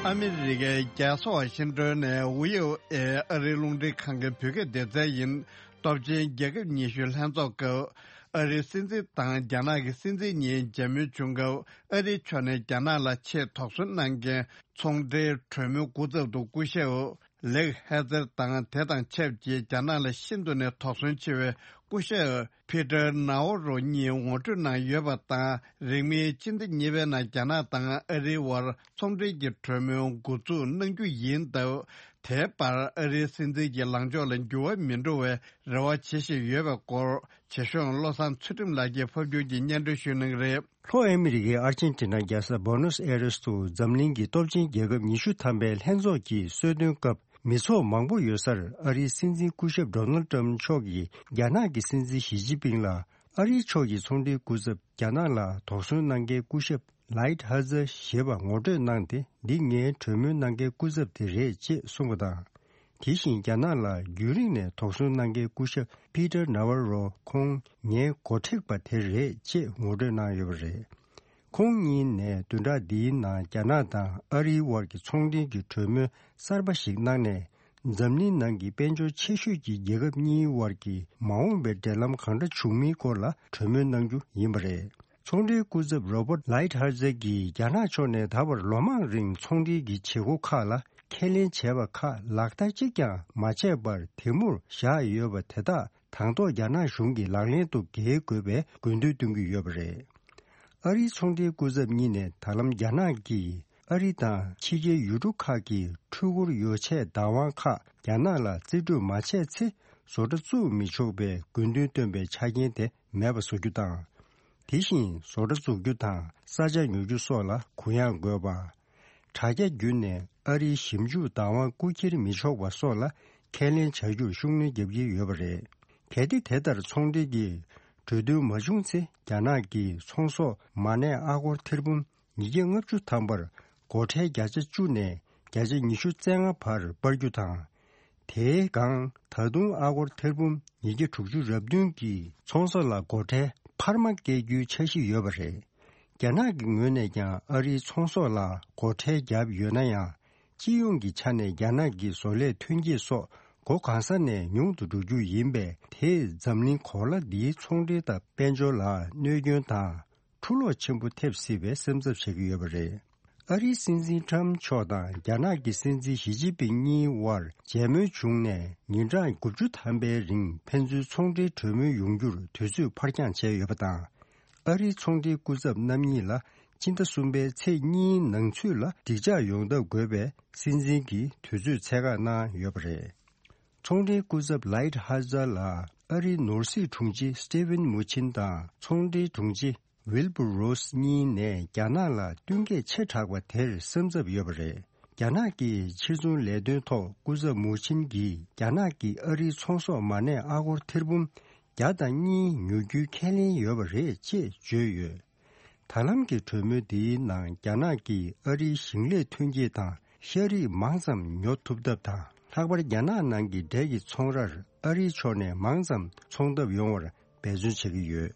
ཨ་མི་རི་ཀའི་རྒྱལ་ས་ཝ་ཤིང་ཏོན་ནས་ཝི་ཨོ་ཨེ་ཨ་རིའི་རླུང་འཕྲིན་ཁང་གི་བོད་སྐད་སྡེ་ཚན་ཡིན། སྟོབས་ཆེན་རྒྱལ་ཁབ་ཉི་ཤུའི་ལྷན་ཚོགས་སྐབས། ཨ་རིའི་སྲིད་འཛིན་དང་རྒྱ་ནག་གི་སྲིད་འཛིན་གཉིས་མཇལ་མོལ་བྱུང་སྐབས། ཨ་རིའི་ཕྱོགས་ནས་རྒྱ་ནག་ལ་ཆེས་དོགས་ཟོན་གནང་མཁན་ཚོང་འབྲེལ་གྲོས་མོལ་སྐུ་ཚབ་ཏུ་སྐུ་ཞབས་ལེག་ཧེ་ཛེར་དང་། དེ་དང་ཆབས་ཅིག་རྒྱ་ནག་ལ་ཤིན་ཏུ་ནས་དོགས་ཟོན་ཆེ་བའི་སྐུ་ཞབས་ཕི་ཏར་ནའོ་རོ་གཉིས་ངོ་སྤྲོད་གནང་ཡོད་པ་དང་། རིང་མིན་ཕྱི་ཟླ་གཉིས་པའི་ནང་རྒྱ་ནག་དང་ཨ་རིའི་དབར་ཚོང་འབྲེལ་གྱི་གྲོས་མོལ་འགོ་འཛུགས་གནང་རྒྱུ་ཡིན་སྟབས། དེའི་བར་ཨ་རིའི་སྲིད་འཛིན་གྱི་ལངས་ཕྱོགས་ལ་འགྱུར་བ་མི་འགྲོ་བའི་རེ་བ་བྱེད་བཞིན་ཡོད་པའི་སྐོར། བྱེད་གཞུང་བློ་བཟང་ཚུལ་ཁྲིམས་ལགས་ཀྱིས་ཕབ་སྒྱུར་གྱིས་སྙན་སྒྲོན་ཞུ་གནང་གི་རེད། ལྷོ་ཨ་མི་རི་ཀའི་ཨར་ཅན་ཊི་ན་རྒྱལ་ས་བྷོ་ནོས་ཨེ་རེས་སུ་འཛམ་གླིང་གི་སྟོབས་ཆེན་རྒྱལ་ཁབ་ཉི་ཤུ་ཐམ་པའི་ལྷན་ཚོགས་ཀྱི་གསོལ་སྟོན་སྐབས། མི་ཚོགས་མང་པོ་ཡོད་སར་ཨ་རིའི་སྲིད་འཛིན་སྐུ་ཞབས་ཌོ་ནལ་ཏྲམ་མཆོག་གིས་རྒྱ་ནག་གི་སྲིད་འཛིན་ཞི་ཅིན་ཕིང་ལ། ཨ་རིའི་ཕྱོགས་ཀྱི་ཚོང་འབྲེལ་སྐུ་ཚབ་རྒྱ་ནག་ལ་དོགས་ཟོན་གནང་མཁན་སྐུ་ཞབས་ལའིད་ཧ་ཛར་ཞེས་པ་ངོ་སྤྲོད་གནང་སྟེ། འདི་ངའི་གྲོས་མོལ་གནང་མཁན་སྐུ་ཚབ་དེ་རེད་ཅེས་གསུངས་པ་དང་། དེ་བཞིན་རྒྱ་ནག་ལ་རྒྱུན་རིང་ནས་དོགས་ཟོན་གནང་མཁན་སྐུ་ཞབས་ཕི་ཏར་ནཱ་ཝར་རོ་ཁོང་ངའི་འགོ་ཁྲིད་པ་དེ་རེད་ཅེས་ངོ་སྤྲོད་གནང་ཡོད་པ་རེད། ཁོང་གཉིས་ནས་བདུན་ཕྲག་འདིའི་ནང་རྒྱ་ནག་དང་ཨ་རིའི་དབར་གྱི་ཚོང་འབྲེལ་གྱི་གྲོས་མོལ་གསར་པ་ཞིག་གནང་ནས། འཛམ་གླིང་ནང་གི་དཔལ་འབྱོར་ཆེ་ཤོས་ཀྱི་རྒྱལ་ཁབ་གཉིས་དབར་གྱི་མ་འོངས་པའི་འབྲེལ་ལམ་གང་འདྲ་བྱུང་མིན་སྐོར་ལ་གྲོས་མོལ་གནང་རྒྱུ་ཡིན་པ་རེད། ཚོང་འབྲེལ་སྐུ་ཚབ་རོ་བར་ལའིད་ཧར་ཛེར་གྱིས་རྒྱ་ནག་ཕྱོགས་ནས་ད་བར་ལོ་མང་རིང་ཚོང་འབྲེལ་གྱི་བྱེད་སྒོ་ཁག་ལ་ཁས་ལེན་བྱས་པ་ཁག་ལག་བསྟར་གཅིག་ཀྱང་མ་བྱས་པར་དེ་མུར་བཞག་ཡོད་པ་དེ་དག་དང་ཐོག་རྒྱ་ནག་གཞུང་གིས་ལག་ལེན་དུ་འགེལ་དགོས་པའི་དགོས་འདུན་བཏོན་གྱི་ཡོད་པ་རེད། ཨ་རིའི་ཚོང་འབྲེལ་སྐུ་ཚབ་གཉིས་ནས་ད་ལམ་རྒྱ་ནག་གིས་ཨ་རི་དང་ཕྱི་རྒྱལ་ཡུལ་གྲུ་ཁག་གི་འཕྲུལ་འཁོར་ཡོ་ཆས་བདག་དབང་ཁག་རྒྱ་ནག་ལ་རྩིས་སྤྲོད་མ་བྱས་ཚེ། བཟོ་གྲྭ་བཙུགས་མི་ཆོག་པའི་དགོས་འདུན་བཏོན་པའི་ཆ་རྐྱེན་དེ་མེད་པ་བཟོ་རྒྱུ་དང་། དེ་བཞིན་བཟོ་གྲྭ་འཛུགས་རྒྱུ་དང་ས་ཆ་ཉོ་རྒྱུ་སོགས་ལ་གུ་ཡངས་དགོས་པ། དྲ་རྒྱ་བརྒྱུད་ནས་ཨ་རིའི་ཞིབ་འཇུག་བདག་དབང་རྐུ་འཁྱེར་མི་ཆོག་པ་སོགས་ལ་ཁས་ལེན་བྱ་རྒྱུར་ཤུགས་སྣོན་རྒྱག་གི་ཡོད་པ་རེད། གལ་ཏེ་དེ་ལྟར་ཚོང་འབྲེལ་གྱི་གྲོས་མཐུན་མ་བྱུང་ཚེ། རྒྱ་ནག་གིས་ཚོང་ཟོག་མ་གནས་ཨ་སྒོར་ཐེར་འབུམ་ཉིས་བརྒྱ་ལྔ་བཅུ་ཐམ་པར་སྒོ་ཁྲལ་བརྒྱ་ཆ་བཅུ་ནས་བརྒྱ་ཆ་ཉི་ཤུ་རྩ་ལྔ་བར་སྤར་རྒྱུ་དང་། དེའི་སྒང་ད་དུང་ཨ་སྒོར་ཐེར་འབུམ་ཉིས་བརྒྱ་དྲུག་ཅུ་རེ་བདུན་གྱི་ཚོང་ཟོག་ལ་སྒོ་ཁྲལ་འཕར་མ་བཀལ་རྒྱུའི་འཆར་གཞི་ཡོད་པ་རེད། རྒྱ་ནག་གི་ངོས་ནས་ཀྱང་ཨ་རིའི་ཚོང་ཟོག་ལ་སྒོ་ཁྲལ་བརྒྱབ་ཡོད་ན་ཡང་། སྤྱི་ཡོངས་ཀྱི་ཆ་ནས་རྒྱ་ནག་གི་བཟོ་ལས་ཐོན་སྐྱེད་སོགས་སྒོ་གང་ས་ནས་ཉུང་དུ་འགྲོ་རྒྱུ་ཡིན་པས། དེས་འཛམ་གླིང་གོ་ལ་འདིའི་ཚོང་འབྲེལ་དང་དཔལ་འབྱོར་ལ་གནོད་སྐྱོན་དང་། འཁྲུག་ལོག་ཆེན་པོ་ཐེབས་སྲིད་པའི་སེམས་འཚབ་བྱེད་ཀྱི་ཡོད་པ་རེད། ཨ་རིའི་སྲིད་འཛིན་ཁྲམ་མཆོག་དང་རྒྱ་ནག་གི་སྲིད་འཛིན་ཞི་ཅིན་ཕིང་གཉིས་དབར་མཇལ་མོལ་བྱུང་ནས། ཉིན་གྲངས་དགུ་བཅུ་ཐམ་པའི་རིང་ཕན་ཚུན་ཚོང་འབྲེལ་གྲོས་མོལ་ཡོང་རྒྱུར་དུས་ཚོད་ཕར་འགྱངས་བྱས་ཡོད་པ་དང་། ཨ་རིའི་ཚོང་འབྲེལ་སྐུ་ཚབ་རྣམ་གཉིས་ལ་སྤྱི་ཟླ་གསུམ་པའི་ཚེས་གཉིས་ནང་ཚུད་ལ་འགྲིག་འཇགས་ཡོང་ཐབས་དགོས་པའི་སྲིད་འཛིན་གྱིས་དུས་ཚོད་ཚད་བཀག་གནང་ཡོད་པ་རེད། ཚོང་འབྲེལ་སྐུ་ཚབ་ལའིད་ཧ་ཛར་ལ་ཨ་རིའི་ནོར་སྲིད་དྲུང་ཆེ་སི་ཏི་ཝིན་མུ་ཆིན་དང་ཚོང་འབྲེལ་དྲུང་ཆེ་ཝིལ་བུར་རོ་སི་གཉིས་ནས་རྒྱ་ནག་ལ་བསྟུན་མཁས་ཆེ་དྲགས་པ་དེར་སེམས་འཚབ་ཡོད་པ་རེད། རྒྱ་ནག་གི་ཕྱིར་ཚོང་ལས་དོན་ཐོག་སྐུ་ཚབ་མུ་ཆིན་གྱིས། རྒྱ་ནག་གིས་ཨ་རིའི་ཚོང་ཟོག་མ་གནས་ཨ་སྒོར་ཐེར་འབུམ་བརྒྱ་དང་གཉིས་ཉོ་རྒྱུའི་ཁས་ལེན་ཡོད་པ་རེད་ཅེས་བརྗོད་ཡོད། ད་ལམ་གྱི་གྲོས་མོལ་འདིའི་ནང་རྒྱ་ནག་གིས་ཨ་རིའི་ཞིང་ལས་ཐོན་སྐྱེད་དང་ཤ་རིགས་མང་ཙམ་ཉོ་ཐུབ་ཐབས་དང་། ལྷག་པར་རྒྱ་ནག་ནང་གི་འབྲས་ཀྱི་ཚོང་རར་ཨ་རིའི་ཕྱོགས་ནས་མང་ཙམ་ཚོང་ཐབས་ཡོང་བར་འབད་བརྩོན་བྱེད་ཀྱི་ཡོད།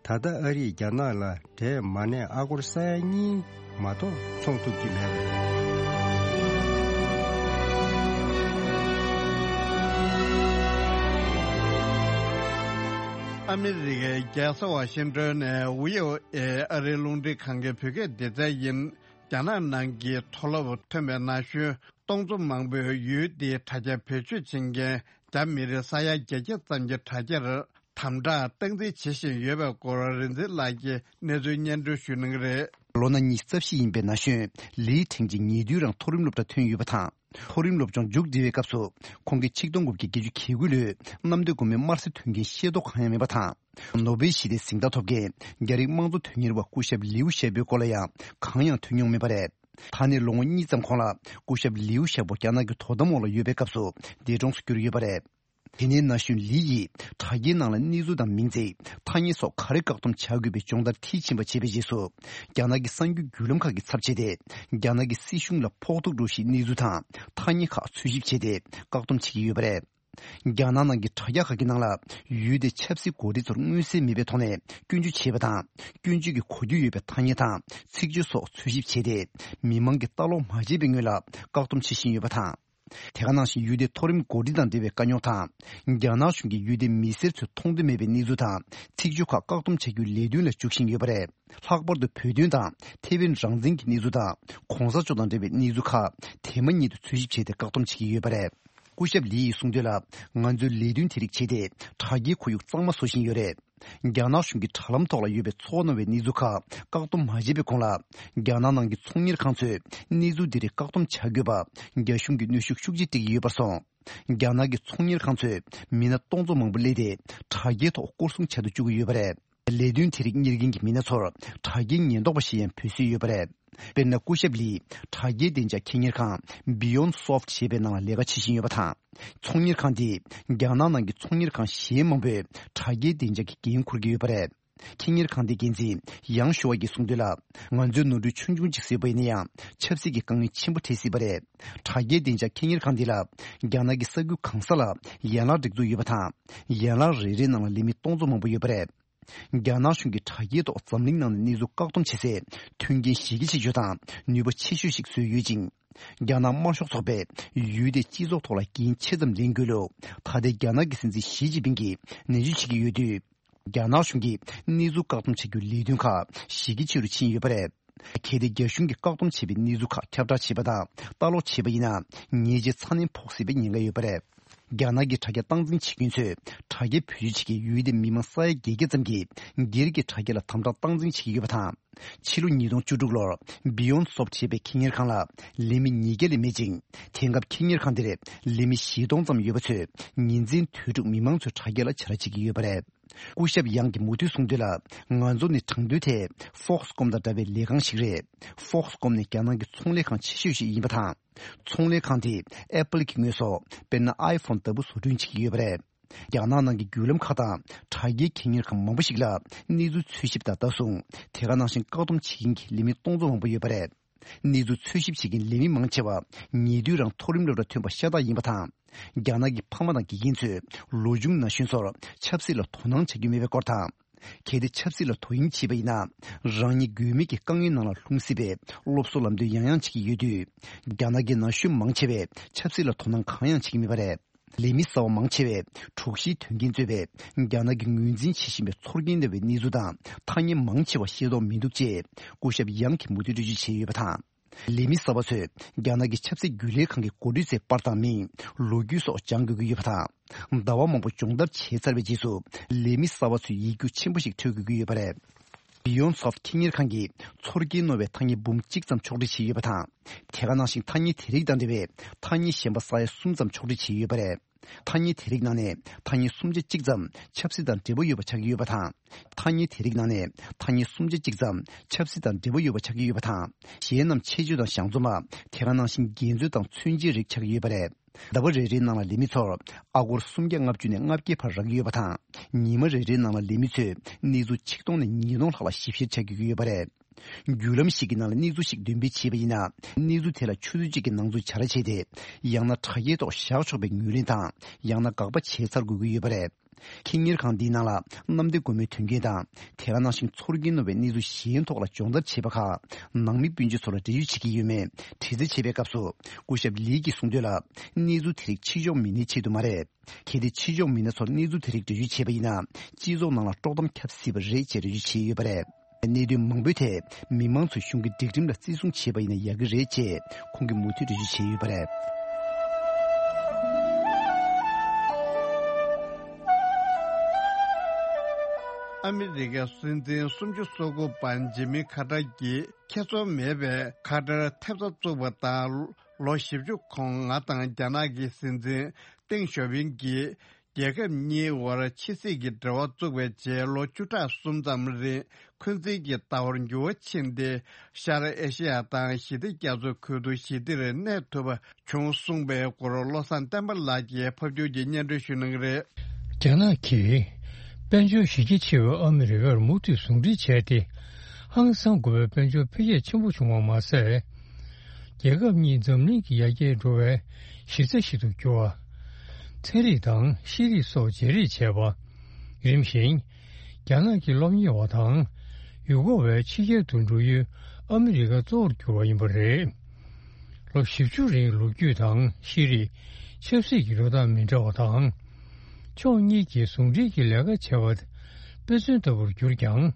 ད་ལྟ་ཨ་རིས་རྒྱ་ནག་ལ་འབྲས་མ་གནས་ཨ་སྒོར་ས་ཡ་གཉིས་མ་གཏོགས་ཚོང་ཐུབ་ཀྱི་མེད་པ་རེད། ཨ་མི་རི་ཀའི་རྒྱལ་ས་ཝ་ཤིང་ཏོན་ནས་བྷི་ཨོ་ཨེ་ཨ་རིའི་རླུང་འཕྲིན་ཁང་གི་བོད་སྐད་སྡེ་ཚན་ཡིན། རྒྱ་ནག་ནང་གི་མཐོ་སློབ་ཐོན་པའི་ན་གཞོན་སྟོང་ཚོ་མང་པོས་ཡུལ་དེའི་དྲ་རྒྱ་བེད་སྤྱོད་བྱེད་མཁན་རྒྱ་མི་རིགས་ས་ཡ་བརྒྱད་བརྒྱ་ཙམ་གྱི་དྲ་རྒྱར་དམ་དྲག་སྟངས་འཛིན་བྱེད་བཞིན་ཡོད་པའི་སྐོར་རིག་འཛིན་ལགས་ཀྱིས་གནས་ཚུལ་སྙན་སྒྲོན་ཞུ་གནང་གི་རེད། ལོ་ན་ཉི་ཤུ་རྩ་བཞི་ཡིན་པའི་ན་གཞོན་ལི་ཁྲེང་ཅིན་ཉེ་དུས་རང་མཐོ་རིམ་སློབ་གྲྭ་ཐོན་ཡོད་པ་དང་། མཐོ་རིམ་སློབ་སྦྱོང་མཇུག་སྒྲིལ་བའི་སྐབས་སུ་ཁོང་གིས་ཆིག་སྟོང་དགུ་བརྒྱ་བརྒྱད་ཅུ་གྱ་དགུ་ལོའི་གནམ་བདེ་སྒོ་མོའི་དམར་གསོད་དོན་རྐྱེན་ཤེས་རྟོགས་གང་ཡང་མེད་པ་དང་། ནོ་སྦེལ་ཞི་བདེའི་གཟེངས་རྟགས་ཐོབ་མཁན་རྒྱ་རིགས་དམངས་གཙོ་དོན་གཉེར་བ་སྐུ་ཞབས་ལིའུ་ཞའོ་པོའི་སྐོར་ལ་ཡང་གང་ཡང་ཐོན་མྱོང་མེད་པ་རེད། ད་ནས་ལོ་ངོ་གཉིས་ཙམ་གོང་ལ་སྐུ་ཞབས་ལིའུ་ཞའོ་པོ་རྒྱ་ནག་གི་དོ་དམ་འོག་ལ་ཡོད་པའི་སྐབས་སུ་འདས་གྲོངས་སུ་གྱུར་ཡོད་པ་རེད། དེ་ནས་ན་གཞོན་ལི་ཡིས་དྲ་རྒྱའི་ནང་ལ་གནས་ཚུལ་དང་མིང་ཚིག་ཐ་སྙད་སོགས་ག་རེ་བཀག་སྡོམ་བྱ་དགོས་པའི་སྦྱོང་བརྡར་མཐིལ་ཕྱིན་པ་བྱས་པའི་རྗེས་སུ། རྒྱ་ནག་གི་གསར་འགྱུར་བརྒྱུད་ལམ་ཁག་གི་ཚབ་བྱས་ཏེ། རྒྱ་ནག་གི་སྲིད་གཞུང་ལ་ཕོག་ཐུག་འགྲོ་གཞིའི་གནས་ཚུལ་དང་ཐ་སྙད་ཁག་འཚོལ་ཞིབ་བྱས་ཏེ་བཀག་སྡོམ་བྱེད་ཀྱི་ཡོད་པ་རེད། རྒྱ་ནག་ནང་གི་དྲ་རྒྱ་ཁག་གི་ནང་ལ་ཡུལ་དེའི་ཆབ་སྲིད་འགོ་ཁྲིད་ཚོར་མངོན་གསལ་མེད་པའི་ཐོག་ནས་སྐྱོན་བརྗོད་བྱས་པ་དང་། སྐྱོན་བརྗོད་ཀྱི་གོ་རྒྱུ་ཡོད་པའི་ཐ་སྙད་དང་ཚིག་བརྗོད་སོགས་འཚོལ་ཞིབ་བྱས་ཏེ། མི་མང་གིས་ལྟ་ཀློག་མ་བྱས་པའི་སྔོན་ལ་བཀག་སྡོམ་བྱེད་བཞིན་ཡོད་པ་དང་། དེ་ག་ནང་བཞིན་ཡུལ་དེའི་མཐོ་རིམ་འགོ་ཁྲིད་དང་འབྲེལ་བའི་དཀའ་རྙོག་དང་། རྒྱ་ནག་གཞུང་གིས་ཡུལ་དེའི་མི་སེར་ཚོས་མཐོང་འདོད་མེད་པའི་གནས་ཚུལ་དང་ཚིག་བརྗོད་ཁག་བཀག་སྡོམ་བྱ་རྒྱུའི་ལས་དོན་ལ་འཇུག་བཞིན་ཡོད་པ་རེད། ལྷག་པར་དུ་བོད་དོན་དང་ཐེ་ཝན་རང་བཙན་གྱི་གནས་ཚུལ་དང་གོང་ས་མཆོག་དང་འབྲེལ་བའི་གནས་ཚུལ་ཁག་དེ་མ་ཉིད་དུ་འཚོལ་ཞིབ་བྱས་ཏེ་བཀག་སྡོམ་བྱེད་ཀྱི་ཡོད་པ་རེད། སྐུ་ཞབས་ལི་ཡིས་གསུངས་དོན་ལ། ང་ཚོས་ལས་དོན་དེ་རིགས་བྱས་ཏེ་དྲ་རྒྱའི་ཁོར་ཡུག་གཙང་མ་བཟོ་བཞིན་ཡོད་རེད། རྒྱ་ནག་གཞུང་གིས་དྲ་ལམ་ཐོག་ལ་ཡོད་པའི་ཚོར་སྣང་བའི་གནས་ཚུལ་ཁག་བཀག་སྡོམ་མ་བྱས་པའི་གོང་ལ། རྒྱ་ནག་ནང་གི་ཚོང་གཉེར་ཁང་ཚོས་གནས་ཚུལ་འདི་རིགས་བཀག་སྡོམ་བྱ་དགོས་པ་རྒྱ་གཞུང་གིས་གནོན་ཤུགས་ཤུགས་ཆེ་སྤྲད་ཀྱི་ཡོད་པར་སོང་། རྒྱ་ནག་གི་ཚོང་གཉེར་ཁང་ཚོས་མི་སྣ་སྟོང་ཚོ་མང་པོ་གླས་ཏེ་དྲ་རྒྱའི་ཐོག་སྐོར་སྲུང་བྱ་དུ་བཅུག་གི་ཡོད་པ་རེད། ལས་དོན་དེ་རིགས་གཉེར་མཁན་གྱི་མི་སྣ་ཚོར་དྲ་རྒྱའི་ཉེན་རྟོག་པ་ཞེས་ཡང་འབོད་སྲོལ་ཡོད་པ་རེད། དཔེར་ན། སྐུ་ཞབས་ལིས་དྲ་རྒྱའི་བདེ་འཇགས་ཁེ་གཉེར་ཁང་Beyond Soft ཞེས་པའི་ནང་ལ་ལས་ཀ་བྱེད་བཞིན་ཡོད་པ་དང་། ཚོང་གཉེར་ཁང་འདིས་རྒྱ་ནག་ནང་གི་ཚོང་གཉེར་ཁང་གཞན་མང་པོས་དྲ་རྒྱའི་བདེ་འཇགས་ཀྱི་འགན་འཁུར་གྱི་ཡོད་པ་རེད། ཁེ་གཉེར་ཁང་དེའི་འགན་འཛིན་ཡང་ཞུ་བ་གིས་གསུངས་དོན་ལ། ང་ཚོའི་ནོར་འཁྲུལ་ཆུང་ཆུང་ཅིག་བཟོས་པ་ཡིན་ན་ཡང་ཆབ་སྲིད་ཀྱི་དཀའ་ངལ་ཆེན་པོ་འཕྲད་སྲིད་པ་རེད། དྲ་རྒྱའི་བདེ་འཇགས་ཁེ་གཉེར་ཁང་འདི་ལ་རྒྱ་ནག་གི་ས་ཁུལ་གང་ས་ལ་ཡན་ལག་སྒྲིག་འཛུགས་ཡོད་པ་དང་། ཡན་ལག་རེ་རེའི་ནང་ལ་ལས་མི་སྟོང་ཚོ་མང་པོ་ཡོད་པ་རེད། རྒྱ་ནག་གཞུང་གིས་དྲ་རྒྱའི་ཐོག་འཛམ་གླིང་ནང་ནས་གནས་ཚུལ་བཀག་སྡོམ་བྱེད་སའི་མཐུན་རྐྱེན་གཞི་རྒྱ་ཆེ་ཤོས་དང་ནུས་པ་ཆེ་ཤོས་ཤིག་བཟོས་ཡོད་ཅིང་། རྒྱ་ནག་དམར་ཤོག་ཚོགས་པས་ཡུལ་དེའི་སྤྱི་ཚོགས་ཐོག་ལ་འགན་ཆེ་ཙམ་ལེན་དགོས་ལུགས་ད་ལྟའི་རྒྱ་ནག་གི་སྲིད་འཛིན་ཞི་ཅིན་ཕིང་གིས་ནན་བརྗོད་བྱེད་ཀྱི་ཡོད་དུས། རྒྱ་ནག་གཞུང་གིས་གནས་ཚུལ་བཀག་སྡོམ་བྱ་རྒྱུའི་ལས་དོན་ཁག་གཞི་རྒྱ་ཆེ་རུ་ཕྱིན་ཡོད་པ་རེད། གལ་ཏེ་རྒྱ་གཞུང་གིས་བཀག་སྡོམ་བྱས་པའི་གནས་ཚུལ་ཁག་ཁྱབ་བསྒྲགས་བྱས་པ་དང་ལྟ་ཀློག་བྱས་པ་ཡིན་ན། ཉེས་ཆད་ཚ་ནན་ཕོག་སྲིད་པའི་ཉེན་ཁ་ཡོད་པ་རེད། རྒྱ་ནག་གི་དྲ་རྒྱ་སྟངས་འཛིན་བྱེད་མཁན་ཚོས་དྲ་རྒྱའི་བེད་སྤྱོད་བྱེད་མཁན་ཡུལ་དེའི་མི་མང་ས་ཡ་བརྒྱད་བརྒྱ་ཙམ་གྱིས་སྒེར་གྱི་དྲ་རྒྱ་ལ་དམ་དྲག་སྟངས་འཛིན་བྱེད་ཀྱི་ཡོད་པ་དང་། ཕྱི་ལོ་ཉིས་སྟོང་བཅུ་དྲུག་ལོར་Beyond Soft ཞེས་པའི་ཁེ་གཉེར་ཁང་ལ་ལས་མི་ཉིས་བརྒྱ་ལས་མེད་ཅིང་། དེང་སྐབས་ཁེ་གཉེར་ཁང་དེར་ལས་མི་བཞི་སྟོང་ཙམ་ཡོད་པ་ཚོས་ཉིན་མཚན་དུས་དྲུག་མི་མང་ཚོའི་དྲ་རྒྱ་ལ་བྱ་ར་བྱེད་ཀྱི་ཡོད་པ་རེད། སྐུ་ཞབས་ཡང་གིས་མུ་མཐུད་གསུངས་དོན་ལ། ང་ཚོ་ནི་དྲང་དོན་ཐད་Foxconn དང་འདྲ་བའི་ལས་ཁང་ཞིག་རེད། Foxconn ནི་རྒྱ་ནག་གི་ཚོང་ལས་ཁང་ཆེ་ཤོས་ཤིག་ཡིན་པ་དང་། ཚོང་ལས་ཁང་དེས་Apple གྱི་དངོས་ཟོག་དཔེར་ན་iPhone ལྟ་བུ་བཟོ་སྐྲུན་བྱེད་ཀྱི་ཡོད་པ་རེད། རྒྱ་ནག་ནང་གི་བརྒྱུད་ལམ་ཁག་དང་དྲ་རྒྱའི་ཁེ་གཉེར་ཁང་མང་པོ་ཞིག་ལ་གནས་ཚུལ་འཚོལ་ཞིབ་དང་ལྟ་སྲུང་། དེ་ག་ནང་བཞིན་བཀག་སྡོམ་བྱེད་མཁན་གྱི་ལས་མི་སྟོང་ཚོ་མང་པོ་ཡོད་པ་རེད། གནས་ཚུལ་འཚོལ་ཞིབ་བྱེད་མཁན་ལས་མི་མང་ཆེ་བ་ཉེ་དུས་རང་མཐོ་རིམ་སློབ་གྲྭ་ཐོན་པ་ཤ་སྟག་ཡིན་པ་དང་། རྒྱ་ནག་གི་ཕ་མ་དང་དགེ་རྒན་ཚོས་ལོ་ཆུང་ན་གཞོན་ཚོར་ཆབ་སྲིད་ལ་དོ་སྣང་བྱ་རྒྱུ་མེད་པའི་སྐོར་དང་ གལ་ཏེ་ཆབ་སྲིད་ལ་དོ་དབྱིངས་བྱས་པ་ཡིན་ན། རང་ཉིད་དགོས་མེད་ཀྱི་དཀའ་ངལ་ནང་ལ་ལྷུང་སྲིད་པའི་སློབ་གསོ་ལམ་སྟོན་ཡང་ཡང་བྱེད་ཀྱི་ཡོད་དུས། རྒྱ་ནག་གི་ན་གཞོན་མང་ཆེ་བས་ཆབ་སྲིད་ལ་དོ་སྣང་གང་ཡང་བྱེད་ཀྱི་མེད་པ་རེད། ལས་མི་གསར་བ་མང་ཆེ་བས་དྲུག་བཞིའི་དོན་རྐྱེན་གཙོས་པའི་རྒྱ་ནག་གིས་ངོས་འཛིན་བྱེད་བཞིན་པའི་ཚོར་སྐྱེན་སླེབས་པའི་གནས་ཚུལ་དང་ཐ་སྙད་མང་ཆེ་བ་ཤེས་རྟོགས་མི་འདུག་ཅེས་སྐུ་ཞབས་ཡང་གིས་མུ་མཐུད་འགྲེལ་བརྗོད་བྱས་ཡོད་པ་དང་། ལས་མི་གསར་པ་ཚོས་རྒྱ་ནག་གི་ཆབ་སྲིད་རྒྱུན་ལས་ཁང་གི་འགོ་ཁྲིད་ཚོའི་པར་དང་མིང་། ལོ་རྒྱུས་སོགས་སྦྱང་དགོས་ཀྱི་ཡོད་པ་དང་། ཟླ་བ་མང་པོ་སྦྱོང་བརྡར་བྱས་ཚར་བའི་རྗེས་སུ་ལས་མི་གསར་པ་ཚོས་ཡིག་རྒྱུགས་ཆེན་པོ་ཞིག་འཕྲོད་དགོས་ཀྱི་ཡོད་པ་རེད། Beyondsoft ཁེ་གཉེར་ཁང་གིས་ཚོར་སྐྱེན་རྣོ་བའི་ཐ་སྙད་འབུམ་གཅིག་ཙམ་ཕྱོགས་སྒྲིག་བྱས་ཡོད་པ་དང་། དེ་ག་ནང་བཞིན་ཐ་སྙད་དེ་རིགས་དང་འབྲེལ་བའི་ཐ་སྙད་གཞན་པ་ས་ཡ་གསུམ་ཙམ་ཕྱོགས་སྒྲིག་བྱས་ཡོད་པ་རེད། ཐ་སྙད་དེ་རིགས་ནང་ནས་ཐ་སྙད་སུམ་ཆ་གཅིག་ཙམ་ཆབ་སྲིད་དང་འབྲེལ་བ་ཡོད་པ་ཆགས་ཀྱི་ཡོད་པ་དང་། ཐ་སྙད་དེ་རིགས་ནང་ནས་ཐ་སྙད་སུམ་ཆ་གཅིག་ཙམ་ཆབ་སྲིད་དང་འབྲེལ་བ་ཡོད་པ་ཆགས་ཀྱི་ཡོད་པ་དང་། གཞན་རྣམས་ཆེད་སྤྱོད་དང་གཞང་འཛོམས་པ། དེ་ག་ནང་བཞིན་འགལ་འཛོལ་དང་མཚོན་བྱེད་རིགས་ཆགས་ཀྱི་ཡོད་པ་རེད། ཟླ་བ་རེ་རེའི་ནང་ལ་ལས་མི་ཚོར་ཨ་སྒོར་སུམ་བརྒྱ་ལྔ་བཅུ་ནས་ལྔ་བརྒྱའི་བར་རག་གི་ཡོད་པ་དང་། ཉི་མ་རེ་རེའི་ནང་ལ་ལས་མི་ཚོས་གནས་ཚུལ་ཆིག་སྟོང་ནས་ཉིས་སྟོང་ལྷག་ལ་ཞིབ་བཤེར་བྱ་དགོས་ཀྱི་ཡོད་པ་རེད། བརྒྱུད་ལམ་ཞིག་གི་ནང་ལ་གནས་ཚུལ་ཞིག་འདོན་སྤེལ་བྱས་པ་ཡིན་ན། གནས་ཚུལ་དེ་ལ་ཆུ་ཚོད་གཅིག་གི་ནང་ཚུད་བྱ་ར་བྱས་ཏེ། ཡང་ན་དྲ་རྒྱའི་ཐོག་བཞག་ཆོག་པའི་ངོས་ལེན་དང་། ཡང་ན་དགག་པ་བྱས་ཚར་དགོས་ཀྱི་ཡོད་པ་རེད། ཁེ་གཉེར་ཁང་འདིའི་ནང་ལ་གནམ་བདེ་སྒོ་མོའི་དོན་རྐྱེན་དང་། དེ་ག་ནང་བཞིན་ཚོར་སྐྱེན་རྣོ་བའི་གནས་ཚུལ་གཞན་ཐོག་ལ་སྦྱོང་བརྡར་བྱས་པ་ཁག་ནང་མི་སྤུན་མཆེད་ཚོ་ལ་འགྲེལ་བརྗོད་བྱེད་ཀྱི་ཡོད་མེད་དྲི་རྩད་བྱེད་པའི་སྐབས་སུ། སྐུ་ཞབས་ལི་གིས་གསུངས་དོན་ལ། གནས་ཚུལ་དེ་རིགས་ཕྱི་ཕྱོགས་མི་སྣའི་ཆེད་དུ་མ་རེད། གལ་ཏེ་ཕྱི་ཕྱོགས་མི་སྣ་ཚོར་གནས་ཚུལ་དེ་རིགས་འགྲེལ་བརྗོད་བྱས་པ་ཡིན་ན། སྤྱི་ཚོགས་ནང་ལ་དཀྲོག་གཏམ་ཁྱབ་སྲིད་པ་རེད་ཅེས་འགྲེལ་བརྗོད་བྱས་ཡོད་པ་རེད། གནད་དོན་མང་པོའི་ཐད་མི་མང་ཚོས་གཞུང་གི་སྒྲིག་ཁྲིམས་ལ་བརྩི་སྲུང་བྱས་པ་ཡིན་ན་ཡག་གི་རེད་ཅེས་ཁོང་གིས་མུ་མཐུད་འགྲེལ་བརྗོད་བྱས་ཡོད་པ་རེད། ཨ་མི་རི་ཀའི་སྲིད་འཛིན་སུམ་ཅུ་སོ་དགུ་པ་ཇི་མི་ཁ་ཏར་གྱིས་ཁྱད་མཚར་མེད་པའི་ཁ་ཏར་ཐེབས་རྩ་བཙུགས་པ་དང་། ལོ་བཞི་བཅུ་གོང་ང་དང་རྒྱ་ནག་གི་སྲིད་འཛིན་ཏེང་ཞའོ་ཕིང་གིས་རྒྱལ་ཁབ་གཉིས་དབར་ཕྱི་སྲིད་ཀྱི་འབྲེལ་བ་བཙུགས་པའི་རྗེས་ལོ་བཅུ་ཕྲག་གསུམ་ཙམ་རིང་འཁོན་འཛིན་གྱི་ལྟ་བར་འགྱུར་བ་ཕྱིན་ཏེ། ཤར་ཨེ་ཤེ་ཡ་དང་ཞི་བདེ་རྒྱ་མཚོའི་ཁུལ་དུ་ཞི་བདེར་གནས་ཐུབ་པ་བྱུང་གསུངས་པའི་སྐོར་བློ་བཟང་བསྟན་པ་ལགས་ཀྱིས་ཕབ་སྒྱུར་གྱིས་སྙན་སྒྲོན་ཞུ་གནང་གི་རེད། རྒྱ་ནག་གིས་དཔལ་འབྱོར་གཞི་རྒྱ་ཆེ་བའི་ཨ་མི་རི་ཀར་མུ་མཐུད་ཟུང་འབྲེལ་བྱས་ཏེ། ཧང་སང་དགོས་པའི་དཔལ་འབྱོར་འཕེལ་རྒྱས་ཆེན་པོ་བྱུང་བ་མ་ཟད། རྒྱལ་ཁབ་གཉིས་འཛམ་གླིང་གི་ཡར་རྒྱས་འགྲོ་བའི་གཞི་རྩ་ཞིག་ཏུ་གྱུར་བ། ཚན་རིག་དང་ཤེས་རིག་སོགས་བརྗེ་རེས་བྱས་པ། རིམ་བཞིན་རྒྱ་ནག་གི་སློབ་གཉེར་བ་དང་ཡུལ་སྐོར་བའི་ཕྱི་རྒྱལ་དུ་འགྲོ་ཡུལ་ཨ་མི་རི་ཀ་གཙོ་བོར་གྱུར་བ་ཡིན་པ་རེད། ལོ་བཞི་བཅུ་རིང་ལོ་རྒྱུས་དང་ཤེས་རིག་ཆབ་སྲིད་ཀྱི་འགྲོ་སྟངས་མི་འདྲ་བ་དང་། ཕྱོགས་གཉིས་ཀྱིས་ཟུང་འབྲེལ་གྱི་ལས་ཀ་བྱ་བ་དཔེ་མཚོན་ལྟ་བུར་གྱུར་ཀྱང་།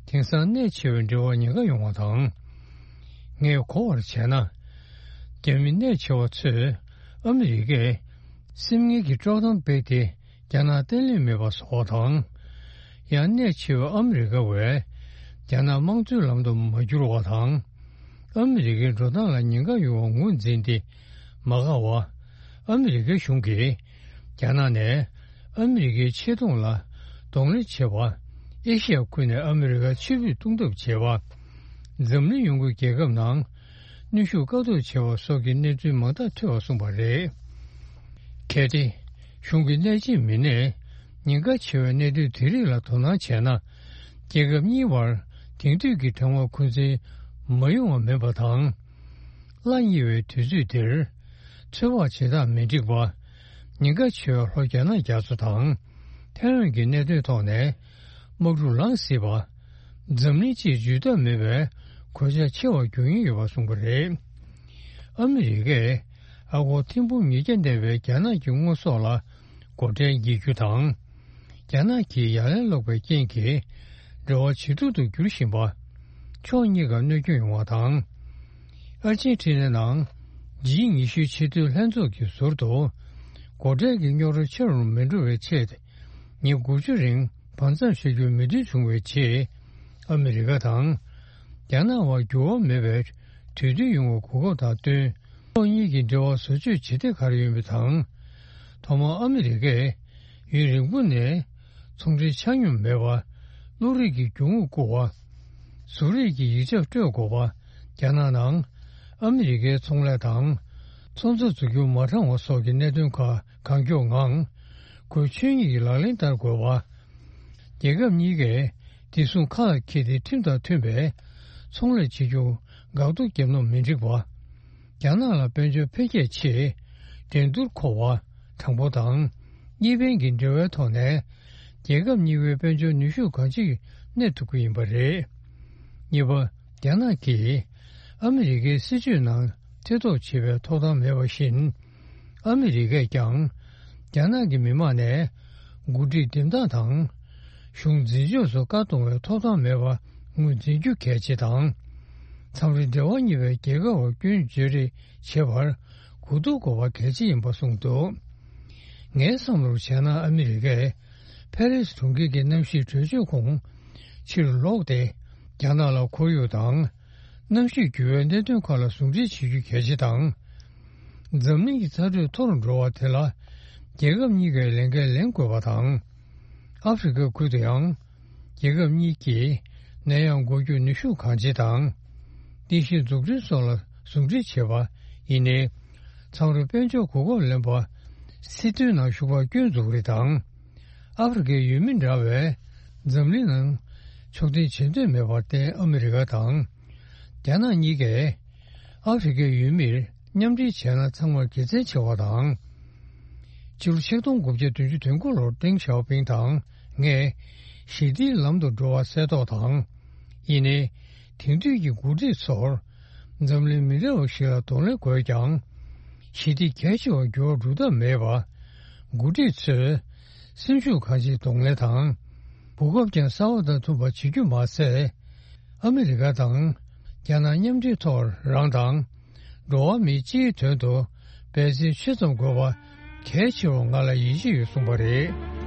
དེང་སང་གནད་ཆེ་བའི་འབྲེལ་བ་ཉེན་ཁ་ཡོང་བ་དང་། ངས་གོ་བར་བྱས་ན། རྒྱ་མི་གནད་ཆེ་བ་ཚོས་ཨ་མི་རི་ཀས་སེམས་ངན་གྱི་དཀྲོག་གཏམ་སྤེལ་ཏེ། རྒྱ་ནག་བརྟན་ལྷིང་མེད་པ་བཟོ་བ་དང་། ཡང་གནད་ཆེ་བའི་ཨ་མི་རི་ཀ་བས་རྒྱ་ནག་དམངས་གཙོའི་ལམ་དུ་མ་བསྒྱུར་བ་དང་། ཨ་མི་རི་ཀའི་འགྲོ་སྟངས་ལ་ཉེན་ཁ་ཡོང་བ་ངོས་འཛིན་ཏེ་མ་དགའ་བ། ཨ་མི་རི་ཀའི་གཞུང་གིས་རྒྱ་ནག་ནས་ཨ་མི་རི་ཀའི་ཆེ་མཐོང་ལ་གདོང་ལེན་བྱེད་པ། ཨེ་ཤི་ཡ་ཁུལ་ནས་ཨ་མི་རི་ཀར་ཕྱིར་འབུད་གཏོང་ཐབས་བྱེད་པ། འཛམ་གླིང་ཡོངས་ཀྱི་རྒྱལ་ཁབ་ནང་གནོན་ཤུགས་བཀག་འདོམས་བྱེད་པ་སོགས་ཀྱི་གནས་ཚུལ་མང་དག་ཐོས་པར་གསུངས་པ་རེད། གལ་ཏེ། གཞུང་གི་གནད་ཆེའི་མི་སྣས་ཉེན་ཁ་ཆེ་བའི་གནད་དོན་དེ་རིགས་ལ་དོ་སྣང་བྱས་ན། རྒྱལ་ཁབ་གཉིས་བར་དེང་དུས་ཀྱི་དྲང་བ་འཁོན་འཛིན་མ་ཡོང་བ་མིན་པ་དང་། སླ་ཉེ་བའི་དུས་ཚོད་འདིར། ཚོད་དཔག་བྱེད་སྟངས་མི་འགྲིག་པ། ཉེན་ཁ་ཆེ་བའི་ལྷོ་རྒྱ་ནག་རྒྱ་མཚོ་དང་། ཐའེ་ཝན་གྱི་གནད་དོན་ཐོག་ནས། དམག་འཁྲུག་ལངས་སྲིད་པ། འཛམ་གླིང་སྤྱིའི་ཇུས་གཏོགས་མེད་པའི་གོད་ཆག་ཆེ་བར་འགྱུར་ཉེན་ཡོད་པ་གསུངས་པ་རེད། ཨ་མི་རི་ཀས་ཨ་སྒོར་ཐེར་འབུམ་ཉིས་བརྒྱ་གནས་པའི་རྒྱ་ནག་གི་དངོས་ཟོག་ལ་སྒོ་ཁྲལ་འགེལ་རྒྱུ་དང་། རྒྱ་ནག་གིས་ཡ་ལན་སློག་པའི་རྐྱེན་གྱིས་འབྲེལ་བ་ཇེ་སྡུག་ཏུ་འགྱུར་བཞིན་པ། ཕྱོགས་གཉིས་ཀར་གནོད་སྐྱོན་ཡོང་བ་དང་། ཨར་ཇེན་ཊི་ན་ནང་ཇི་ཉི་ཤུའི་ཆེས་མཐོའི་ལྷན་ཚོགས་ཀྱི་ཟུར་དུ་སྒོ་ཁྲལ་གྱི་རྙོག་དྲ་ཆེ་རུ་མི་འགྲོ་བའི་ཆེད། ཉིན་དགུ་བཅུ་རིང་བར་མཚམས་བཞག་རྒྱུར་མོས་མཐུན་བྱུང་བའི་རྗེས། ཨ་མི་རི་ཀ་དང་རྒྱ་ནག་དབར་འགྱུར་བ་མེད་པའི་གྲོས་མཐུན་ཡོང་བའི་གོ་སྐབས་དང་བསྟུན། ཕྱོགས་གཉིས་ཀྱི་འབྲེལ་བ་བཟོ་བཅོས་བྱེད་གཏེ་ག་རེ་ཡོད་མེད་དང་། ཐོག་མར་ཨ་མི་རི་ཀས་ཡུན་རིང་པོ་ནས་ཚོང་འབྲེལ་ཆ་སྙོམས་མེད་པར་བློ་རིག་གི་རྒྱུ་དངོས་བསྐུར་བ། གཟུགས་རིས་ཀྱི་ཡིག་ཆ་སྤྲོད་དགོས་པ། རྒྱ་ནག་ནང་ཨ་མི་རི་ཀའི་ཚོང་ལས་དང་ཚོང་རྩ་འཛུགས་རྒྱུ་མ་དྲང་བ་སོགས་ཀྱི་གནད་དོན་ཁག་གང་མགྱོགས་ངང་། ཁོའི་ཆོས་ཉིད་ཀྱི་ལག་ལེན་བསྟར་དགོས་པ། རྒྱལ་ཁབ་གཉིས་ཀས་བདེ་སྲུང་ཁ་ལ་འཁྱེར་ཏེ་ཁྲིམས་དང་མཐུན་པའི་ཚོང་ལས་བྱེད་རྒྱུར་འགག་གཏོར་བརྒྱབ་ན་མི་འགྲིག་པ། རྒྱ་ནག་ལ་དཔལ་འབྱོར་འཕེལ་རྒྱས་ཆེད་འགྲན་བསྡུར་མཁོ་བ་དྲང་པོ་དང་གཉིས་ཕན་གྱི་འབྲེལ་བའི་ཐོག་ནས་ རྒྱལ་ཁབ་གཉིས་པོའི་དཔལ་འབྱོར་ནུས་ཤུགས་གང་ཅིར་གནས་ཐུབ་ཀྱི་ཡིན་པ་རེད། གཉིས་པ། རྒྱ་ནག་གིས་ཨ་མི་རི་ཀའི་སྲིད་ཇུས་ནང་ཐེ་གཏོགས་བྱེད་པའི་ཐོབ་ཐང་མེད་པ་བཞིན། ཨ་མི་རི་ཀས་ཀྱང་རྒྱ་ནག་གི་མི་དམངས་ནས་འགོ་ཁྲིད་འདེམས་སྟངས་དང་། གཞུང་འཛིན་ཕྱོགས་སུ་བཀའ་གཏོང་བའི་ཐོབ་ཐང་མེད་པ་ངོས་འཛིན་རྒྱུ་གལ་ཆེ་དང་། མཚམས་རེ་འབྲེལ་བ་གཉིས་པའི་རྒྱལ་ཁབ་བར་སྐྱོན་བརྗོད་རེས་བྱེད་པར་གོ་བསྡུར་དགོས་པ་གལ་ཆེ་ཡིན་པ་གསུངས་འདུག། ངའི་བསམ་བློར་བྱས་ན། ཨ་མི་རི་ཀས་ཕ་རི་སི་གྲོང་ཁྱེར་གྱི་གནམ་གཤིས་གྲོས་ཆོད་ཁོངས་ཕྱིར་ལོག་སྟེ། རྒྱ་ནག་ལ་ཁོར་ཡུག་དང་གནམ་གཤིས་འགྱུར་བའི་གནད་དོན་ཁག་ལ་ཟུང་འབྲེལ་བྱེད་རྒྱུ་གལ་ཆེ་དང་། འཛམ་གླིང་གི་ཚ་དྲོད་མཐོ་རུ་འགྲོ་བ་དེ་ལ་རྒྱལ་ཁབ་གཉིས་ཀས་ལས་འགན་ལེན་དགོས་པ་དང་། ཨ་ཧྥེ་རི་ཁ་ཁུལ་དུ་ཡང་རྒྱལ་ཁབ་གཉིས་ཀྱིས་ནད་ཡམས་འགོག་རྒྱུ་ནུས་ཤུགས་གང་ཆེ་དང་། རྟེན་གཞི་འཛུགས་སྐྲུན་སོགས་ལ་ཟུང་འབྲེལ་བྱེད་པ་ཡིན་ནའི། མཚམས་རེ་དཔལ་འབྱོར་གོ་སྐབས་ལེན་པ། སྲིད་དོན་ནང་ཞུགས་པར་སྐྱོན་འཛུགས་རེས་དང་། ཨ་ཧྥེ་རི་ཁའི་ཡུལ་མི་འདྲ་བས་འཛམ་གླིང་ནང་ཕྱོགས་འཐེན་བྱེད་འདོད་མེད་པར་བརྟེན། ཨ་མི་རི་ཀ་དང་རྒྱ་ནག་གཉིས་ཀས་ཨ་ཧྥེ་རི་ཁའི་ཡུལ་མིར་མཉམ་འབྲེལ་བྱས་ན་ཚང་མར་དགེ་མཚན་ཆེ་བ་དང་། ཕྱི་ལོ་ཆིག་སྟོང་དགུ་བརྒྱ་བདུན་ཅུ་དོན་དགུ་ལོར་ཏེང་ཞའོ་ཕིང་དང་ངས་ཞི་བདེའི་ལམ་དུ་འགྲོ་བ་གསལ་རྟོགས་དང་། ཡིན་ནའི། དེང་དུས་ཀྱི་འགོ་ཁྲིད་ཚོར་འཛམ་གླིང་མི་འདྲ་བ་ཞིག་ལ་གདོང་ལེན་དགོས་ཀྱང་། ཞི་བདེ་གལ་ཆེ་བར་འགྱུར་བ་འགྲོ་ཐབས་མེད་པ། འགོ་ཁྲིད་ཚོས་སེམས་ཤུགས་གང་ཅིར་གདོང་ལེན་དང་། གོ་སྐབས་ཀྱང་གསར་བ་དང་མཐུན་པ་བྱེད་རྒྱུ་མ་ཟད། ཨ་མི་རི་ཀ་དང་རྒྱ་ནག་མཉམ་འབྲེལ་ཐོག་རང་དང་། འགྲོ་བ་མིའི་སྤྱིའི་དོན་དུ་འབད་བརྩོན་ཆེ་ཙམ་དགོས་པ་གལ་ཆེ་བར་ང་ལ་ཡིད་ཆེས་ཡོད་གསུངས་པ་རེད།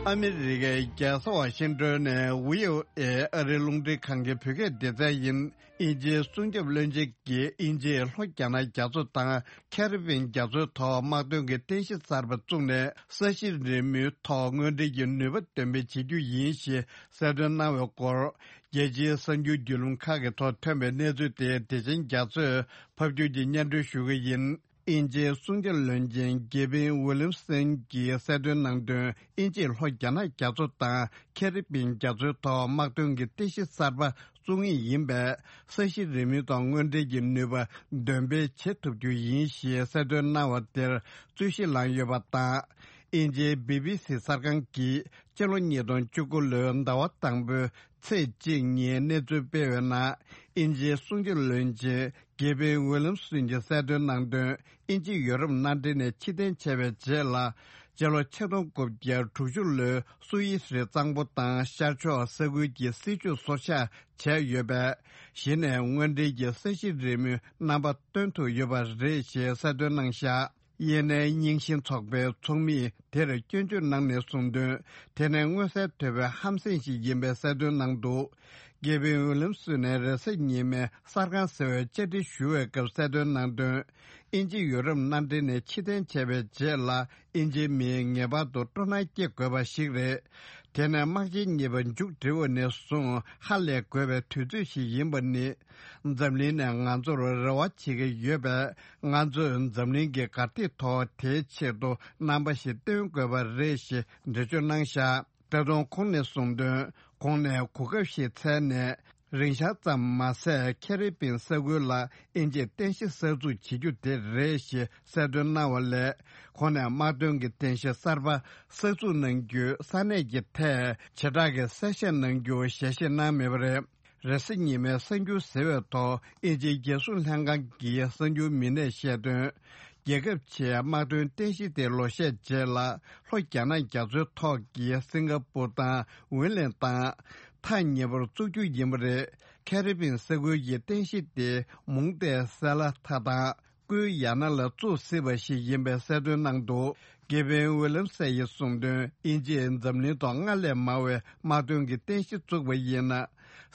ཨ་མི་རི་ཀའི་རྒྱལ་ས་ཝ་ཤིང་ཏོན་ནས་ཝི་ཨོ་ཨེ་ཨ་རིའི་རླུང་འཕྲིན་ཁང་གི་བོད་སྐད་སྡེ་ཚན་ཡིན། དབྱིན་ཇིའི་སྲུང་སྐྱོབ་བློན་ཆེན་གྱིས་དབྱིན་ཇིས་ལྷོ་རྒྱ་ནག་རྒྱ་མཚོ་དང་ཁེ་རི་བིན་རྒྱ་མཚོའི་ཐོག་དམག་དོན་གྱི་རྟེན་གཞི་གསར་པ་བཙུགས་ནས། ས་གཞི་རིལ་མོའི་ཐོག་དངོས་འབྲེལ་གྱི་ནུས་པ་འདོན་སྤེལ་བྱེད་རྒྱུ་ཡིན་ཞེས་གསལ་སྟོན་གནང་བའི་སྐོར། རྒྱལ་སྤྱིའི་གསར་འགྱུར་བརྒྱུད་ལམ་ཁག་གི་ཐོག་ཐོན་པའི་གནས་ཚུལ་དེ་བདེ་ཆེན་རྒྱ་མཚོས་ཕབ་སྒྱུར་གྱིས་སྙན་སྒྲོན་ཞུ་གི་ཡིན། དབྱིན་ཇིའི་སྲུང་སྐྱོབ་བློན་ཆེན་གེ་ཝིན་ཝི་ལིམ་སན་གྱིས་གསལ་སྟོན་གནང་དོན། དབྱིན་ཇིས་ལྷོ་རྒྱ་ནག་རྒྱ་མཚོ་དང་ཁེ་རི་བིན་རྒྱ་མཚོའི་ཐོག་དམག་དོན་གྱི་རྟེན་གཞི་གསར་པ་བཙུགས་ངེས་ཡིན་པས། ས་གཞི་རིལ་མོའི་ཐོག་དངོས་འབྲེལ་གྱི་ནུས་པ་འདོན་སྤེལ་བྱེད་ཐུབ་རྒྱུ་ཡིན་ཞེས་གསལ་སྟོན་གནང་བ་དེར་རྩོད་གཞི་ལངས་ཡོད་པ་དང་། དབྱིན་ཇིའི་བི་བི་སི་གསར་ཁང་གིས་སྤྱི་ལོ་ཉིས་སྟོང་བཅུ་དགུ་ལོའི་ཟླ་བ་དང་པོའི་ཚེས་གཅིག་ཉིན་གནས་ཚུལ་སྤེལ་བའི་ནང་། དབྱིན་ཇིའི་སྲུང་སྐྱོབ་བློན་ཆེན་གེ་ཝིན་ཝི་ལིམ་སོན་གྱིས་གསལ་སྟོན་གནང་དོན། དབྱིན་ཇི་ཡོ་རོབ་མནའ་འབྲེལ་ནས་ཕྱིར་འཐེན་བྱས་པའི་རྗེས་ལ། སྤྱི་ལོ་ཆིག་སྟོང་དགུ་བརྒྱ་དྲུག་ཅུ་ལོའི་སུ་ཨི་སི་རི་གཙང་པོ་དང་ཤར་ཕྱོགས་ས་ཁུལ་གྱི་སྲིད་ཇུས་སོར་ཆགས་བྱས་ཡོད་པས། གཞི་ནས་དངོས་འབྲེལ་གྱི་ས་གཞི་རིལ་མོའི་རྣམ་པ་སྟོན་ཐུབ་ཡོད་པ་རེད་ཞེས་གསལ་སྟོན་གནང་བཞག། དབྱིན་ལན་རྙིང་ཞེན་ཚོགས་པའི་ཚོགས་མིས་དེར་སྐྱོན་བརྗོད་གནང་ནས་གསུངས་དོན། དེ་ནི་མངོན་གསལ་དོད་པའི་ཧམ་སེམས་ཤིག་ཡིན་པའི་གསལ་སྟོན་གནང་འདུག། གེ་ཝིན་ཝི་ལིམ་སོན་ནས་རེས་གཟའ་ཉི་མའི་གསར་ཁང་ཟེར་བའི་བཅར་འདྲི་ཞུ་བའི་སྐབས་གསལ་སྟོན་གནང་དོན། དབྱིན་ཇི་ཡོ་རོབ་མནའ་འབྲེལ་ནས་ཕྱིར་འཐེན་བྱས་པའི་རྗེས་ལ། དབྱིན་ཇིའི་མིས་ངེས་པར་དུ་སྤྲོ་སྣང་སྐྱེ་དགོས་པ་ཞིག་རེད། དེ་ནི་དམག་ཆེན་གཉིས་པ་མཇུག་སྒྲིལ་བ་ནས་བཟུང་ཧ་ལས་དགོས་པའི་དུས་ཚོད་ཞིག་ཡིན་པ་ནི། འཛམ་གླིང་ནས་ང་ཚོར་རེ་བ་བྱེད་ཀྱི་ཡོད་པས། ང་ཚོས་འཛམ་གླིང་གི་གར་སྟེགས་ཐོག་དེའི་ཆེད་དུ་རྣམ་པ་ཞིག་སྟོན་དགོས་པ་རེད་ཞེས་འགྲེལ་བརྗོད་གནང་བཞག། ད་དུང་ཁོང་ནས་གསུངས་དོན། གོང་ནས་གོ་སྐབས་ཤིག་འཚལ་ནས། རིང་ཤག་ཙམ་མ་ཟད། ཁེ་རི་བིན་ས་ཁུལ་ལ་དབྱིན་ཇིས་རྟེན་གཞི་གསར་འཛུགས་བྱེད་རྒྱུ་དེ་རེད་ཞེས་གསལ་སྟོན་གནང་བ་ལས། ཁོང་ནས་དམག་དོན་གྱི་རྟེན་གཞི་གསར་པ་གསར་འཛུགས་གནང་རྒྱུའི་ས་གནས་ཀྱི་ཐད་བྱེ་བྲག་གི་གསལ་བཤད་གནང་རྒྱུ་ཞལ་བཞེས་གནང་མེད་པ་རེད། རེས་གཟའ་ཉི་མའི་གསར་འགྱུར་ཟེར་བའི་ཐོག་དབྱིན་ཇིའི་རྒྱལ་སྲུང་ལྷན་ཁང་གི་གསར་འགྱུར་མི་སྣས་བཤད་དོན། རྒྱལ་ཁབ་ཆེའི་དམག་དོན་རྟེན་གཞི་དེ་ལོ་ཤས་རྗེས་ལ་ལྷོ་རྒྱ་ནག་རྒྱ་མཚོའི་ཐོག་གི་སིང་ག་པུར་དང་ཝིན་ལན་དང་ཐག་ཉེ་པོར་བཙུགས་རྒྱུ་ཡིན་པ་རེད། ཁེ་རི་བིན་ས་ཁུལ་གྱི་རྟེན་གཞི་དེ་མུང་ཏའི་སེ་ལ་ཐ་དང་། ཀུའི་ཡ་ན་ལ་བཙུགས་སྲིད་པ་ཞིག་ཡིན་པའི་གསལ་སྟོན་གནང་འདུག། གེ་ཝིན་ཝི་ལམ་སེ་ཡིས་གསུངས་དོན། དབྱིན་ཇིས་འཛམ་གླིང་ཐོག་སྔར་ལས་མང་བའི་དམག་དོན་གྱི་རྟེན་གཞི་བཙུགས་པ་ཡིན་ན།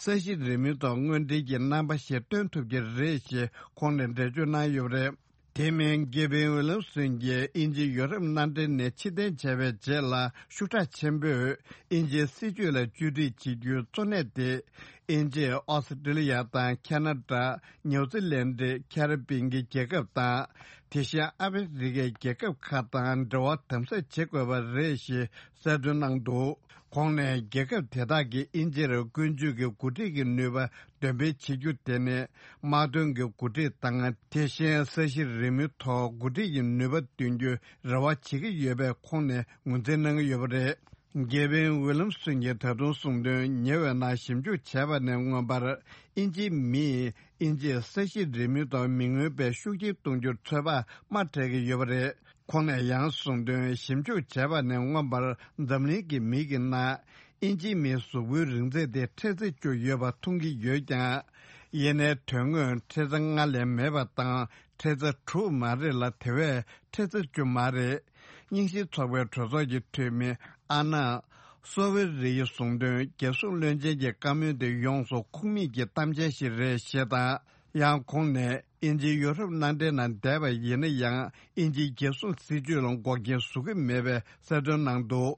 ས་གཞི་རིལ་མོའི་ཐོག་དངོས་འབྲེལ་གྱི་རྣམ་པ་ཞིག་སྟོན་ཐུབ་ཀྱི་རེད་ཞེས་ཁོང་ནས་འགྲེལ་བརྗོད་གནང་ཡོད་པ་རེད། དེ་མིན་གེ་ཝིན་ཝི་ལམ་སོན་གྱིས་དབྱིན་ཇི་ཡོ་རོབ་མནའ་འབྲེལ་ནས་ཕྱིར་འཐེན་བྱས་པའི་རྗེས་ལ། ཤུགས་དྲག་ཆེན་པོས་དབྱིན་ཇིའི་སྲིད་ཇུས་ལ་བཅོས་སྒྲིག་བྱེད་རྒྱུའི་གཙོ་གནད་དེ། དབྱིན་ཇི། ཨོ་སི་ཀྲི་ལི་ཡ་དང་ཁ་ན་ཌ། ནིའུ་ཛི་ལན་ཌི། ཁེ་རི་པིན་གྱི་རྒྱལ་ཁབ་དང་། དེ་བཞིན་ཨ་མི་རི་ཀའི་རྒྱལ་ཁབ་ཁག་དང་འབྲེལ་བ་དམ་ཟབ་བྱེད་དགོས་པ་རེད་ཞེས་གསལ་སྟོན་གནང་འདུག་ཁོང་ནས་རྒྱལ་ཁབ་དེ་དག་གིས་དབྱིན་ཇིར་ཀུན་སྤྱོད་ཀྱི་འགོ་ཁྲིད་ཀྱི་ནུས་པ་འདོན་སྤེལ་བྱེད་རྒྱུ་དེ་ནི་དམག་དོན་གྱི་འགོ་ཁྲིད་དང་། དེ་བཞིན་ས་གཞི་རིལ་མོའི་ཐོག་འགོ་ཁྲིད་ཀྱི་ནུས་པ་འདོན་རྒྱུའི་རེ་བ་བྱེད་ཀྱི་ཡོད་པའི་ཁོང་ནས་ངོས་འཛིན་གནང་གི་ཡོད་པ་རེད། གེ་ཝིན་ཝི་ལམ་སོན་གྱིས་ད་དུང་གསུངས་དོན། ཉེ་བའི་ནང་ཞིབ་འཇུག་བྱས་པ་ནས་མངོན་པར། དབྱིན་ཇིའི་མིས་དབྱིན་ཇིའི་ས་གཞི་རིལ་མོའི་ཐོག་མི་མངོན་པའི་ཤུགས་རྐྱེན་གཏོང་རྒྱུར་ཚོད་དཔག་དམའ་སྤྲད་ཀྱི་ཡོད་པ་རེད། ཁོང་ནས་ཡང་གསུངས་དོན། ཞིབ་འཇུག་བྱས་པ་ནས་མངོན་པར། འཛམ་གླིང་གི་མི་གི་ནང་དབྱིན་ཇིའི་མིའི་གཟུགས་པོའི་རིང་ཚད་དེ་ཁྲི་ཚོ་བཅུ་ཡོད་པ་མཐོང་གི་ཡོད་ཀྱང་། ཡིན་ནའི་དོན་དངོས་ཁྲི་ཚོ་ལྔ་ལས་མེད་པ་དང་ཁྲི་ཚོ་དྲུག་མ་རེད་ལ། དེ་བས་ཁྲི་ཚོ་བཅུ་མ་རེད། རྙིང་ཞེན་ཚོགས་པའི་གྲོས་ཚོགས་ཀྱི་འཐུས་མི་ཨ་ན་སོ་ཝེ་རི་ཡིས་གསུངས་དོན། རྒྱལ་སྲུང་བློན་ཆེན་གྱི་བཀའ་མོལ་དེ་ཡོངས་སུ་ཁུངས་མེད་ཀྱི་གཏམ་འཆལ་ཞིག་རེད་ཞེས་དང་། ཡང་ཁོང་ནས་དབྱིན་ཇི་ཡུ་རོབ་མནའ་འབྲེལ་ནང་བསྡད་པ་ཡིན་ན་ཡང་། དབྱིན་ཇིའི་རྒྱལ་སྲུང་སྲིད་ཇུས་ལ་འགོག་རྐྱེན་བཟོ་གི་མེད་པའི་གསལ་སྟོན་གནང་འདུག་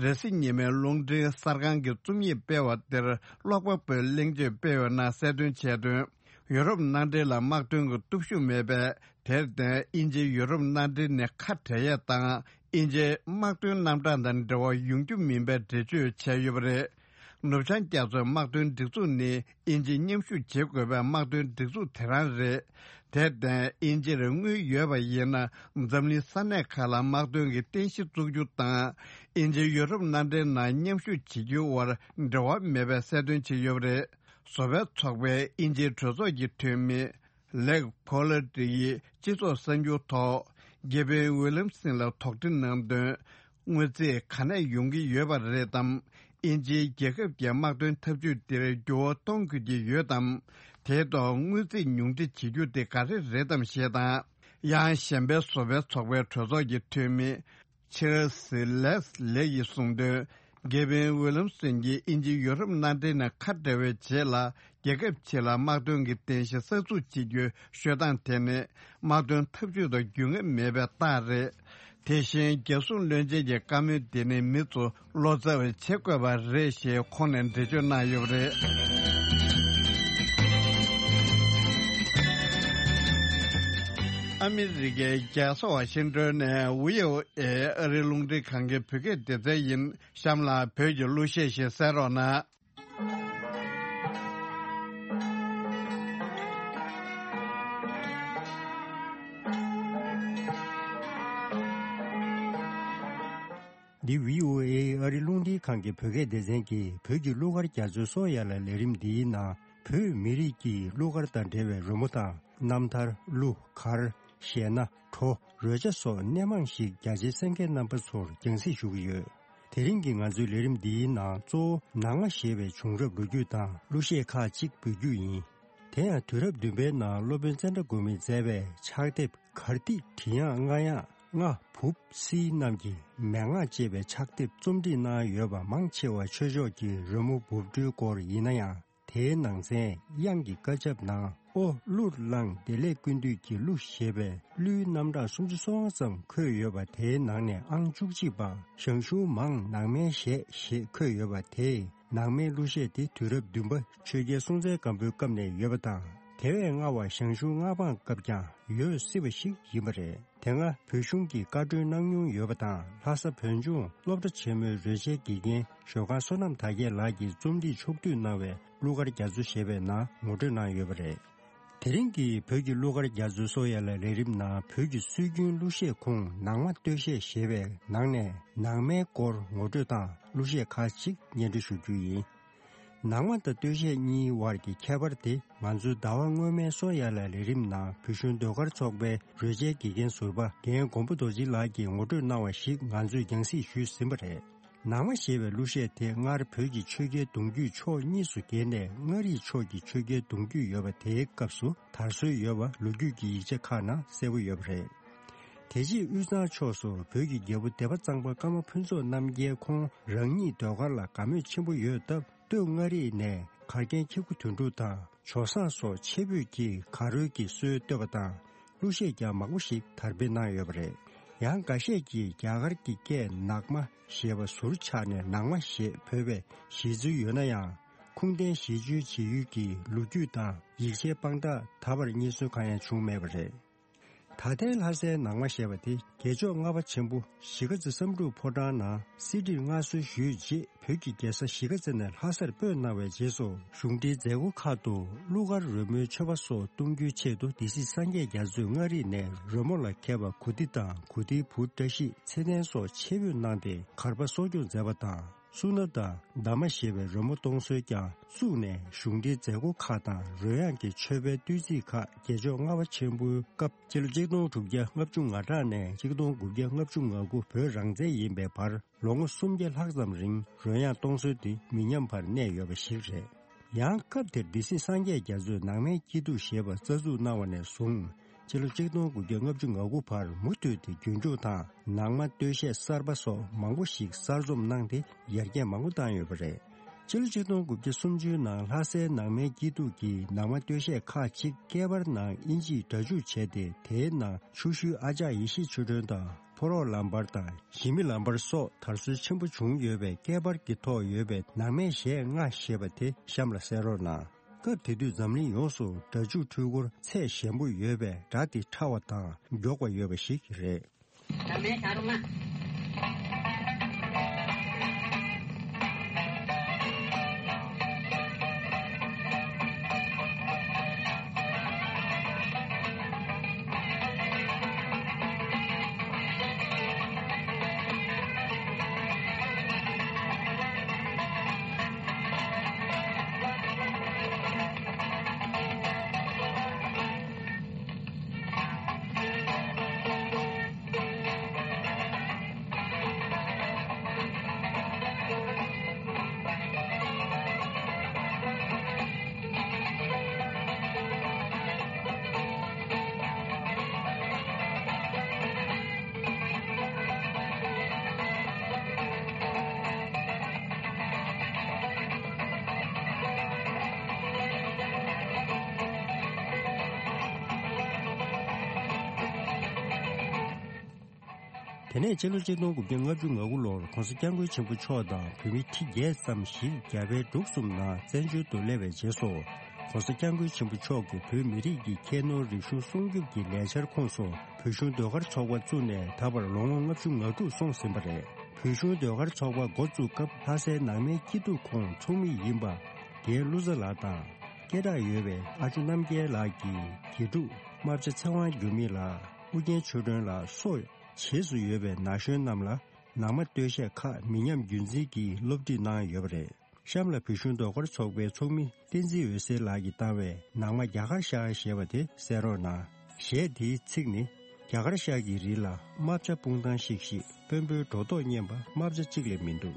རེས་གཟའ་ཉི་མའི་རླུང་འཕྲིན་གསར་ཁང་གི་རྩོམ་ཡིག་སྤེལ་བ་དེར་ཀློག་པ་པོས་གླེང་བརྗོད་སྤེལ་བའི་ནང་གསལ་སྟོན་བྱས་དོན། ཡུ་རོབ་མནའ་འབྲེལ་ལ་དམག་དོན་གྱི་སྟོབས་ཤུགས་མེད་པས། དེར་བརྟེན་དབྱིན་ཇི་ཡུ་རོབ་མནའ་འབྲེལ་ནས་ཁ་བྲལ་ཡས་དང་། དབྱིན་ཇིའི་དམག་དོན་རྣམ་གྲངས་དང་འབྲེལ་བ་ཡོང་རྒྱུ་མིན་པའི་འགྲེལ་བརྗོད་བྱས་ཡོད་པ་རེད། ནུབ་བྱང་རྒྱ་མཚོའི་དམག་དོན་སྒྲིག་འཛུགས་ནི་དབྱིན་ཇིས་མཉམ་ཞུགས་བྱེད་དགོས་པའི་དམག་དོན་སྒྲིག་འཛུགས་དེ་རང་རེད། དེར་བརྟེན་དབྱིན་ཇིར་དངུལ་ཡོད་པ་ཡིན་ན། འཛམ་གླིང་ས་གནས་ཁག་ལ་དམག་དོན་གྱི་རྟེན་གཞི་བཙུགས་རྒྱུ་དང་། དབྱིན་ཇི་ཡུ་རོབ་མནའ་འབྲེལ་ནང་མཉམ་ཞུགས་བྱེད་རྒྱུའི་དབར་འབྲེལ་བ་མེད་པའི་གསལ་སྟོན་བྱས་ཡོད་པ་རེད། བཟོ་པའི་ཚོགས་པའི་དབྱིན་ཇིའི་གྲོས་ཚོགས་ཀྱི་འཐུས་མི་ལེག་ཕོ་ལ་ཏི་ཡིས་སྤྱི་ཚོགས་གསར་འགྱུར་ཐོག་གེ་ཝིན་ཝི་ལམ་སིན་ལ་དོགས་འདྲི་གནང་དོན། དངུལ་རྩིས་ག་ནས་ཡོང་གི་ཡོད་པ་རེད་དམ། དབྱིན་ཇིའི་རྒྱལ་ཁབ་ཀྱི་དམག་དོན་འཐབ་ཇུས་འདིར་འགྱུར་བ་གཏོང་དགོས་ཀྱི་ཡོད་དམ། དེའི་ཐོག་དངུལ་རྩིས་ཉུང་འཕྲི་བྱེད་རྒྱུ་དེ་ག་རེ་རེད་དམ་ཞེས་དང་། ཡང་གཞན་པའི་བཟོ་པའི་ཚོགས་པའི་གྲོས་ཚོགས་ཀྱི་འཐུས་མི་ཆེར་སི་ལེས་ལེ་ཡིས་གསུངས་དོན། གེ་ཝིན་ཝི་ལམ་སོན་གྱིས་དབྱིན་ཇི་ཡུ་རོབ་མནའ་འབྲེལ་ནས་ཁ་བྲལ་བའི་རྗེས་ལ། རྒྱལ་ཁབ་ཕྱི་ལ་དམག་དོན་གྱི་རྟེན་གཞི་གསར་འཛུགས་བྱེད་རྒྱུའི་ཤོད་སྟངས་དེ་ནི་དམག་དོན་འཐབ་ཇུས་དང་རྒྱུས་མངའ་མེད་པའི་རྟགས་རེད། དེ་བཞིན་རྒྱལ་སྲུང་བློན་ཆེན་གྱི་བཀའ་མོལ་འདི་ནི་མི་ཚོ་བློ་འཚབ་བྱེད་དགོས་པ་རེད་ཞེས་ཁོང་ནས་འགྲེལ་བརྗོད་གནང་ཡོད་པ་རེད། ཨ་མི་རི་ཀའི་རྒྱལ་ས་ཝ་ཤིང་ཏོན་ནས་བྷི་ཨོ་ཨེ་ཨ་རིའི་རླུང་འཕྲིན་ཁང་གི་བོད་སྐད་སྡེ་ཚན་ཡིན། གཤམ་ལ་བོད་ཀྱི་གླུ་གཞས་ཤིག་གསན་རོགས་གནང་། འདི་བྷི་ཨོ་ཨེ་ཨ་རིའི་རླུང་འཕྲིན་ཁང་གི་བོད་སྐད་སྡེ་ཚན་གྱི་བོད་ཀྱི་གླུ་གར་རྒྱ་མཚོའི་སོ་ཡ་ལ་ལས་རིམ་འདིའི་ནང་བོད་མི་རིགས་ཀྱི་གླུ་གར་དང་འབྲེལ་བའི་རོལ་མོ་དང་རྣམ་ཐར། གླུ་གར། གཞས་སྣ། བྲོ། རོལ་ཆ་སོགས་སྣེ་མང་ཞིག་རྒྱ་ཆེའི་གསན་མཁན་རྣམ་པ་ཚོར་རྒྱང་སྲིང་ཞུ་གི་ཡོད། དེ་རིང་གི་ང་ཚོའི་ལས་རིམ་འདིའི་ནང་གཙོ་བོ་ནང་མ་ཞེས་པའི་བྱུང་རབས་ལོ་རྒྱུས་དང་གླུ་གཞས་ཁག་ཅིག་འབུལ་རྒྱུ་ཡིན། དེ་ཡང་དུས་རབས་བདུན་པའི་ནང་སློབ་དཔོན་ཙནྡྲ་གོ་མིས་མཛད་པའི་ཕྱག་དེབ་གར་ཐིག་བྲིས་དབྱངས་རྔ་དབྱངས་རྔ་བུབ་སིལ་རྣམས་ཀྱི་མན་ངག་ཅེས་པའི་ཕྱག་དེབ་རྩོམ་སྒྲིག་གནང་ཡོད་པ་མང་ཆེ་བ་ཆོས་ཕྱོགས་ཀྱི་རོལ་མོ་འབུབ་སྒྲོལ་སྐོར་ཡིན་ན་ཡང་། དེའི་ནང་ཚན་དབྱངས་ཀྱི་བཀའ་ཁྱབ་ནང་ཨོ་གླུར་བླངས་བདེ་ལེགས་ཀུན་འདུས་ཀྱི་གླུ་ཞེས་པའི་གླུའི་རྣམ་གྲངས་སུམ་ཅུ་སོ་ལྔ་ཙམ་འཁོད་ཡོད་པ། དེའི་ནང་ནས་ཨང་བཅུ་གཅིག་པ་ཞང་ཞུང་མང་ནང་མའི་གཞས་ཞེས་འཁོད་ཡོད་པ། དེས་ནང་མའི་གླུ་གཞས་དེ་དུས་རབས་བདུན་པ་ཆོས་རྒྱལ་སྲོང་བཙན་སྒམ་པོའི་སྐབས་ནས་ཡོད་པ་དང་། དེ་བས་སྔ་བ་ཞང་ཞུང་མངའ་འབངས་སྐབས་ཀྱང་ཡོད་སྲིད་པ་ཞིག་ཡིན་པ་རེད། དེ་སྔ་བོད་གཞུང་གིས་བཀའ་འཁྲོལ་གནང་མྱོང་ཡོད་པ་དང་། ལྷ་ས་བོད་ལྗོངས་སློབ་གྲྭ་ཆེན་མོའི་རོལ་ཆའི་དགེ་རྒན་ཞོལ་ཁང་བསོད་ནམས་དར་རྒྱས་ལགས་ཀྱིས་རྩོམ་སྒྲིག་ཕྱོགས་བསྡུས་གནང་བའི་གླུ་གར་རྒྱ་མཚོ་ཞེས་པའི་ནང་ངོ་སྤྲོད་གནང་ཡོད་པ་རེད། དེ་རིང་གི་བོད་ཀྱི་གླུ་གར་རྒྱ་མཚོའི་སོ་ཡ་ལ་ལས་རིམ་ནང་བོད་ཀྱི་སྲོལ་རྒྱུན་གླུ་གཞས་ཁོངས་ནང་མ་སྟོད་གཞས་ཞེས་པའི་ནང་ནས་ནང་མའི་སྐོར་ངོ་སྤྲོད་དང་གླུ་གཞས་ཁག་ཅིག་སྙན་སྒྲོན་ཞུ་རྒྱུ་ཡིན། ནང་མ་དང་སྟོད་གཞས་གཉིས་དབར་གྱི་ཁྱད་པར་དེ་ང་ཚོའི་ཟླ་བ་སྔོན་མའི་སོ་ཡ་ལ་ལས་རིམ་ནང་བོད་གཞུང་ཟློས་གར་ཚོགས་པའི་རོལ་ཆའི་དགེ་རྒན་ཟུར་པ་རྒན་མགོན་པོ་རྡོ་རྗེ་ལགས་ཀྱིས་ངོ་སྤྲོད་གནང་བ་ཞིག་ང་ཚོས་རྒྱང་སྲིང་ཞུས་ཟིན་པ་རེད། ནང་མ་ཞེས་པའི་གླུ་གཞས་དེ་སྔར་བོད་ཀྱི་ཆོས་རྒྱལ་གདུང་རྒྱུད་ཕྱོགས་གཉིས་སུ་གྱེས་ནས་མངའ་རིས་ཕྱོགས་ཀྱི་ཆོས་རྒྱལ་གདུང་རྒྱུད་ཡོད་པ་དེའི་སྐབས་སུ་དར་སྲོལ་ཡོད་པ་ལོ་རྒྱུས་ཀྱི་ཡིག་ཆ་ཁག་ནང་གསལ་པོ་ཡོད་པ་རེད། དེ་རྗེས་དབུས་གཙང་ཕྱོགས་སུ་བོད་ཀྱི་རྒྱལ་པོ་སྡེ་པ་གཙང་པ་ཀརྨ་ཕུན་ཚོགས་རྣམ་རྒྱལ་ཁོང་རང་ཉིད་ཟློས་གར་ལ་དགའ་མོས་ཆེན་པོ་ཡོད་སྟབས། སྟོད་མངའ་རིས་ནས་གར་མཁན་ཁྱེད་ཁུ་དོན་གྲུབ་དང་ཇོ་བཟང་སོགས་ཆེ་བོད་ཀྱི་གར་རོལ་གྱི་སྲོལ་བཏོད་པ་དང་། གླུ་གཞས་ཀྱང་མང་པོ་ཞིག་དར་སྤེལ་གནང་ཡོད་པ་རེད། ཡང་འགའ་ཤས་ཀྱིས་རྒྱ་གར་གྱི་སྐད་ནག་མ་ཞེས་པ་ཟུར་ཆག་ནས་ནང་མ་ཞེས་བོས་པའི་གཞི་རྩིས་ཡོད་ན་ཡང་། ཁུངས་ལྡན་ཞི་བཅོལ་བྱེད་ཡུལ་གྱི་ལོ་རྒྱུས་དང་ཡིག་ཆའི་དཔང་རྟགས་ད་བར་རྙེད་སོན་གང་ཡང་བྱུང་མེད་པ་རེད། ད་ལྟའི་ལྷ་སའི་ནང་མ་ཞེས་པ་དེ་རྒྱལ་མཆོག་ལྔ་པ་ཆེན་པོ་གཞིས་ཀ་རྩེ་བསམ་འགྲུབ་ཕོ་བྲང་ནང་གསེར་ཁྲིར་མངའ་གསོལ་ཞུས་རྗེས། བོད་ཀྱི་རྒྱལ་ས་གཞིས་ཀ་རྩེ་ནས་ལྷ་སར་སྤོས་གནང་བའི་རྗེས་སུ། གཞུང་འབྲེལ་མཛད་སྒོ་ཁག་ཏུ་གླུ་གར་རོལ་མོའི་མཆོད་པ་སོགས་གཏོང་རྒྱུའི་ཆེད་དུ། སྡེ་སྲིད་སངས་རྒྱས་རྒྱ་མཚོས་མངའ་རིས་ནས་རོལ་མོ་ལ་མཁས་པ་གུ་ཏི་དང་གུ་ཏིའི་བུ་བཀྲ་ཤིས་ཚེ་བརྟན་སོགས་ཆེད་འབོད་གནང་སྟེ། གར་པ་གསོ་སྐྱོང་མཛད་པ་དང་། སུ་ན་དང་། ཟླ་མ་ཞེས་པའི་རོལ་མོ་གཏོང་སྲོལ་ཀྱང་བཙུགས་ནས། གཞུང་འབྲེལ་མཛད་སྒོ་ཁག་དང་རོལ་དབྱངས་ཀྱི་མཆོད་པའི་བསྟོད་ཚིག་ཁག་རྒྱལ་མཆོག་ལྔ་པ་ཆེན་པོའི་སྐབས། སྤྱི་ལོ་གཅིག་སྟོང་དྲུག་བརྒྱ་ལྔ་བཅུ་ང་གྲངས་ནས་གཅིག་སྟོང་དགུ་བརྒྱ་ལྔ་བཅུ་ང་དགུ་བོད་རང་བཙན་ཡིན་པའི་བར། ལོ་ངོ་སུམ་བརྒྱ་ལྷག་ཙམ་རིང་རོལ་དབྱངས་གཏོང་སྲོལ་དེ་མི་ཉམས་པར་གནས་ཡོད་པ་ཞིག་རེད། ཡང་སྐབས་དེར་སྡེ་སྲིད་སངས་རྒྱས་རྒྱ་མཚོས་ནང་མའི་སྐྱིད་སྡུག་ཞེས་པ་རྩ་འཛུགས་གནང་བ་ནས་བཟུང་། སྤྱི་ལོ་གཅིག་སྟོང་དགུ་བརྒྱ་ལྔ་བཅུ་ང་དགུ་བར་མུ་མཐུད་དེ་རྒྱུན་འཁྱོངས་དང་། ནང་མ་སྟོད་གཞས་གསར་པ་སོགས་མང་པོ་ཞིག་གསར་རྩོམ་གནང་སྟེ། ཡར་རྒྱས་མང་པོ་བཏང་ཡོད་པ་རེད། སྤྱི་ལོ་ཆིག་སྟོང་དགུ་བརྒྱ་སུམ་ཅུའི་ནང་ལྷ་སའི་ནང་མའི་སྐྱིད་སྡུག་གི་ནང་མ་སྟོད་གཞས་ཁག་ཅིག་སྐེད་པར་ནང་ཨིན་ཇིས་སྒྲ་འཇུག་བྱས་ཏེ། དེའི་ནང་ཆུ་ཤུལ་ཨ་ཅག་ཡེ་ཤེས་ཆོས་སྒྲོན་དང་། ཕོ་རོག་ལམ་བར་དང་། ཞི་མི་ལམ་བར་སོགས་དར་སྲོལ་ཆེན་པོ་བྱུང་ཡོད་པས། སྐེད་པར་གྱི་ཐོག་ཡོད་པའི་ནང་མའི་གཞས་ལྔ་ཞེས་པ་དེ་གཤམ་ལ་གསན་རོགས་གནང་། སྐབས་དེ་དུས་འཛམ་གླིང་ཡོངས་སུ་སྒྲ་འཇུག་འཕྲུལ་འཁོར་ཚད་ཞན་པོ་ཡོད་པས། སྒྲ་དེ་ཕྲ་བ་དང་མགྱོགས་པ་ཡོད་པ་ཞིག་རེད། དེ་ནས་སྤྱི་ལོ་ཆིག་སྟོང་དགུ་བརྒྱ་ལྔ་བཅུ་ང་དགུ་ལོར་༸གོང་ས་༸སྐྱབས་མགོན་ཆེན་པོ་མཆོག་དང་བོད་མི་ཁྲི་བརྒྱད་ཙམ་ཞིག་རྒྱ་བལ་འབྲུག་གསུམ་ནང་བཙན་བྱོལ་དུ་སླེབས་པའི་རྗེས་སུ། ༸གོང་ས་༸སྐྱབས་མགོན་ཆེན་པོ་མཆོག་གིས་བོད་མི་རིགས་ཀྱི་ཁྱད་ནོར་རིག་གཞུང་སྲུང་སྐྱོབ་ཀྱི་ལས་འཆར་ཁོངས་སུ། བོད་གཞུང་ཟློས་གར་ཚོགས་པ་བཙུགས་ནས་ད་བར་ལོ་ངོ་ལྔ་བཅུ་ང་དྲུག་སོང་ཟིན་པ་རེད། བོད་གཞུང་ཟློས་གར་ཚོགས་པ་འགོ་བཙུགས་སྐབས། ལྷ་སའི་ནང་མའི་སྐྱིད་སྡུག་ཁོངས་ཚོགས་མི་ཡིན་པ། རྒན་བློ་བཟང་ལགས་དང་། སྐད་གྲགས་ཡོད་པའི་ཨ་ཇོ་རྣམ་རྒྱལ་ལགས་ཀྱིས་དགེ་ཕྲུག་རྨ་བྱ་ཚེ་དབང་འགྱུར་མེད་ལགས། ཨུ་རྒྱན་ཆོས་སྒྲོན་ལགས་སོགས་བྱེས་སུ་ཡོད་པའི་ན་གཞོན་རྣམས་ལ། ནང་མ་སྟོད་གཞས་ཁག་མི་ཉམས་རྒྱུན་འཛིན་གྱིས་སློབ་ཁྲིད་གནང་ཡོད་པ་རེད། གཤམ་ལ་བོད་གཞུང་ཟློས་གར་ཚོགས་པའི་ཚོགས་མི་བསྟན་འཛིན་འོད་ཟེར་ལགས་ཀྱིས་བཏང་བའི་ནང་མ་རྒྱ་གར་ཤར་ཞེས་པ་དེ་གསན་རོགས་གནང་། གཞས་དེའི་ཚིག་ནི། རྒྱ་གར་ཤར་གྱི་རི་ལ་རྨ་བྱ་སྤུངས་ཐང་ཤིག་ཤིག་དཔོན་པོའི་སྒྲོ་འདོགས་གཉན་པ་རྨ་བྱ་གཅིག་ལས་མི་འདུག་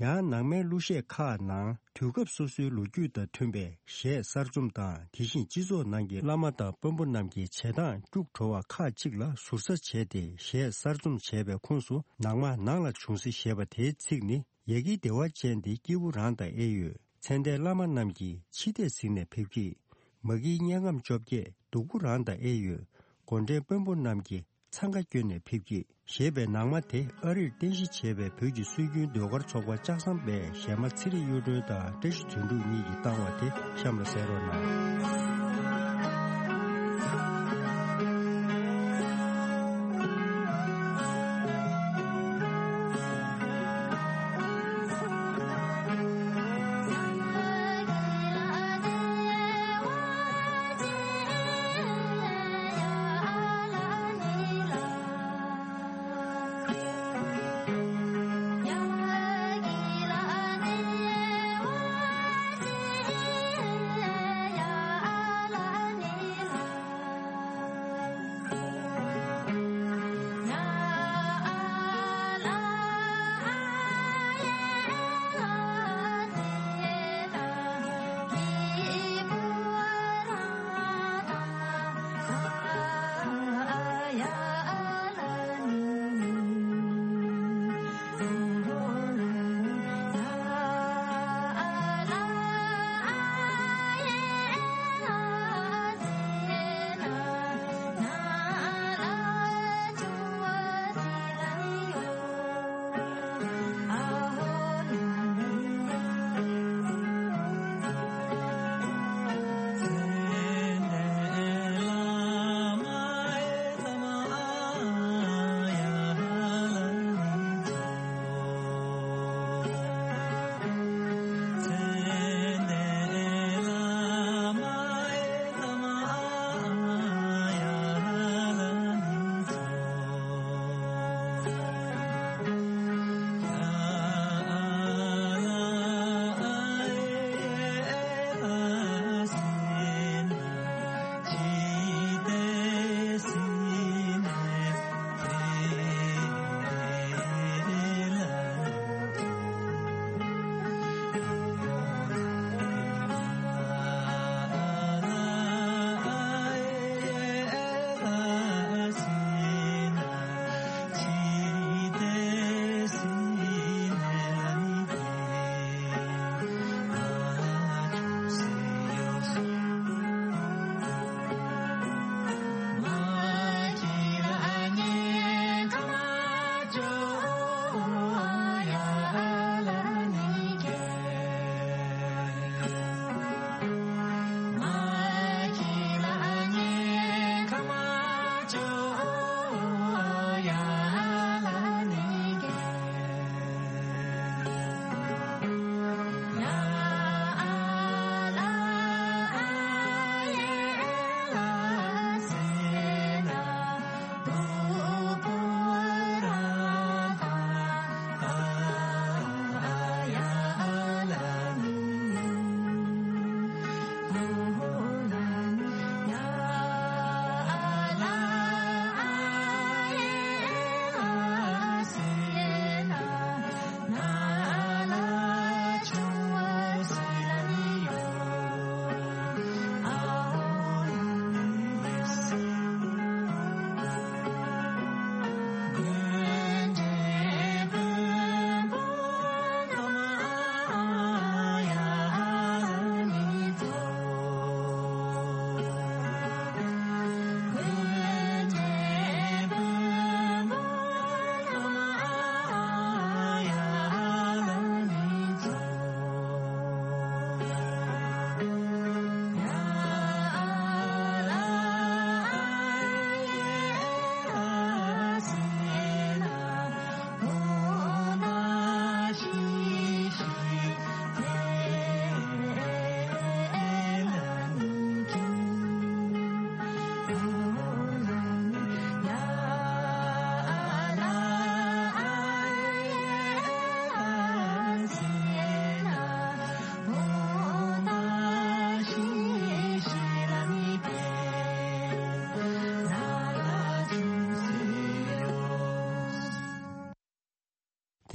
ཡང་ནང་མའི་གླུ་གཞས་ཁག་ནང་དུས་སྐབས་སོ་སོའི་ལོ་རྒྱུས་དང་མཐུན་པའི་གཞས་གསར་རྩོམ་དང་། དེ་བཞིན་སྤྱི་ཚོགས་ནང་གི་བླ་མ་དང་དཔོན་པོ་རྣམས་ཀྱི་བྱེད་སྟངས་སྐྱུག་བྲོ་བ་ཁག་ཅིག་ལ་ཟུར་ཟ་བྱས་ཏེ་གཞས་གསར་རྩོམ་བྱས་པའི་ཁོངས་སུ། ནང་མ་ནང་ལ་བྱུང་ཟེར་ཞེས་པ་དེའི་ཚིག་ནི། ཡ་གིའི་བདེ་བ་ཅན་དེ་སྐྱེས་བུ་རང་དང་ཨེ་ཡོད། ཚེ་འདས་བླ་མ་རྣམས་ཀྱིས་འཆི་ལྟས་གཟིགས་ནས་ཕེབས་ཀྱིས། མ་གིའི་དམྱལ་ཁམས་བཅོ་བརྒྱད་སྡུག་པོ་རང་དང་ཨེ་ཡོད། མགོ་འདྲེན་དཔོན་པོ་རྣམས་ཀྱིས་འཚང་ཁ་བསྐྱོན་ནས་ཕེབས་ཀྱིས། ཞེས་པའི་ནང་མ་དེ་ཨ་རིར་རྟེན་གཞི་བྱས་པའི་བོད་ཀྱི་སྲོལ་རྒྱུན་ཟློས་གར་ཚོགས་པ་ལྕགས་ཟམ་པའི་གཞས་མ་ཚེ་རིང་གཡུ་སྒྲོན་དང་བཀྲ་ཤིས་དོན་གྲུབ་གཉིས་ཀྱིས་བཏང་བ་དེ་གཤམ་ལ་གསན་རོགས་གནང་།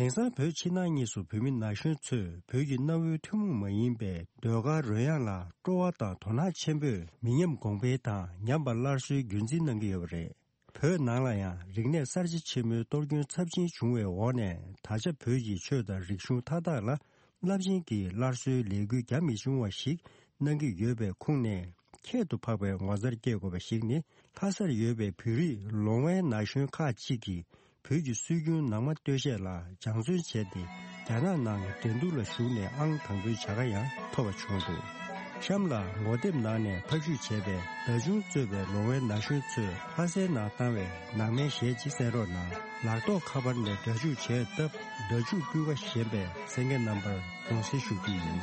དེང་སང་བོད་ཕྱི་ནང་གཉིས་སུ་བོད་མི་ན་གཞོན་ཚོས་བོད་ཀྱི་གནའ་བོའི་ཐུན་མོང་མ་ཡིན་པའི་ཟློས་གར་རོལ་དབྱངས་ལ་སྤྲོ་བ་དང་དོ་སྣང་ཆེན་པོས་མི་ཉམས་གོང་འཕེལ་དང་ཉམས་པ་སླར་གསོའི་རྒྱུན་འཛིན་གནང་གི་ཡོད་པ་རེད། བོད་ནང་ལ་ཡང་རིག་གནས་གསར་བརྗེ་ཆེན་མོའི་གཏོར་སྐྱོན་ཚབས་ཆེན་བྱུང་བའི་འོག་ནས། ད་ཆ་བོད་ཀྱི་ཆོས་དང་རིག་གཞུང་མཐའ་དག་ལ་རླབས་ཆེན་གྱི་སླར་གསོའི་ལས་འགུལ་རྒྱ་མི་ཆུང་བ་ཞིག་གནང་གི་ཡོད་པའི་ཁུངས་ནས། ཁྱད་དུ་འཕགས་པའི་ངོ་མཚར་སྐྱེ་དགོས་པ་ཞིག་ནི། ལྷ་སར་ཡོད་པའི་བོད་རིགས་ལོང་བའི་ན་གཞོན་ཁག་ཅིག་གིས་བོད་ཀྱི་སྲོལ་རྒྱུན་ནང་མ་སྟོད་གཞས་ལ་སྦྱང་བརྩོན་བྱས་ཏེ། རྒྱ་ནག་ནང་འགྲན་བསྡུར་ལ་ཞུགས་ནས་ཨང་དང་པོའི་བྱ་དགའ་ཡང་ཐོབ་པ་བྱུང་འདུག་གཤམ་ལ་ངོ་དེབ་ནང་ནས་ཕབ་བཤུས་བྱས་པའི་བརྡ་ཆུང་གཙོས་པའི་ལོང་བའི་ན་གཞོན་ཚོས་ལྷ་སའི་ནང་བཏང་བའི་ནང་མའི་གཞས་ཅིག་གསན་རོགས་གནང་། ལག་ཐོགས་ཁ་པར་ནས་སྒྲ་འཇུག་བྱས་སྟབས། སྒྲ་འཇུག་སྤུས་ཀ་ཞན་པས་གསན་མཁན་རྣམ་པར་དགོངས་སེལ་ཞུ་རྒྱུ་ཡིན།